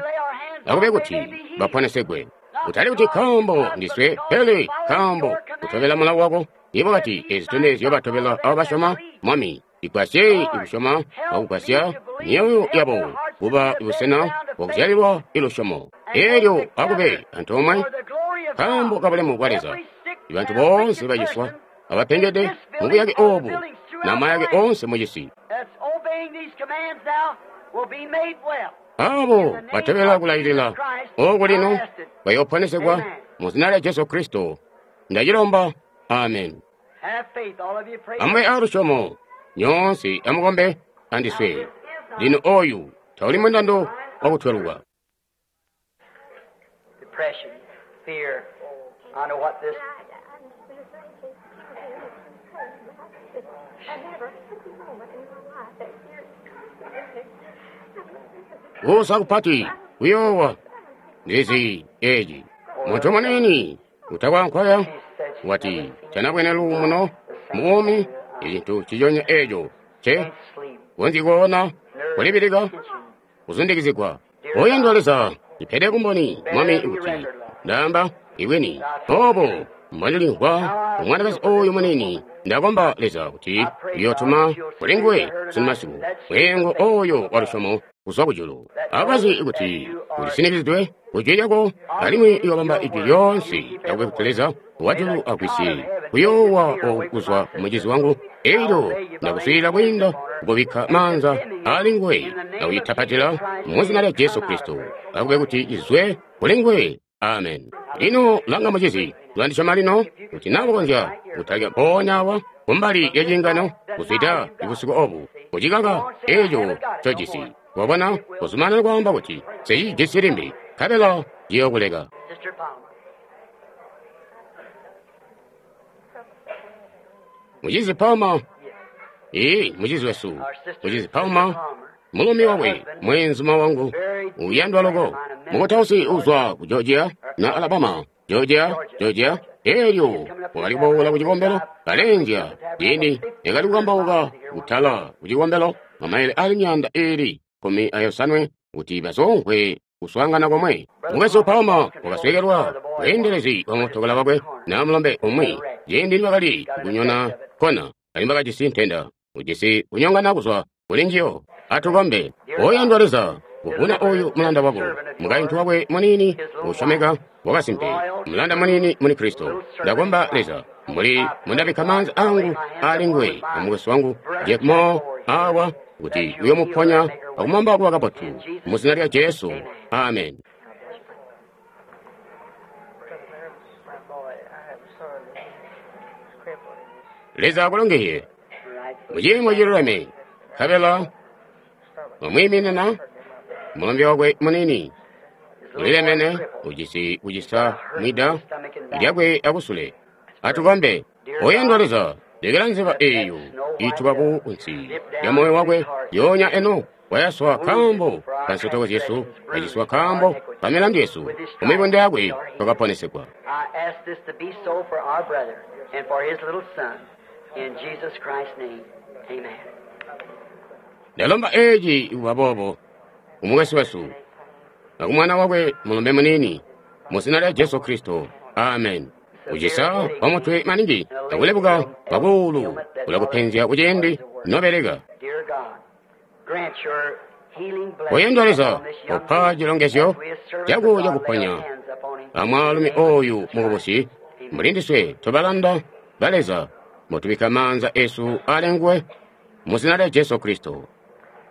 akube kuti baponesegwe. Kutali kuti nkaambo ndiswe, pele nkaambo kutobela mulawo wako. Ibo kati ezi zitondezyo batobela abo basyoma Mwami, igwasye ikusyoma akugwasya myoyo yabo kuba busena bwakuzyalilwa ilusyomo. Elyo akube antoomwe nkaambo kabulemu bwa Leza. Ibantu boonse baciswa abapengede mubuyake obu na mayake oonse mucisi. Abo batobela kulailila oku lino bayooponesegwa mu zina lya Jesu Kristo. Ndacilomba. Amen. Amube alusyomo nyoonse amukombe andiswe. Lino oyu tauli mundando wakutweluka. Kuusa kupati kuyoowa ndizi eci muntu munini utakwankwaya wati tanabwene luumuno mubuumi icintu ciconya eco ce konzyi koona kulibilika kuzundikizigwa. Oyandwa Leza, ndipede kumboni Mwami kuti ndaamba ibwini obo mbondilimvwa umwanakazi oyu munini. Ndakomba Leza kuti uyotuma kuli nguwe sunu masiku mwengo oyo wa lusyomo kuzwa kujulu. Abazi kuti ulisinikizidwe kujwi lyako, alimwi iyobamba ijwi lyoonse akube kuti Leza wajulu agwisye kuyoowa oku kuzwa kumucizi wangu. Elyo ndakuswiilila kwiinda kukubikka maanza ali nguwe nakuyitapatila mu zina lya Jesu Kristo, akube kuti izwe kuli nguwe. Amen. Lino langa mucizi, ulandisyoma lino kuti nakukonzya kutalika mpoonya awa kumbali lya ciingano kuzwida busiku obu kucikaka eco ncojisi. Wabona, kuzumanana kwaamba kuti nsicijisi limbi, nkabela ciyokuleka. Sister Palmer. Mucizi Palmer, ee, mucizi wesu, mucizi Palmer, mulumi wakwe, mweenzuma wangu, uyandwa loko, mukutausi uzwa ku Georgia na Alabama, Georgia, Georgia. Elyo wakali kuboola ku cikombelo kalenzya ciindi yakali kukambauka kutala ku cikombelo mamaile ali myaanda iili kkumi ayosanwe kuti bazomvwe kuswaangana komwe. Mukwesu Palmer wakasweekelwa bweendelezi bwa mootokala wakwe na mulombe umwi ciindi nibakali kunyona kona, alimwi bakajisi ntenda, ujisi kunyongana kuzwa kuli njiyo. Atukombe. Oyandwa Leza, kuvuna oyu mulanda wako, mukaintu wakwe muniini usyomeka wakasimpe, mulanda muniini muli Kristo. Ndakomba Leza, mbuli mundabikka maanza angu ali nguwe amukwesu wangu Jack Moore awa, kuti uyomuponya akumwamba kuba kabotu mu zina lya Jesu. Amen. My boy, I have a son that's crippled in his Leza akulongezye Right. muciimo ciluleme, nkabela stomach. mwamwiiminina mulombe wakwe muniini His little ulilemene boy crippled. ujisi kucisa mwida lyakwe akusule. Atukombe. Oyandwa Leza, lekela nziba eyo ituba ku nsi ya moyo wakwe yonya eno wayaswa kambo ka nsotoko zyesu, waciswa kambo ka milandu yesu, kumibunda yakwe twakaponesegwa. I ask this to be so for our brother and for his little son. In Jesus Christ's name, amen. Ndalomba eci kuba boobo kumukwesu wesu na kumwana wakwe mulombe munini mu zina lya Jesu Kristo. Amen. Kucisa kwa mutwe maningi akulebuka kwakuulu kulakupenzya kuciindi nobeleka. Dear God, grant your healing blessing Oyandwa Leza, upon this young opa man chilongezyo as we as servants chako of God lay chakuponya our hands upon him. amwaalumi In the name of oyu Jesus mukubusi, Christ. Amen. mulindiswe tobalanda ba Leza mutubikka maanza esu ali nguwe mu zina lya Jesu Kristo.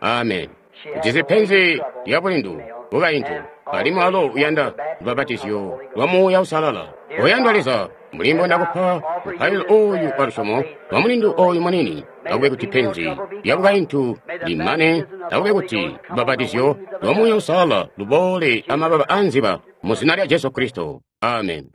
Amen. Ujisi penzi lya bulindu bukaintu, alimwi alo uyanda lubabatizyo lwa Muuya Usalala. Oyandwa Leza, mulimbo ndakupa mupailo oyu wa lusyomo lwa mulindu oyu munini, akube kuti penzi lya bukaintu limane, akube kuti lubabatizyo lwa Muuya Usalala luboole amababa a nziba mu zina lya Jesu Kristo. Amen.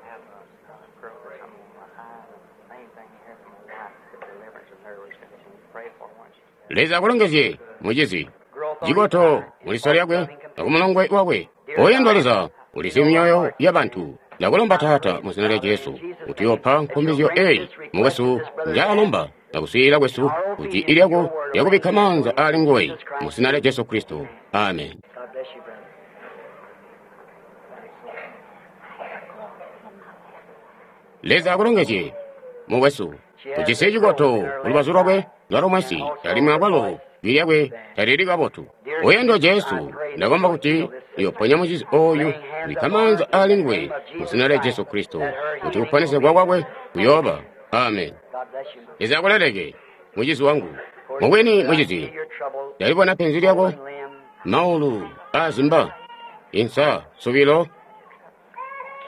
I have a girl come on my eye. The main thing you hear from my wife is the deliverance of nervous condition. Pray for her once. Leza akulongezye mucizi Growth on cikoto his muliso lyakwe akumulongwe wakwe. Oyandwa Leza, ulisi myoyo ya bantu. Ndakulomba Taata mu zina lya Jesu kuti yopa nkumbizyo eyi mukwesu njaalomba nakuswiilila kwesu kuti ilyako lyakubikka maanza ali nguwe mu zina lya Jesu Kristo. Amen. God bless you, brother. Leza akulongezye mukwesu, ujisi cikoto kulubazu lwakwe lwa lumwesi, alimwi akwalo jwi lyakwe talili kabotu. Oyandwa Jesu, ndakomba kuti uyoponya mucizi oyu kubikka maanza ali nguwe mu zina lya Jesu Kristo, kuti kuponesegwa kwakwe kuyooba. Amen. God bless you. Leza akuleleke mucizi wangu. Mubwini mucizi, Your trouble, ndalibona penzi lyako, limb, maulu azimba, insa, subilo,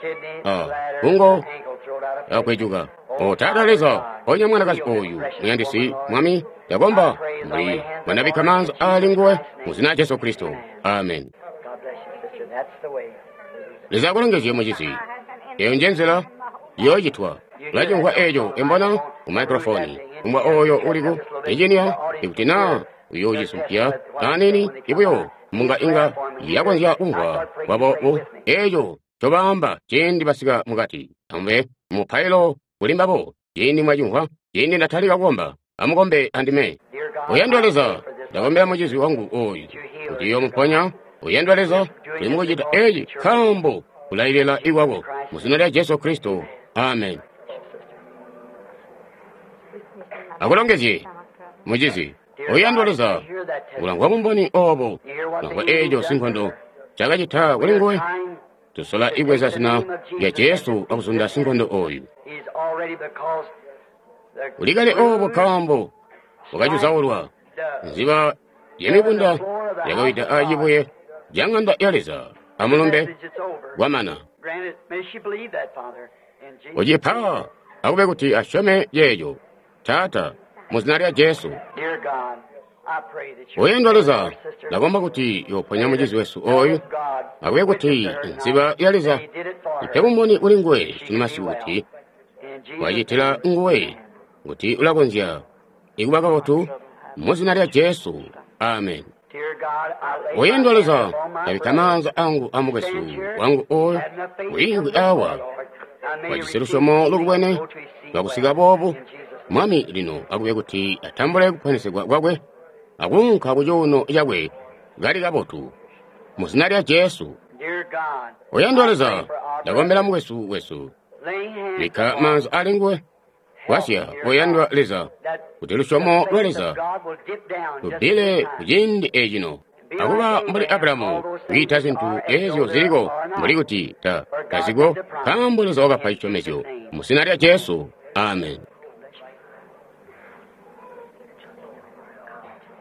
kidney, Ah, bladder, kungo, ankle thrown out of place. akwejuka. O Taata Leza, ponya mwanakazi oyu muyandisi mwami, ndakomba mbuli mwandabikka maanza ali nguwe mu zina lya Jesu Kristo. Amen. God bless you, sister. That's the way. Leza akulongezye mucizi. Eyo nje nzila yoocitwa. Ulacimvwa eco embona ku microphone. Kumbwa oyo uliku engineer, ikuti naa uyoocisumpya anini ibuyo munga inga yakonzya kumvwa kwabo eco cobaamba ciindi basika mukati. Amube mupailo kuli mbabo ciindi mwacimvwa, ciindi ndatalika kukomba, amukombe andime. Dear God, Oyandwa I Leza, pray for this ndakombera mucizi wangu oyu kuti uyomuponya. Oyandwa Leza, tuli mukucita eci nkaambo kulailila ikwako mu zina lya Jesu Kristo. Amen. Akulongezye mucizi. Oyandwa Leza, ulamvwa bumboni obo, ulamvwa eeco sinkondo cakacita kuli nguwe. Tusola ibweza zina lya Jesu akuzunda sinkondo oyu. Ulikale obo nkaambo wakacuzaulwa nziba yamibunda yakawida acibuye ca ŋanda ya Leza amulumbe kwamana. Ucipa akube kuti asyome ceeco, Taata, mu zina lya Jesu. Oyandwa Leza, ndakomba kuti yoponya mucizi wesu oyu, akube kuti nziba ya Leza ipe bumboni kuli nguwe sunu kuti wacitila nguwe kuti ulakonzya ikuba kabotu mu zina lya Jesu. Amen. Oyandwa Leza, ndabikka maanza angu amukwesu wangu oyu wiingwi awa wajisi lusyomo lukubwene lwakusika boobu. Mwami lino akube kuti atambule kuponesegwa kwakwe akuunka ku cuuno cakwe kali kabotu mu zina lya Jesu. Oyandwa Leza, ndakombela mukwesu wesu, bikka maanza ali nguwe. Gwasya, oyandwa Leza, kuti lusyomo lwa Leza lubbile kuciindi ecino akuba mbuli Abrahamu kwiita zintu ezyo ziliko mbuli kuti ta taziko, nkaambo Leza wakapa cisyomezyo mu zina lya Jesu. Amen.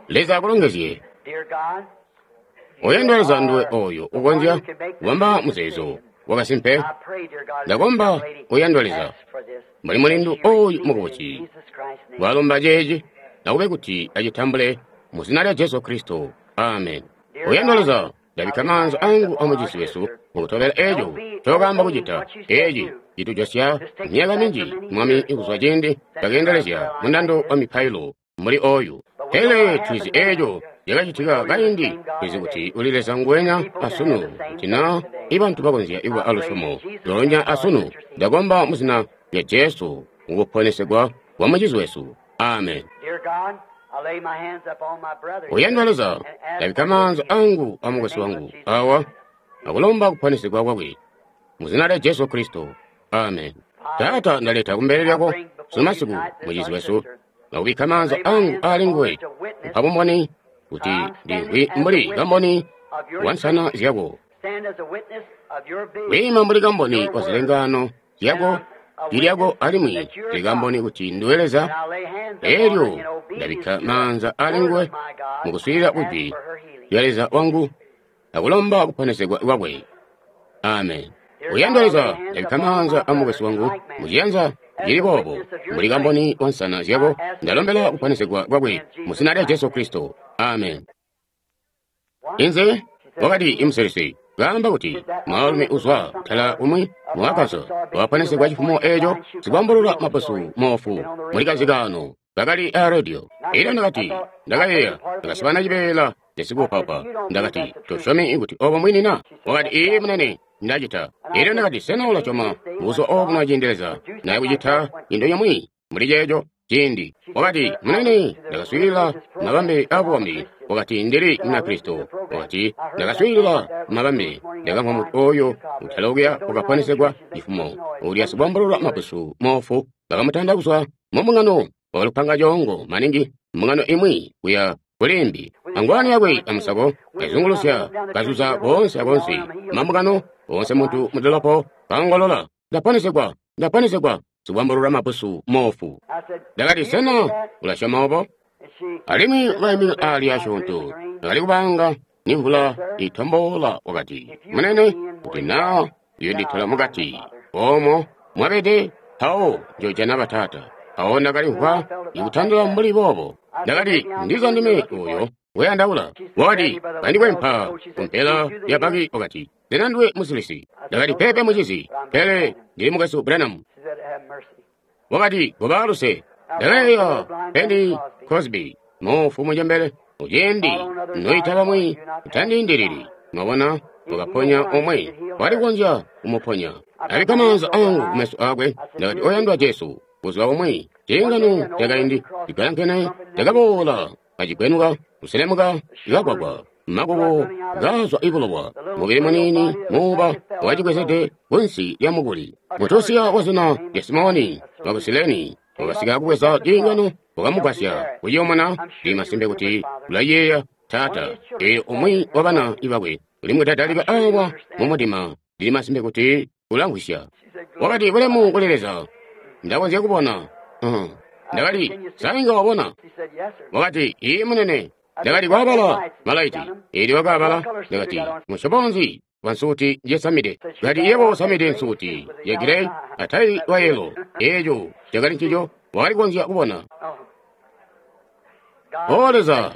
Leza akulongezye. Oyandwa Leza, nduwe oyo ukonzya kubamba muzeezo wakasimpe. Ndakomba, oyandwa Leza, mbuli mulindu oyu mukubusi walomba ceeci, nakube kuti acitambule mu zina lya Jesu Kristo. Amen. Oyandwa Leza, ndabikka maanza angu amucizi wesu mukutobela eeco cokaamba kucita. Eeci citujosya myaka minji, Mwami, kuzwa ciindi cakeendelezya mundando wa mipailo mbuli oyu. Pele tulizi eeco cakacitika kaindi, tulizi kuti uli Leza nguwenya asunu, kuti na ibantu bakonzya kuba alusyomo loonya asunu. Ndakomba mu zina lya Jesu mukuponesegwa kwa mucizi wesu. Amen. Oyandwa Leza, ndabikka maanza angu amukwesu wangu awa akulomba kuponesegwa kwakwe mu zina lya Jesu Kristo. Amen. Taata, ndaleta kumbele lyako sunu masiku mucizi wesu, nakubikka maanza angu ali nguwe kupa bumboni kuti ndimvwi mbuli kamboni wa nsana zyako, kwiima mbuli kamboni wa zilengano zyako, jwi lyako, alimwi ndili kamboni kuti ndiwe Leza. Elyo ndabikka maanza ali nguwe mukuswiilila kujwi lya Leza wangu akulomba kuponesegwa kwakwe. Amen. Oyandwa Leza, ndabikka maanza amukwesu wangu muciyanza cili boobo mbuli kamboni wa nsana zyako, ndalombela kuponesegwa kwakwe mu zina lya Jesu Kristo. Amen. Inze wakati imusilisi kaamba kuti mwaalumi uzwa kutala umwi mwakaso waponesegwa cifumo eeco sikwambulula maposu moofu muli kazikano kakali a radio. Elyo ndakati, ndakayeeya, ndakasibana cibeela casikuupaupa. Ndakati, tosyomi kuti obo mwini na? Wakati, iye munene, ndacita. Elyo ndakati, sena ulasyoma buzuba obu naciindi Leza naye kucita into yomwe muli ceeco ciindi? Wakati, munene, ndakaswiilila mabambe abukombi. Wakati, ndili Munakristo. Wakati, ndakaswiilila mabambe, ndakamvwa mutu oyo utalokuya wakaponesegwa cifumo ulya sikwambulula mapusu moofu bakamutanda kuzwa mumbungano, wakalupanga coongo maningi mbungano imwi kuya kulimbi, angwani yakwe amusako kazungulusya kazuza koonse akoonse mambungano oonse muntu mudolopo kaongolola, ndaponesegwa, ndaponesegwa, sikwambulula mapusu moofu. Ndakati, sena ulasyoma obo? Alimwi wakaimika ali asyoonto, ndakali kubanga ni mvula itombola. Wakati, munene, kuti na yonditola mukati omo mwabede mpawo njojana bataata. Mpawo ndakalimvwa ikutandula mbuli boobo. Ndakati, ndiza ndime oyo weyandaula. Wakati, kandikwempa kumpela ya baki. Wakati, sena ndiwe musilisi? Ndakati, pepe mucizi, pele ndili mukwesu Branham. Wakati, koba luse. Ndakayeeya Penny Crosby moofu mucembele uciindi noita bamwi utandiindilili. Mwabona, wakaponya omwe wali kukonzya kumuponya. Ndabikka maanza angu kumeso akwe. Ndakati, oyandwa Jesu, buzuba bumwe ciingano cakaindi cigalankene cakaboola kacigwenuka kuselemuka kagwagwa makuko kazwa ibulowa, mubili muniini muuba wacibwezede kunsi lya mukuli. Mutusiya wa zina lya Simoni waku Sileni Wakasika kubweza ciingano, wakamugwasya kuciyomona. Ndili masimpe kuti ulayeeya taata. Eelyo umwi wa bana bakwe ulimudadalika awa mumudima. Ndili masimpe kuti ulamvwisya. Wakati, bulemu kuli Leza, ndakonzya kubona. Uh-huh. Ndakati, sa inga wabona? Wakati, iye munene. Ndakati, kwabala malaiti. Eelyo wakaabala. Ndakati, musyobo nzi wa nsuuti njesamide? Kati, yebo usamide nsuuti ya gireyi atayi wa yelo. Eeco cakali ncico wakali kukonzya kubona. O Leza,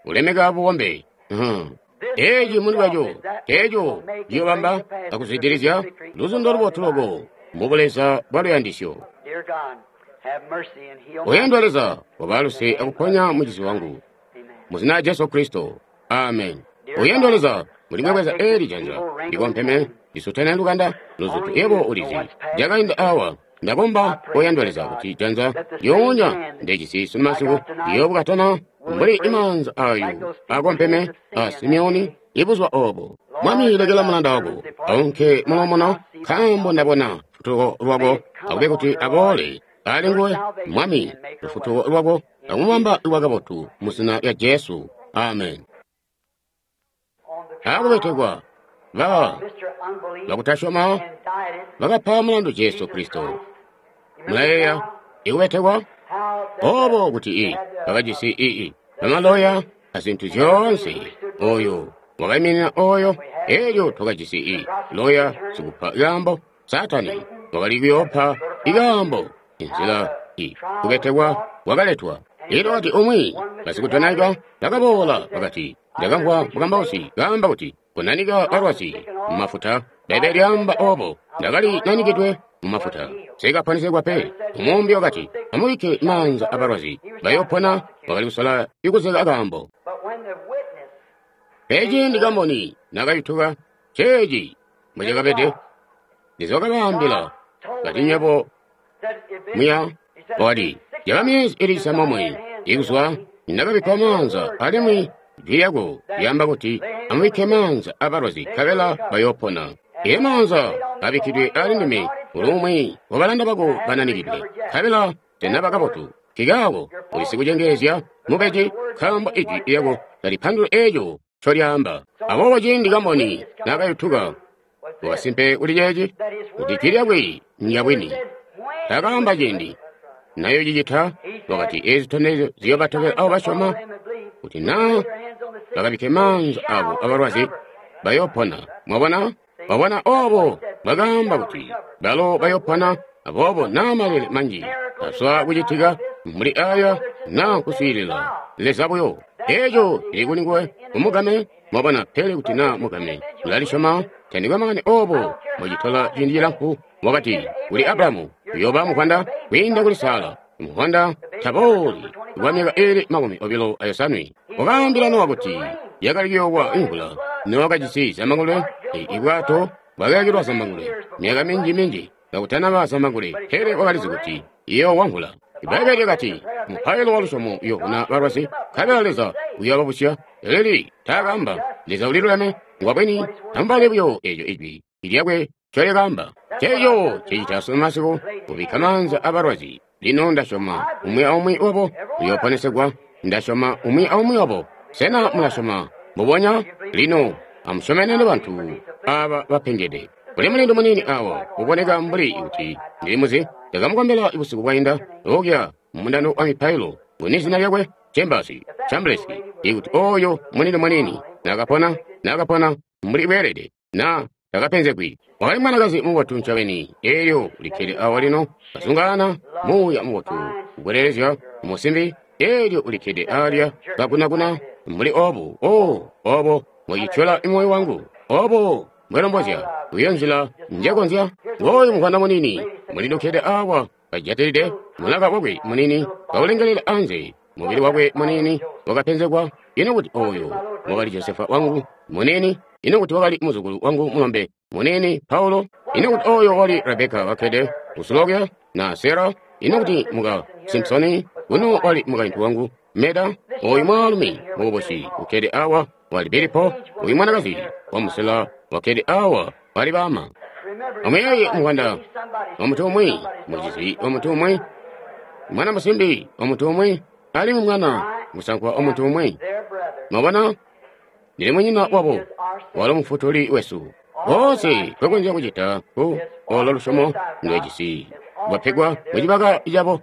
ulemeka bubombe. Uh-huh. Eeci muli bwaco, eeco ciyobamba akuzwidilizya luzundo lubotu loko mu buleza bwa luyandisyo. Oyandwa Leza, waba luse akuponya mucizi wangu. Mu zina lya Jesu Kristo. Amen. Oyandwa Leza, mulimwebweza eli janza likompeme lisutene lukanda luzutu yebo ulizi lyakainda awa. Ndakomba oyandwa Leza kuti janza lyoonya ndecisi sunu masiku liyobukatana mbuli imaanza ayo akompeme a Simeoni ibuzuba obo. Mwami, lekela mulanda wako aunke mulomono, nkaambo ndabona lufutuko lwako, akube kuti aboole ali nguwe. Mwami, lufutuko lwako akumubamba lwakabotu mu zina lya Jesu. Amen. Akubetekwa ba bakutasyoma bakapa mulandu Jesu Kristo. Mulayeeya ikubetekwa obo kuti i bakajisi ii bamaloya azintu zyoonse, oyo wakaiminina oyo. Elyo twakajisi i loya sikupa ikaambo, Satani wakali kuyoopa ikaambo inzila i kubetekwa kwakaletwa. Elyo wakati umwi basikudonaika bakaboola bakati, ndakamvwa mukambausi kaamba kuti kunanika balwazi mumafuta. Bbaibbele lyaamba obo. Ndakali nanikidwe mumafuta, sikaponesegwa pe. Umumbi wakati, amubikke maanza abalwazi bayopona. Wakali kusola ikuzeka akaambo. Peci kamboni nakayutuka ceeci mbwecakabede. Leza wakabaambila kati, nywebo muya. Wakati, yaba myezi ili cisambomwe ikuzwa ndakabikkwa maanza, alimwi jwi lyako lyaamba kuti amubikke maanza abalwazi nkabela bayopona. Ee maanza abikkidwe ali ndime uli umwi wabalanda bako bananikidwe, nkabela tenaba kabotu. Kikaako uli sikucengeezya mubeji, nkaambo ijwi lyako talipandula eeco ncolyaamba. Aboobo ciindi kamboni nakayutuka wakasimpe kuli ceeci, kuti jwi lyakwe ndyabwini. Takaamba ciindi nayo cicita. Wakati eezi zitondezyo ziyobatobela abo basyoma, kuti naa bakabikke maanza abo abalwazi bayopona. Mwabona? Wabona obo bakaamba kuti balo bayopona. Aboobo naa malele manji azwa kucitika mbuli aya naa kuswiilila Leza buyo, eeco cili kuli nguwe umugame. Mwabona? Pele kuti naa mugame ulalisyoma, tandikwe makani obo mbocitola ciindi cilamfu. Wakati kuli Abrahamu uyooba muvwanda kwiinda kuli Sara. Muvwanda tabooli kwa myaka ili makumi obilo ayosanwe. Wakaambila Nowa kuti yakali kuyoowa imvula. Nowa kajisi zambangulwe, ibwato bwakayakilwa zambangulwe myaka minji minji kakutanaba zambangulwe, pele wakalizi kuti iyoowa mvula. Ibbaibbele lyakati mupailo wa lusyomo uyoovuna balwazi, nkabela Leza uyoobabusya. Eleli taakaamba Leza uliluleme ngwabwini, amubale buyo eeco ijwi lyakwe ncolyakaamba. Ceeco cicita sunu masiku, kubikka maanza abalwazi. Lino ndasyoma umwi aumwi wabo uyooponesegwa. Ndasyoma umwi aumwi wabo. Sena mulasyoma mbubonya? Lino amusyomenene bantu aba bapengede. Kuli mulindu muniini awa uboneka mbuli kuti ndilimuzi. Ndakamukombela busiku bwainda okya mumundando wa mipailo. Nguni zina lyakwe? Chambers, Chamberlain. Ikuti oyo mulindu muniini nakapona, nakapona mbuli bweelede, na takapenzegwi. Wakali mwanakazi mubotu ncobeni. Elyo ulikkede awa lino kazungaana muuya mubotu kukwelelezya musimbi. Elyo ulikkede alya kagunaguna mbuli obu. O obo mwicityola moyo wangu, obo mbwelombozya uyo nzila njekonzya. Ngooyu muvwanda munini mulindukkede awa kajatilide mulaka wakwe munini kaulengelela anze, mubili wakwe munini wakapenzegwa. Ino kuti oyo wakali Josefa wangu munini? Ino kuti wakali muzukulu wangu mulombe munini Paulo? Ino kuti oyo wali Rebeka wakkede kusulokya na Sara? Ino kuti muka Simpsoni uno wali mukaintu wangu Meda? Oyu mwaalumi mukubusi ukkede awa wali Bilipo. Oyu mwanakazi wamusela wakkede awa wali bama. Amuyeeye muvwanda wamuntu umwi, mucizi wamuntu umwi Mwana musimbi wa muntu umwi, alimwi mwana musankwa wa muntu umwi. Mwabona? Ndili munyina wabo, walo mufutuli wesu. Koonse twekonzya kucita ku olo lusyomo ndwejisi lwapegwa mucibaka cabo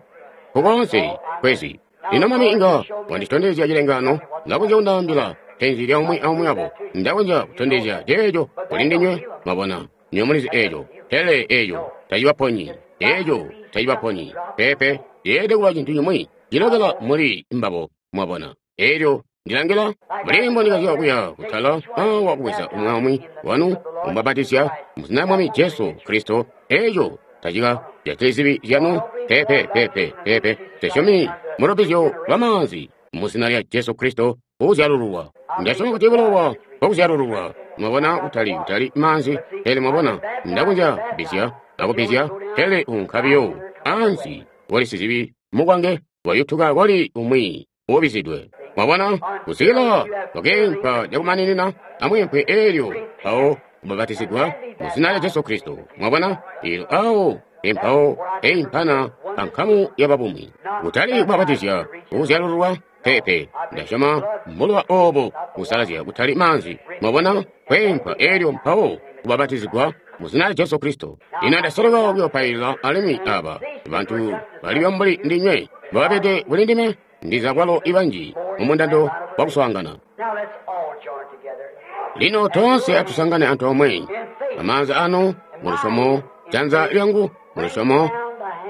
kukoonse kwezi. Lino Mwami inga wanditondezya cilengaano, ndakonzya kundaambila penzi lya umwi aumwi wabo. Ndakonzya kutondezya ceeco kuli ndinywe, mwabona, nywe mulizi eeco. Pele eeco tacibaponyi, eeco tacibaponyi. Peepe, yeelede kuba cintu cimwi cilokela muli mbabo, mwabona. Eelyo ndilangila mbuli mbondikazya kuya kutala awa kubweza umwi aumwi wanu kumubapatizya muzina lya Mwami Jesu Kristo. Eeco tacika jatili zibi zyanu. Peepe, peepe, peepe. Tesyomi mulubbizyo lwa maanzi muzina lya Jesu Kristo uzyalululwa. Ndasyoma kuti bulowa bwakuzyalululwa. Mwabona, kutali kutali maanzi, pele mwabona, ndakonzya kubbizya akubbizya, pele unka biyo ansi wali sizibi mukwange wayutuka kwali umwi uubizidwe. Mwabona, kusikila wakeempwa cakumaninina amweempwe eelyo mpawo kubabatizigwa muzina lya Jesu Kristo. Mwabona, eelyo awo empawo eimpana ankamu yababumwi. Kutali kubabatizya kuzyalululwa, peepe. Ndasyoma mbulowa oobo kusalazya kutali maanzi. Mwabona, kweempwa eelyo mpawo kubabatizigwa muzina lya Jesu Kristo. Lino ndasoleka kuyopailila alimwi aba bantu baliyo mbuli ndinywe babede kuli ndime, ndiza kwalo ibanji mumundando wakuswaangana. Lino toonse atusangane antoomwe amaanza anu mulusyomo, janza lyangu mulusyomo,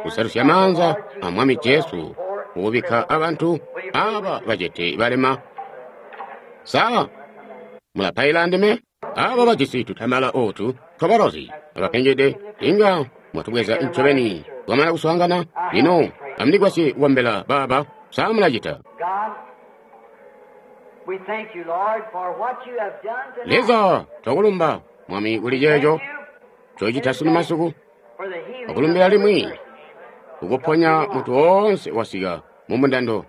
kusalusya maanza a Mwami Jesu kubikka abantu aba bacete balema. Sa mulapaila ndime? Aba bajisi tutamala ootu twabalozi abapengede, inga mwatubweza ncobeni twamana kuswaangana. Lino amundigwasye kukombela baaba. Sa mulacita? Leza, twakulumba Mwami kuli ceeco cocita sunu masiku, wakulumbila limwi kukuponya muntu woonse wasika mumundando.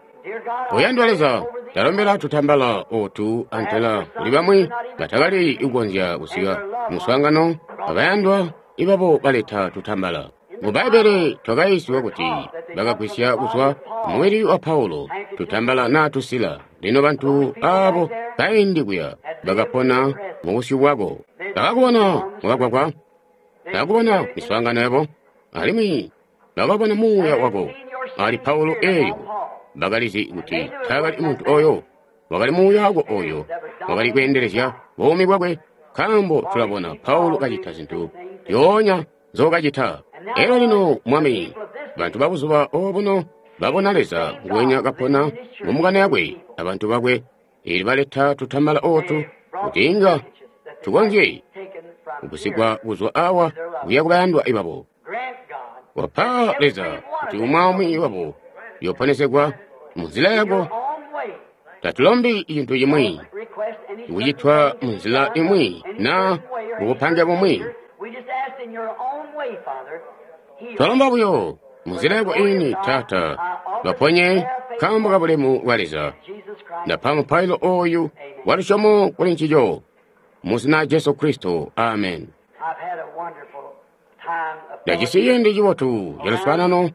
Oyandwa Leza, talombela tutambala ootu antela kuli bamwi batakali kukonzya kusika muswaangano, abayandwa ibabo baleta tutambala. Mu Bbaibbele twakayiisiwa kuti bakagwisya kuzwa mubili wa Paulo tutambala naa tusila. Lino bantu aabo kaindi kuya bakapona mubusyu bwako, bakakubona mukagwagwa, bakakubona miswaangano yabo, alimwi bakabona muuya wako ali Paulo. Eelyo bakalizi kuti taakali muntu oyo, wakali muuya wako oyo wakali kweendelezya buumi bwakwe, nkaambo tulabona Paulo kacita zintu zyoonya nzookacita. Elyo lino Mwami, bantu babuzuba obuno babona Leza nguwenya kapona mumukana yakwe abantu bakwe, eelyo baleta tutambala ootu kuti inga tukonzye kugusigwa kuzwa awa kuya kubayandwa ibabo. Wapa Leza kuti umwi aumwi wabo yoponesegwa munzila yako. Tatulombi cintu cimwi kucitwa munzila imwi na mubupange bumwi. Twalomba buyo munzila yako ini, Taata, baponye nkaambo ka bulemu bwa Leza. Ndapa mupailo oyu wa lusyomo kuli ncico muzina Jesu Kristo, amen. Ndajisi ciindi cibotu caluswaanano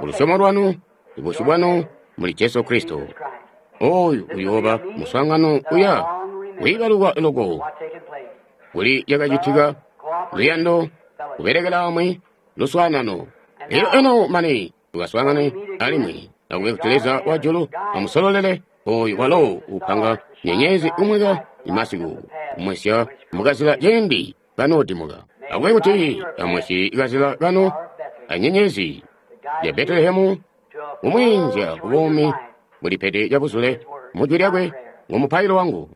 kulusyomo lwanu, ibusyu bwanu muli Jesu Kristo. Oyu uyooba muswaangano uya wiibalukwa loko kuli cakacitika, luyando, kubelekela amwi, luswaanano. Elyo eno mane tukaswaangane alimwi, akube kuti Leza wa julu amusololele oyu walo upanga nyenyezi umweka imasiku kumwesya mukazila ciindi kanoodimuka. Akube kuti amwesye kazila kano anyenyezi ya Betelehemu kumwiinzya kubuumi bulipede cabuzule mujwi lyakwe ngumupailo wangu.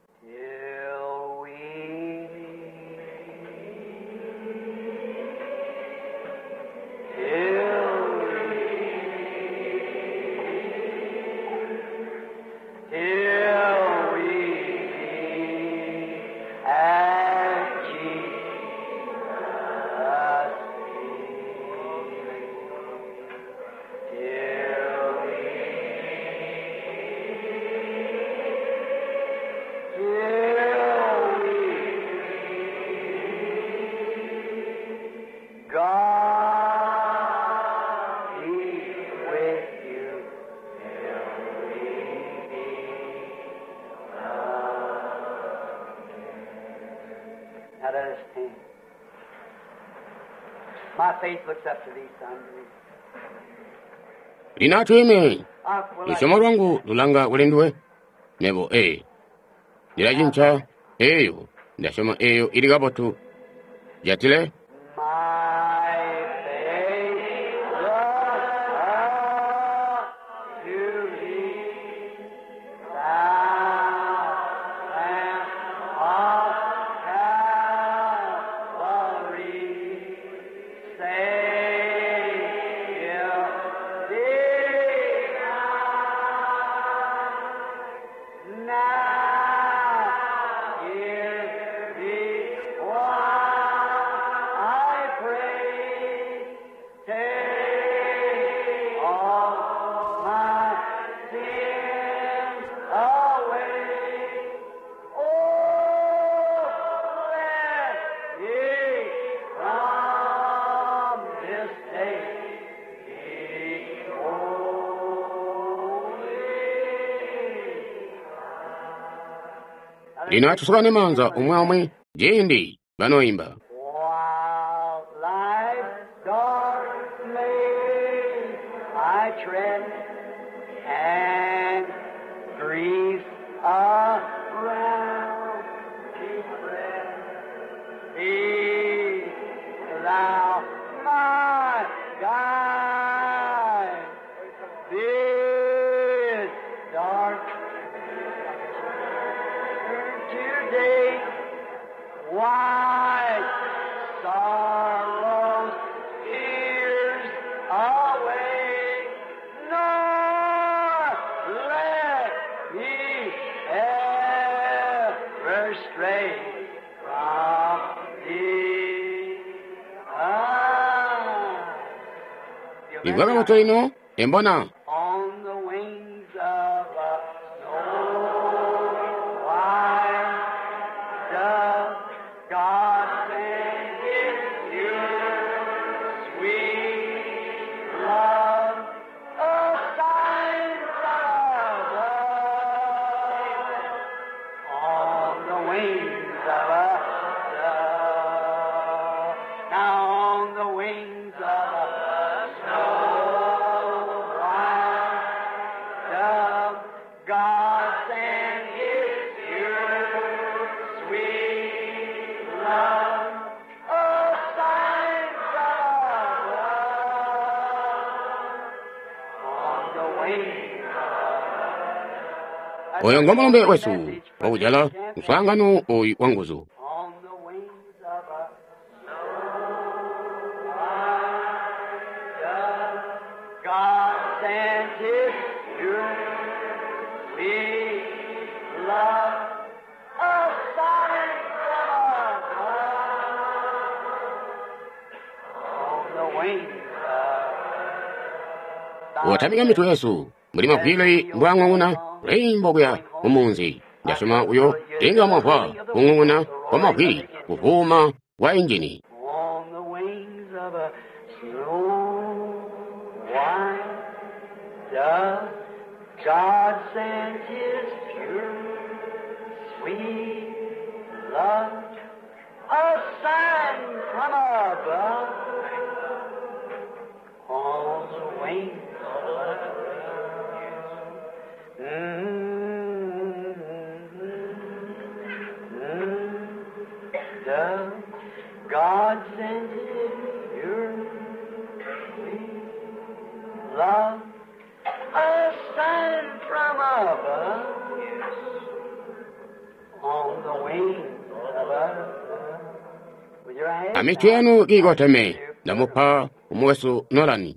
Till we meet at Jesus' feet. Till we meet, Now let us stand. My faith looks up to thee, son. Lino atwiime. I, will I- Lusyomo lwangu lulanga kuli nduwe. Nebo ee. Ndilacinca eyo. Ndasyoma eyo ili kabotu. Jatile. My faith looks up to thee, thou Lamb of Calvary, Savior divine. Now hear me while I pray. Take all my sins away. Oh, let me from this day be holy. Lino atusukane maanza omwe omwe ciindi banoyimba. While life's dark maze I tread, and grief around me spread, be thou my guide. This dark today, why sorrows, tears away, nor let me ever stray from thee. Ah. Limvwa kabotu lino embona. On the wings of a snow white dove, God sent His pure, sweet love, a sign from above. On the wings of a dove, now on the wings of a snow white dove, God sent His pure, sweet love, a sign from above. On the wings of Oyo ngomulumbe wesu wakujala mswaangano oyu wa nguzu. On the wings of a snow white dove, God sent His pure, sweet love, a sign from above. On the wings of Otamika mitu yesu muli mavwili mbwang'ung'una lwimbo kuya mumunzi. Ndasyoma uyo tinga mwamvwa kung'ung'una kwa mavwili kuvuma kwa injini. On the wings of a snow white dove, God sent His pure, sweet love, a sign from above. On the wings of a dove. Mm-hmm. Mm-hmm. Dove, God sent His pure, sweet love, a sign from above, on the wings of a dove. With your hands Amitu yanu kiikoteme ndamupa umwesu Nolani.